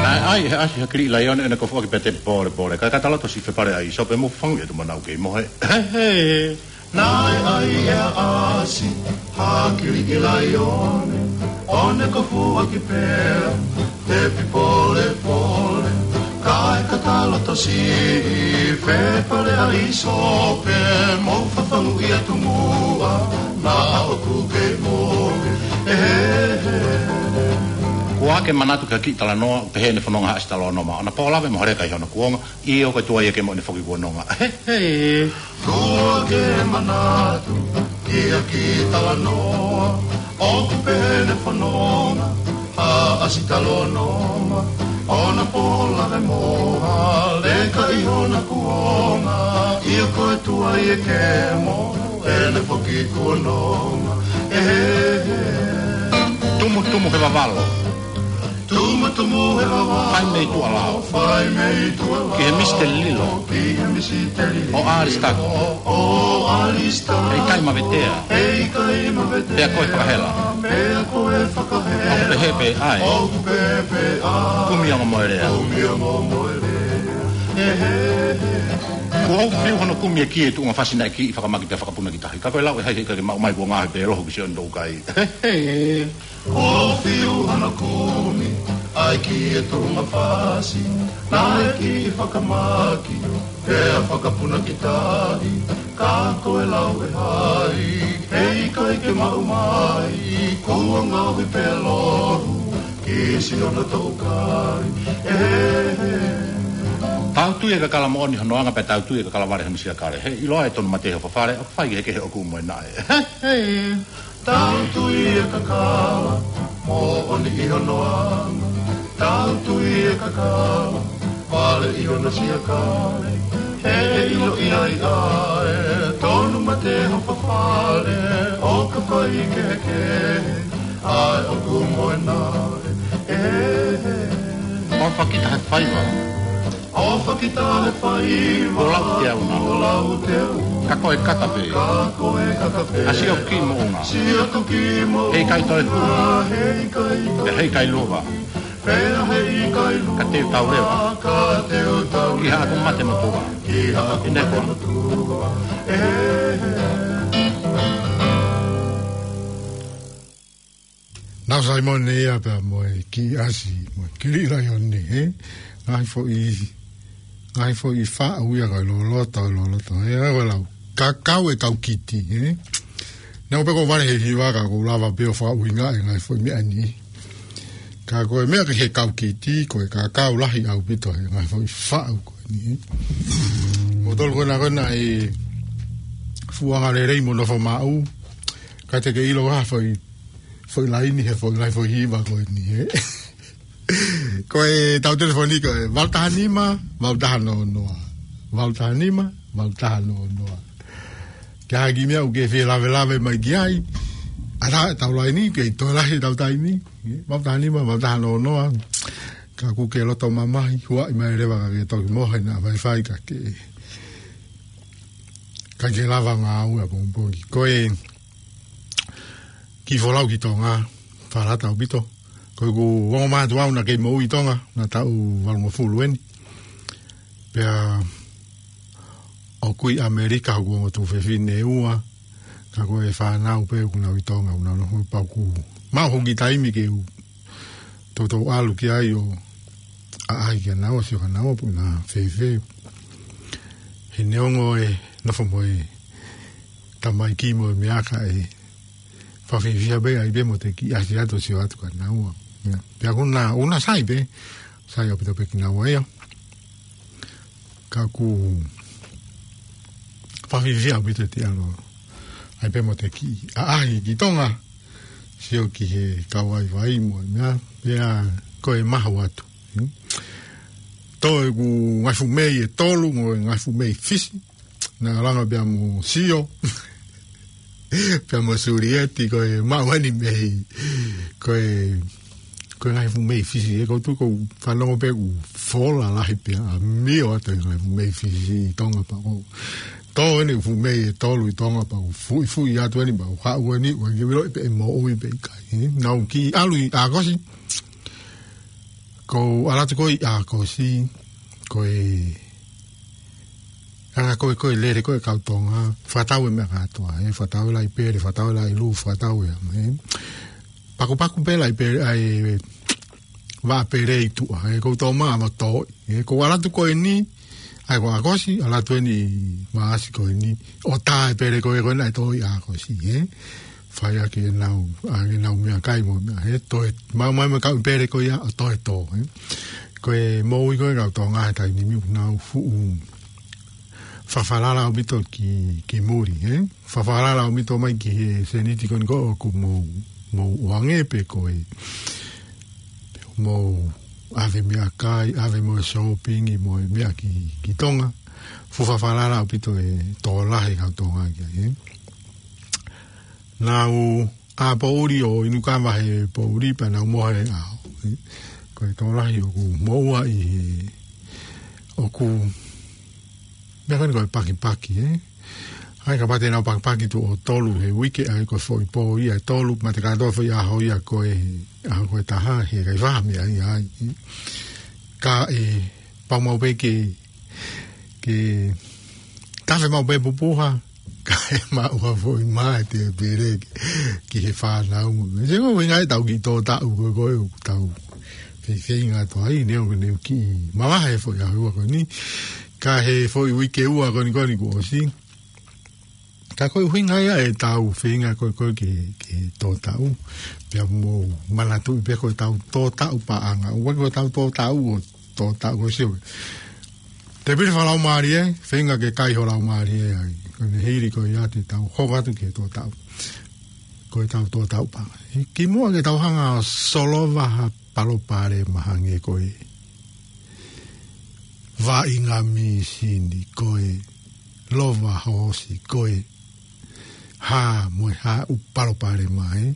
Naʻe ʻai he ʻasi ha kiliʻi laione ʻene kofuʻaki pea tepi pōlepole. Kae kata loto siʻi fepale ʻa ʻĪsope mo fangu ʻi he tumanau kei mohe. He, he. Naʻe ʻai ʻe he ʻasi ha kiliʻi laione ʻo ne kofuʻaki pea tepi pōlepole. Kae kata loto siʻi fepale ʻa ʻĪsope mo fangu ʻi he tumanau naʻa ʻoku kei mohe. He, he, he. Kuo ke manatu ki ha kiʻi talanoa, pehē ʻene fononga ha ʻasi talanoa maʻa. ʻOna pō lave mo ha leka ʻi hono kuonga, ʻio ko e tuai ʻa e kemo ʻene foki kuononga. He, he. Kuo ke manatu ki ha kiʻi talanoa, ʻoku pehē ʻene fononga ha ʻasi talanoa maʻa. ʻOna pō lave mo ha leka ʻi hono kuonga, ʻio ko e tuai ʻa e kemo ʻene foki kuononga. He, he, he. Tumutumu he vavalo. Tumutumu he vavalo. Fai mei tuʻa lao. Fai mei tuʻa lao. Ki he Misiteli Lilo. Ki he Misiteli Lilo. ʻO Alisitako. ʻO Alisitako. ʻE ʻikai mavetea. ʻE ʻikai mavetea. Pea ko e fakahela. Pea ko e fakahela. ʻOku pehē pē ʻa e. ʻOku pehē pē ʻa e. Kumi ʻa Momoʻelea. Kumi ʻa Momoʻelea. He, he, he. Kuo fiu hono kumi e kī ʻi he tuʻunga fasi naʻe kiʻi fakamaki pea fakapuna ki tahi. Ka ko e lau ʻe hai he ʻikai ke maʻu mai kuo ngaohi pē loho ki siʻono toukai. He, he. Kuo fiu hono kumi ʻa e kī ʻi he tuʻunga fasi naʻe kiʻi fakamaki pea fakapuna ki tahi. Ka ko e lau ʻe hai he ʻikai ke maʻu mai kuo ngaohi pē loho ki siʻono toukai. He, he, he. Tau tui e kakala moʻoni hono anga pea tau tui e kakala vale hono siakale. He ʻiloa e tonu mate ho fafale, ʻoku fai ki he kehe ʻoku mo e naʻe. He, he. Tau tui e kakala moʻoni ʻi hono anga. Tau tui e kakala vale ʻi hono siakale. He ʻiloa ʻi ai ʻa e tonu mate ho fafale, ʻoka fai kehekehe ʻa e ʻoku mo e naʻe. He, he. ʻOfa kita he faiva. ʻOfa kita he faiva. Kuo lau te au na. Kuo lau te au. Ka ko e kata pē. Ka ko e kata pē. ʻA siʻo kī moʻunga. Siʻo kī moʻunga. He ʻikai toe hū. He ʻikai toe. He ʻikai luva. Pea he ʻikai luva. Ka te u tau leva. Ka te u tau leva. Ki haʻaku mate motuʻa. Ki haʻaku mate motuʻa. He, he. Nau Saimone ia pea mo e kiʻi ʻasi, mo e kiliʻi laione, he? Ngaahi foʻi, ngaahi foʻi faʻu ia ka loloto, loloto, he? Ko e lau, kakau e kau kiti, he? Naʻa ku pehē ko e vale he hiva ka ʻoku ou lava pē ʻo fakaʻuhingaʻi e ngaahi foʻi meʻa ni. Ka ko e meʻa ki he kau kiti, ko e kakau lahi ʻaupito he ngaahi foʻi faʻu ko eni, he? Mo tolu ko ena ko ena e fuʻu angalelei mo nofo maʻu, ka te ke ʻilo ha foʻi foʻi laini he foʻi laini foʻi hiva ko eni, he? Ko e tau telefoni ko e valu taha nima, valu taha noa noa. Valu taha nima, valu taha noa noa. Ke ʻai ha kiʻi meʻa ʻoku ke fie lavelave mai ki ai. ʻA tā e tau laini, ke toe lahi tau taimi. Valu taha nima, valu taha noa noa. Ka ʻoku ke loto mamahi, huaʻi mai leva ka ke toki mohe naʻa faifai ka ke. Ka ke lava ngāue ʻapongipongi. Ko e kiʻi folau ki Tonga, fakalata ʻaupito. Ko ʻeku ongo mātuʻa au naʻa kei moʻui ʻi Tonga, naʻa taʻu valungofulu eni. Pea ʻoku ʻi ʻAmelika hoku ongo tuofefine ʻe ua, ka ko e fānau pē ʻoku nau ʻi Tonga, ʻoku nau nofo pau ʻoku maʻu hoku kiʻi taimi ke u toutou ʻalu ki ai ʻo ʻaʻahi kia naua, sio kia naua pe ʻoku na fēfē. He neongo e nofo mo e tamaiki mo e meʻa ka ʻe fakafiefia pē ʻai pē mo te kiʻi ʻasi atu ʻo sio atu kia naua. Ia. Pea ʻoku na, ʻoku na sai pē, sai ʻaupito pē kia naua ia. Ka ʻoku fakafiefia ʻaupito te ʻalu ʻai pē mo te kiʻi ʻaʻahi ki Tonga. Sio ki he kau vaivai mo e meʻa, pea ko e mahu atu. Hmm? Toe ʻeku ngaahi fuʻu mei ʻe tolu, mo e ngaahi fuʻu mei Fisi. Naʻe langa pea mo Sio. Pea mo Sulieti, ko e maʻu eni mei. Ko e, ko e ngaahi fuʻu mei Fisi. ʻE kou tuʻu kou fanongo pē ʻoku fola lahi pea ʻa mio atu e ngaahi fuʻu mei Fisi ʻi Tonga pea ko. Tō eni fuʻu mei ʻe tolu ʻi Tonga pea ko fuʻifuʻi atu eni pea ko haʻu eni, ʻoku ke vilo pe ʻe moʻui pe ʻikai. Nau kiʻi ʻalu ʻi ʻAokosi. Ko ʻalu atu ko ē ʻi ʻAokosi, ko e, anga ko ē, ko e lele ko ē kau Tonga, fakatau e meʻa kātoa, ē, fakatau e laʻi pele, fakatau e laʻi lū, fakatau e, ē. Pakupaku pē laʻi pele, ʻa e, vaʻa pele ʻi tuʻa, ē, kou tō mai mo tō, ē, ko ʻalu atu ko eni, ʻa e ko ʻAokosi, ʻalu atu eni Maʻasi ko eni, ʻo tā e pele ko ē ko ē naʻe tō ʻi ʻAokosi, ē. Fai ʻaki ʻenau, ʻa ʻenau meʻakai mo e meʻa, ē, toe, maʻu mai mo e kau pele ko ia, ʻo toe tō, ē. Ko e moʻui ko ē kau Tonga he taimi ni ʻoku nau fuʻu fakafalala ʻaupito ki, ki muli, ē. Fakafalala ʻaupito mai ki he sēniti ko eni ko ē ʻoku mou, mou ʻoange pe ko e, pe mou ʻave meʻakai, ʻave mo e shopping mo e meʻa ki, ki Tonga. Fuʻu fakafalala ʻaupito e tokolahi kau Tonga ki ai, ē. Nau ʻā poʻuli ʻo inu kava he poʻuli pea nau mohe ʻaho, ē. Ko e tokolahi ʻoku moʻua ʻi he, ʻoku, meʻa ko eni ko e pakipaki, ē. ʻAi kapau te nau pakipaki tuʻo tolu he uike, ʻai ko e foʻi pō ia ʻe tolu, mate kātoa foʻi ʻaho ia ko e, ʻaho ko e taha, he ʻikai faʻa meʻa ia ai, ē. Ka ʻe pau maʻu pē ke, ke tafe maʻu pē pupuha, kae maʻu ha foʻi mā ʻe te pele ki, ki he fānau mo. Mei he ko e ʻuhinga ʻetau kiʻi tō taʻu ko ē ko ē ʻoku tau feifeinga atu ai, neongo ʻeku kiʻi mavahe foʻi ʻaho ua ko eni, ka he foʻi uike ua ko eni ko eni kuo ʻosi. Ka ko e ʻuhinga ia ʻetau feinga ko ē ko ē ke, ke tō taʻu. Pea mou manatuʻi pē ko ʻetau tō taʻu paʻanga. ʻOua ko ʻetau tō taʻu ʻo tō taʻu ko e sio. Te pili fakalaumālie, feinga ke kai ho laumālie ai. Ko ʻene hili ko ia te tau hoko atu ke tō taʻu. Ko ʻetau tō taʻu paʻanga. Ki muʻa ke tau hanga ʻo solova ha palopalema hangē ko e vaʻinga mīsini ko e lova hoosi ko e hā mo e hā ʻū palopalema, ē.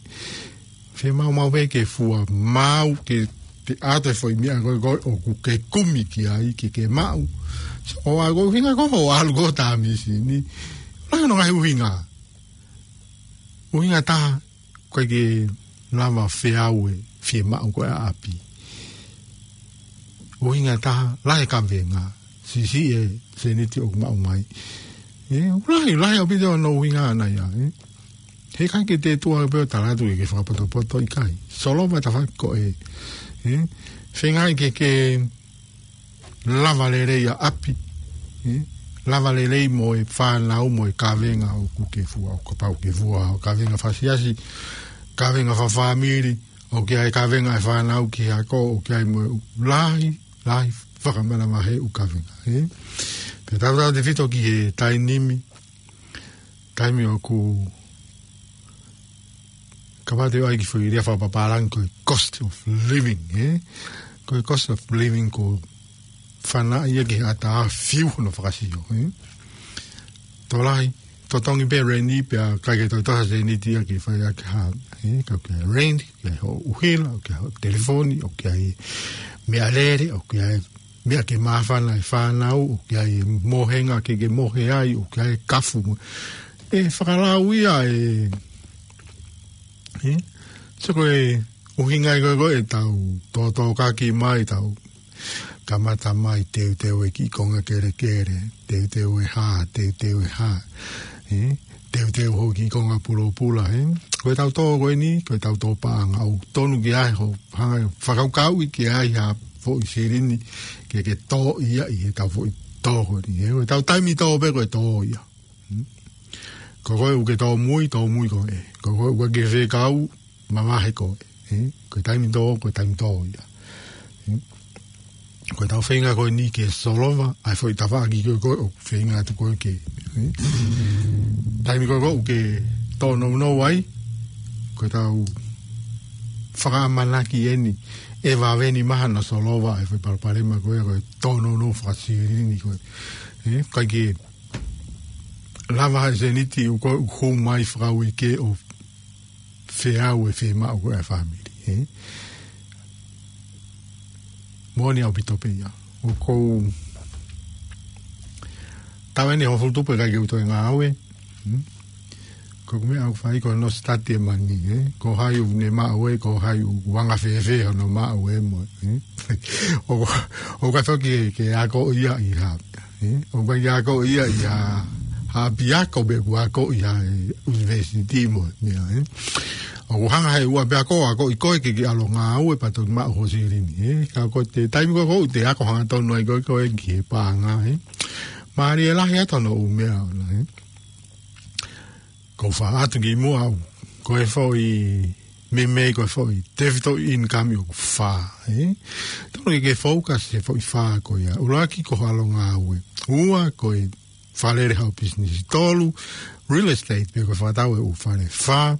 Fiemaʻu maʻu pē ke fua maʻu ke te ʻatu e foʻi meʻa ko ē ko ē ʻoku ke kumi ki ai ke ke maʻu. So, ʻo ʻai ko e ʻuhinga ko ē ʻo ʻalu ko ē tā mīsini. Lahi hono ngaahi ʻuhinga. ʻUhinga taha, ʻoku ʻikai ke lava feau e fiemaʻu ko ē ʻa ʻapi. ʻUhinga taha, lahi e kavenga, siʻisiʻi e sēniti ʻoku maʻu mai. Ē, lahi, lahi ʻaupito hono ʻuhinga ʻana ia, ē. He ʻikai ke te tuʻu pē ʻo tala atu ke ke fakapotopoto, ʻikai. Solova e tafaʻaki ko ē, ē. Feinga ke ke lava lelei ʻa ʻapi, ē? Lava lelei mo e fānau mo e kavenga ʻoku ke fua, ʻo kapau ke fua, ʻo kavenga fakaʻasioʻasi, kavenga fakafāmili, ʻoku ʻi ai e kavenga e fānau ki he ako, ʻoku ʻi ai mo e lahi, lahi, fakamānava he ʻū kavenga, ē? Pea tautautefito ki he taimi ni, taimi ʻoku kapau te u ʻai ki he foʻi lea fakapapālangi ko e cost of living, ē? Ko e cost of living ko e fana ia ki he ʻatā fiu hono fakasio, ē? Tokolahi, totongi pē reni pea ʻikai ke toe toʻo ha sēniti ia ke fai ʻaki ha, ē? Ka ʻoku ʻi ai e reni, ʻoku ʻi ai hoʻo ʻuhila, ʻoku ʻi ai hoʻo telefoni, ʻoku ʻi ai e meʻalele, ʻoku ʻi ai e meʻa ke māfana e fānau, ʻoku ʻi ai e mohenga ke ke mohe ai, ʻoku ʻi ai e kafu mo. ʻE fakalau ia e, ē? So ko e ʻuhinga ia ko ē ʻetau tōtōkaki mai, tau kamata mai teuteu e kiʻi konga kelekele, teuteu e hā, teuteu e hā, ē? Teuteu hoʻo kiʻi konga pulopula, ē? Ko ʻetau tō ko eni, ko ʻetau tō paʻanga, ʻoku tonu ke ʻi ai hoʻo hanga ʻo fakakaukauʻi ke ʻi ai ha foʻi silini ke ke tō ia ʻi heʻetau foʻi tō ko eni, ē? Ko ʻetau taimi tō pē ko e tō ia. Hmm? Ko koe ʻoku ke tōmui, tōmui koe. Ko koe ʻoku ke fekau, mavahe koe. Ē? Ko e taimi tō, ko e taimi tō ia. Ē? Ko ʻetau feinga ko eni ke solova ʻa e foʻi tafaʻaki ko ē ko ē ʻoku feinga atu ko ē ke, ē? Taimi ko ē ko ē ʻoku ke tōnounou ai, ko ʻetau fakaʻamanaki eni ʻe vave ni mahalo ʻo solova e foʻi palopalema ko ia ko e tōnounou fakasilini ko ē. Ē, ʻikai ke lava he seniti ʻoku ʻoku hū mai fakauike ʻo feau e fiemaʻu ko ē ʻa e fāmili, ē? Moʻoni ʻaupito pē ia. ʻOku ou tau eni hongofulu tupu ʻikai ke u toe ngāue. Hmm? Ko e meʻa ʻoku fai ko hono sitati e mani, ē? Ko hai ʻoku ne maʻu ē, ko hai ʻoku anga fēfē hono maʻu ē mo, ē? ʻOku, ʻoku ʻikai ke, ke akoʻi ia ʻi ha, ē? ʻOku ʻikai ke akoʻi ia ʻi ha, ha ʻapiako pe ʻoku akoʻi ʻi ha, ē, ʻunivēsiti mo, meʻa, ē? ʻOku hanga he ʻū ʻapiako ʻo akoʻi koe ke ke ʻalu ʻo ngāue pea toki maʻu ho silini, ē? Ka ko e taimi ko ē ʻoku te ako hangatonu ai koe, koe ki he paʻanga, ē? Mālie lahi atu hono ʻū meʻa ʻona, ē? Ko e fā atu ki muʻa au. Ko e foʻi meimei, ko e foʻi tefitoʻi income ʻoku fā, ē? Tonu ke ke focus he foʻi fā ko ia. ʻUluaki ko e ʻalu ʻo ngāue. Ua ko e fālele haʻo business. Tolu, real estate, pe ko e fakatau e ʻū fale. Fā,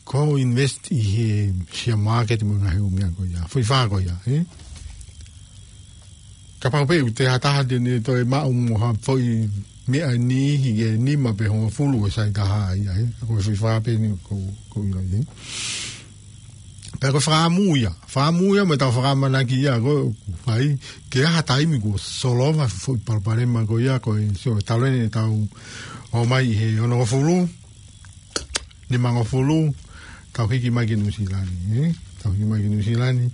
ko e invest ʻi he share market mo e ngaahi ʻū meʻa ko ia. Foʻi fā ko ia, ē? Kapau pē ʻoku te ha taha te ne toe maʻu mo ha foʻi meʻa ʻe niʻihi ke nima pe hongofulu ʻo e sai taha ia, ē? Ko e foʻi fā pē eni ʻoku, ʻoku ou ʻilo, ē? Pea ko e fakaʻamu ia. Fakaʻamu ia mo ʻetau fakaʻamanaki ia ko ē ʻoku fai ke ʻi ai ha taimi kuo solova e foʻi palopalema ko ia ko ē, sio, talu eni ʻetau ō mai ʻi he onongofulu, nimangofulu, tau hiki mai ki Nuʻusila ni, ē? Tau hiki mai ki Nuʻusila ni,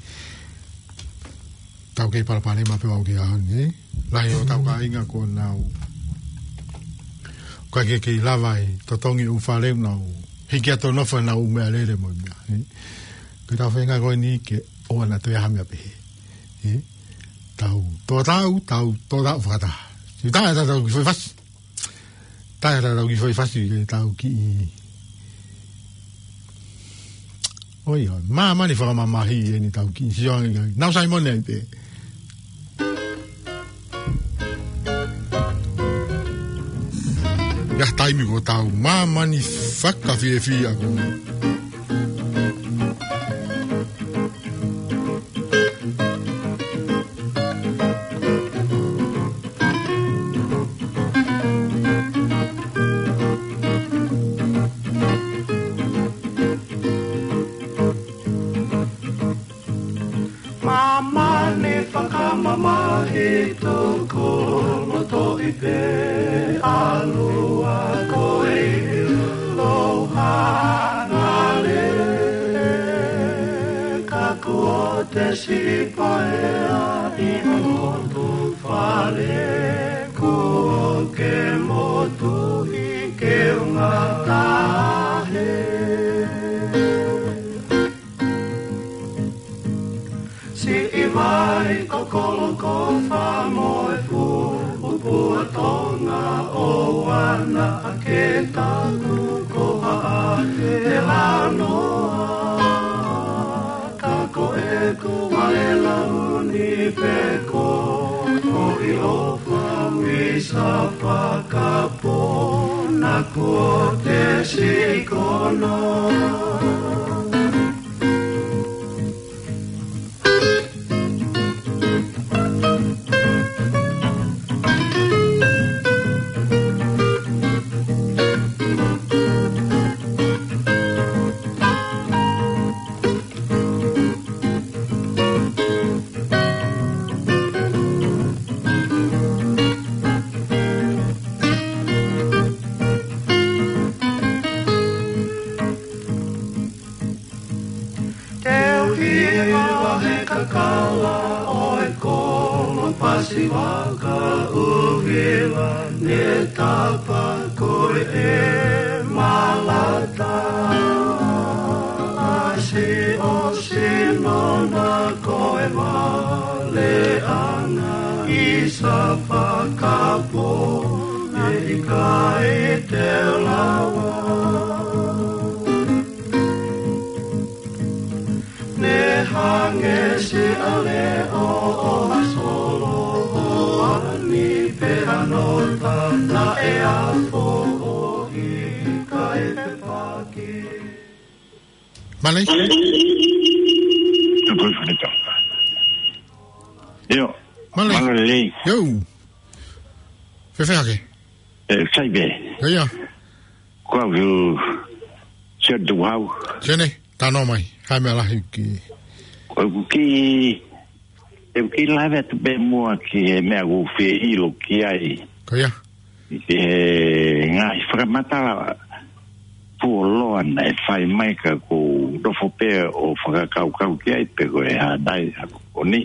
tau kei palopalema pē au ki ʻaho ni, ē? Lahi hotau kāinga kuo nau, ʻikai ke kei lava e totongi ʻū fale, nau hiki atu ʻo nofo ʻenau ʻū meʻalele mo e meʻa, ē? Ko ʻetau feinga ko eni ke ʻoua naʻa toe ʻi ai ha meʻa pehē, ē? Tau tō taʻu, tau tō taʻu fakataha. Siʻi taʻu ʻe taha tau kiʻi foʻi fasi. Taʻu ʻe taha tau kiʻi foʻi fasi ke tau kiʻi, ʻoi, ʻoi, māmani fakamamahi eni tau kiʻi sio ange ki ai. Nau Saimone ai pē. ʻI ha taimi kuo tau māmani fakafiefia ko ē. Māmani fakamamahi, tuku loto ʻi pē ʻalua ko e ʻiloa ngale. Ka kuo te siʻi paea ʻi ho loto fale, kuo ke motuhi ke unga tahe. Siʻi vai ko Kolokofa mo e fuʻu pua Tonga, ʻoua naʻa ke taku ko haʻa ke lanoa. Ka ko ʻeku vale launi pē ko ʻoku ʻiloa fau ʻi sa fakapō, naʻa kuo te siʻi kono. Teu hiva he kakala ʻo e kolo Pasifika, ʻuhila ne tapa ko e malata. ʻAsi ʻo sino na ko e vale ʻana ʻi sa fakapō, ʻe ʻikai te lava. Ne hangē siʻa leʻo ʻo ha solo ʻo ani pē hano tana ʻe afo ʻo ʻikai pepaki. Malei. Ko e fale tau. Io. Mālō. Mālō lelei. Io. Fēfē hake? E, sai pē. Io, ia. Ko au, Sione Tukuhau. Sione, talanoa mai. Hā e meʻa lahi ki. Ko ʻeku kiʻi, ʻeku kiʻi lave atu pē muʻa ki he meʻa ʻoku ou fie ʻilo ki ai. Ko ia. He ngaahi fakamatala fuoloa naʻe fai mai ka ʻoku ou nofo pē ʻo fakakaukau ki ai pe ko e hā nai ʻa ko eni.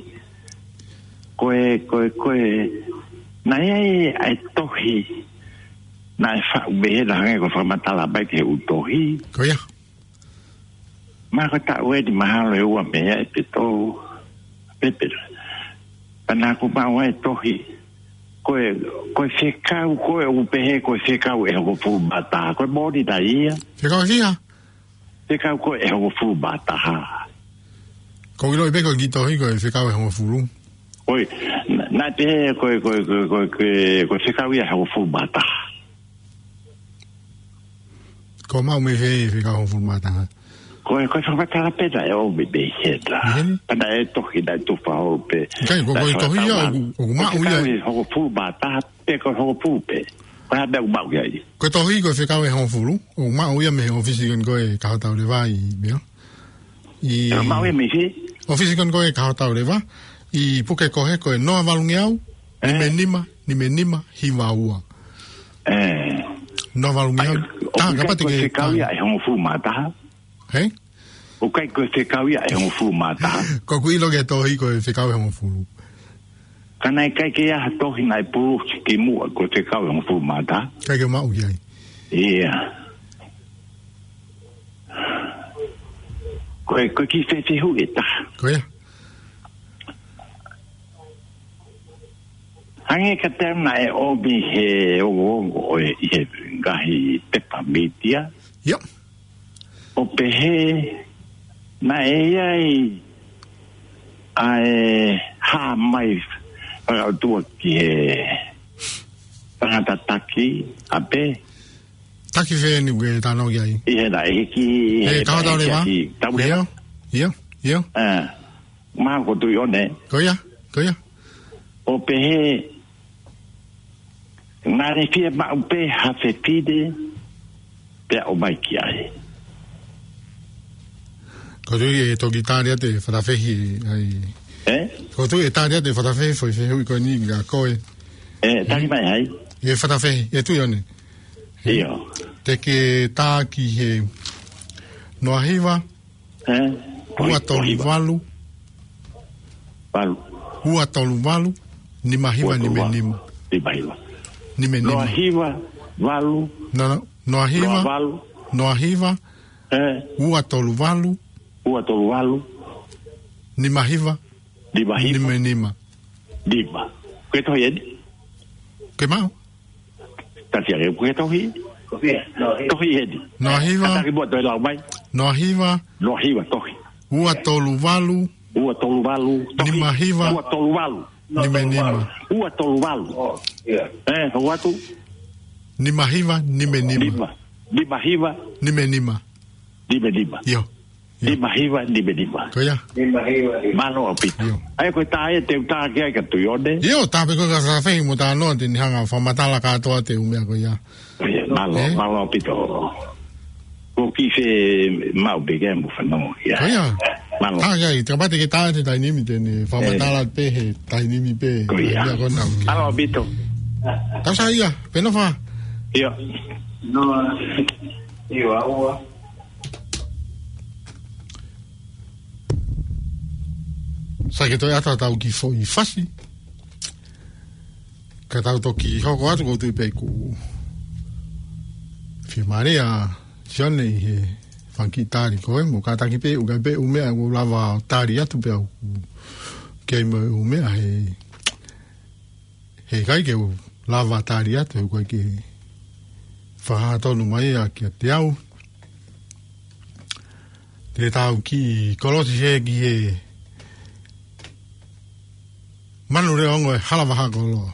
Ko e, ko e, ko e, naʻe ʻi ai ʻa e tohi, naʻe faʻu pehē naʻe hangē ko e fakamatala mai ki he ʻū tohi. Ko ia. Ma ko e taʻu eni mahalo ʻe ua mei ai pe tolu. Pea pehē. Pea naʻa ku maʻu ai e tohi. Ko e, ko e fekau, ko e ʻū pehē, ko e fekau ʻe hongofulu mā taha. Ko e moʻoni nai ia. Fekau ʻe fiha? Fekau ko e hongofulu mā taha. Ko e ʻilo pē ko e kiʻi tohi ko e fekau ʻe hongofulu. Ko e, na, naʻe pehē ko e, ko e, ko e, ko e, ko e, ko e fekau ia ʻe hongofulu mā taha. Ko e maʻu mei fē e fekau ʻe hongofulu mā taha? Ko e, ko e fakamatala pē naʻe ʻomi mei hena. Mei heni? Pea naʻe tohi, naʻe tufa holo pē. ʻIkai, ko e, ko e tohi ia, ʻoku, ʻoku maʻu ia. Ko e fekau ʻe hongofulu mā taha, pe ko e hongofulu pē. Ko e hā e meʻa ʻoku maʻu ki ai? Ko e tohi ko e fekau ʻe hongofulu, ʻoku maʻu ia mei he ʻōfisi ko eni ko e Kaho Tauleva ʻi meʻa. ʻI ʻOku maʻu ia mei fē? ʻŌfisi ko eni ko e Kaho Tauleva, ʻi puke ko ē ko e noa valungeau, ē? Nima nima, nima nima, hiva ua. Ē. Noa valungeau, ʻai, tā, ʻoku kapau te ʻikai ko e ke fekau ia ʻe hongofulu mā taha. Hē? ʻOku ʻikai ko e fekau ia ʻe hongofulu mā taha. Ko ʻeku ʻilo ki he tohi ko e fekau ʻe hongofulu. Ka naʻe ʻikai ke ʻi ai ha tohi naʻe pulusi kimuʻa ko e fekau ʻe hongofulu mā taha. ʻIkai ke maʻu ki ai. Ia. Ko e, ko e kiʻi fehuʻi ʻe taha. Ko ia. Hangē ka te naʻe ʻomi he ongoongo ʻo e ʻi he ngaahi pepa mītia. Ia. ʻO pehē naʻe ʻi ai ʻa e hā mai fakaʻotua ki he tangata taki ʻa pē. Taki fē eni ʻoku ke talanoa ki ai? ʻI he naʻe hiki, ʻi he Kaho Tauleva? Tauleva. Ia, ia, ia. Ē. Mahalo ko Tuʻiʻone. Ko ia, ko ia. ʻO pehē, naʻe fiemaʻu pē ha fefine, pea ʻomai ki ai. Ko Tuʻi ʻe toki tali atu e fakafehi ai. Ē? Ko Tuʻi ʻe tali atu e fakafehi, foʻi fehuʻi ko eni kia koe. Ē, tali mai ai. E fakafehi, ʻe Tuʻiʻone. ʻIo. Te ke tā ki he noa hiva, ē? Ua tolu valu. Valu. Ua tolu valu, nima hiva, nima nima. Nima hiva. Nima nima. Noa hiva, valu. No, no, noa hiva. Noa valu. Noa hiva. Ē? Ua tolu valu. Ua tolu valu. Nima hiva. Nima hiva. Nima nima. Nima. Ko e tohi eni? Ke maʻu? Tasi ake, ko e tohi? Tohi eni. Noa hiva. Kātaki muʻa toe lau mai. Noa hiva. Noa hiva, tohi. Ua tolu valu. Ua tolu valu, tohi. Nima hiva. Ua tolu valu. Nima nima. Ua tolu valu. Ē, hoko atu. Nima hiva, nima nima. Nima. Nima hiva. Nima nima. Nima nima. ʻIo. ʻIo. Nima hiva, nima nima. Ko ia. Nima hiva, nima. Mālō ʻaupito. ʻIo. ʻA ia ko e tā ē te u tā ki ai kia Tuʻiʻone. ʻIo, tā pē koe ka fakafehi mo talanoa te ne hanga fakamatala kātoa e ʻū meʻa ko ia. Mālō, ē? Mālō ʻaupito. Ko e kiʻi fiemaʻu pē ke mou fanongo ki ai. Ko ia. Mālō. Hā, ia, ʻi te kapau te ke tā he taimi ni te ne fakamatala pē he taimi ni pē. Ko ia. Ia ko ena. Mālō ʻaupito. Tau saiʻia, pē nofo. ʻIo. No, ʻio, ʻaua. Sai ke toe ʻatu ʻetau kiʻi foʻi fasi. Ka tau toki hoko atu ʻoku ou tui pē ʻoku fiemālie ʻa Sione ʻi he fanga kiʻi tali ko ē, mo kātaki pē, ʻoku ʻi ai pē ʻū meʻa ʻoku ou lava tali atu pē au. Kei mo e ʻū meʻa he, he ʻikai ke u lava tali atu, he ʻoku ʻikai ke fakahā tonu mai ia kiate au. Te tau kiʻi kolosi hē ki he Manu Leongo e Hala Vaha Koloa.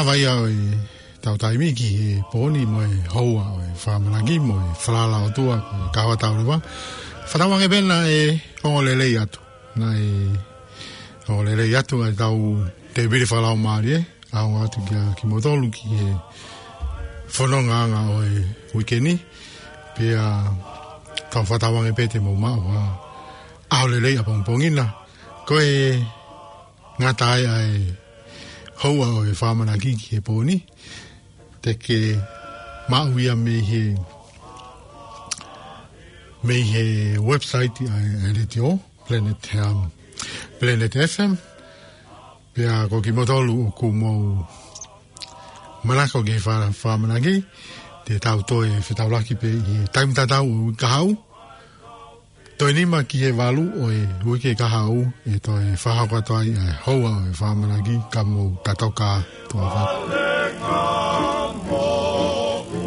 Vaia ʻo e tau taimi ki he pō ni mo e houa ʻo e fakamanaki mo e falala ʻOtua ko e kawa tau leva. Fakatauange pē naʻe ongo lelei atu. Naʻe ongo lelei atu ʻa e tau tēpile fakalaumālie. ʻAonga atu kia kimoutolu ki he fonongaʻanga ʻo e uike ni. Pea tau fakatauange pē te mou maʻu ha ʻaho lelei ʻapongipongi na. Ko e ngata ai ʻa e houa ʻo e fakamanaki ki he pō ni. Te ke maʻu ia mei he, mei he website ʻa e, ʻa e letiō, Planet, um, Planet F M. Pea ko kimoutolu ʻoku mou manako ki he fa-, fakamanaki, te tau toe fetaulaki pē ʻi he taimi tatau ʻo e uike kahaʻu. Toe nima ki he valu ʻo e uike kahaʻu ʻe toe fakahoko atu ai ʻa e houa ʻo e fakamanaki, ka mou tatoka tuʻa.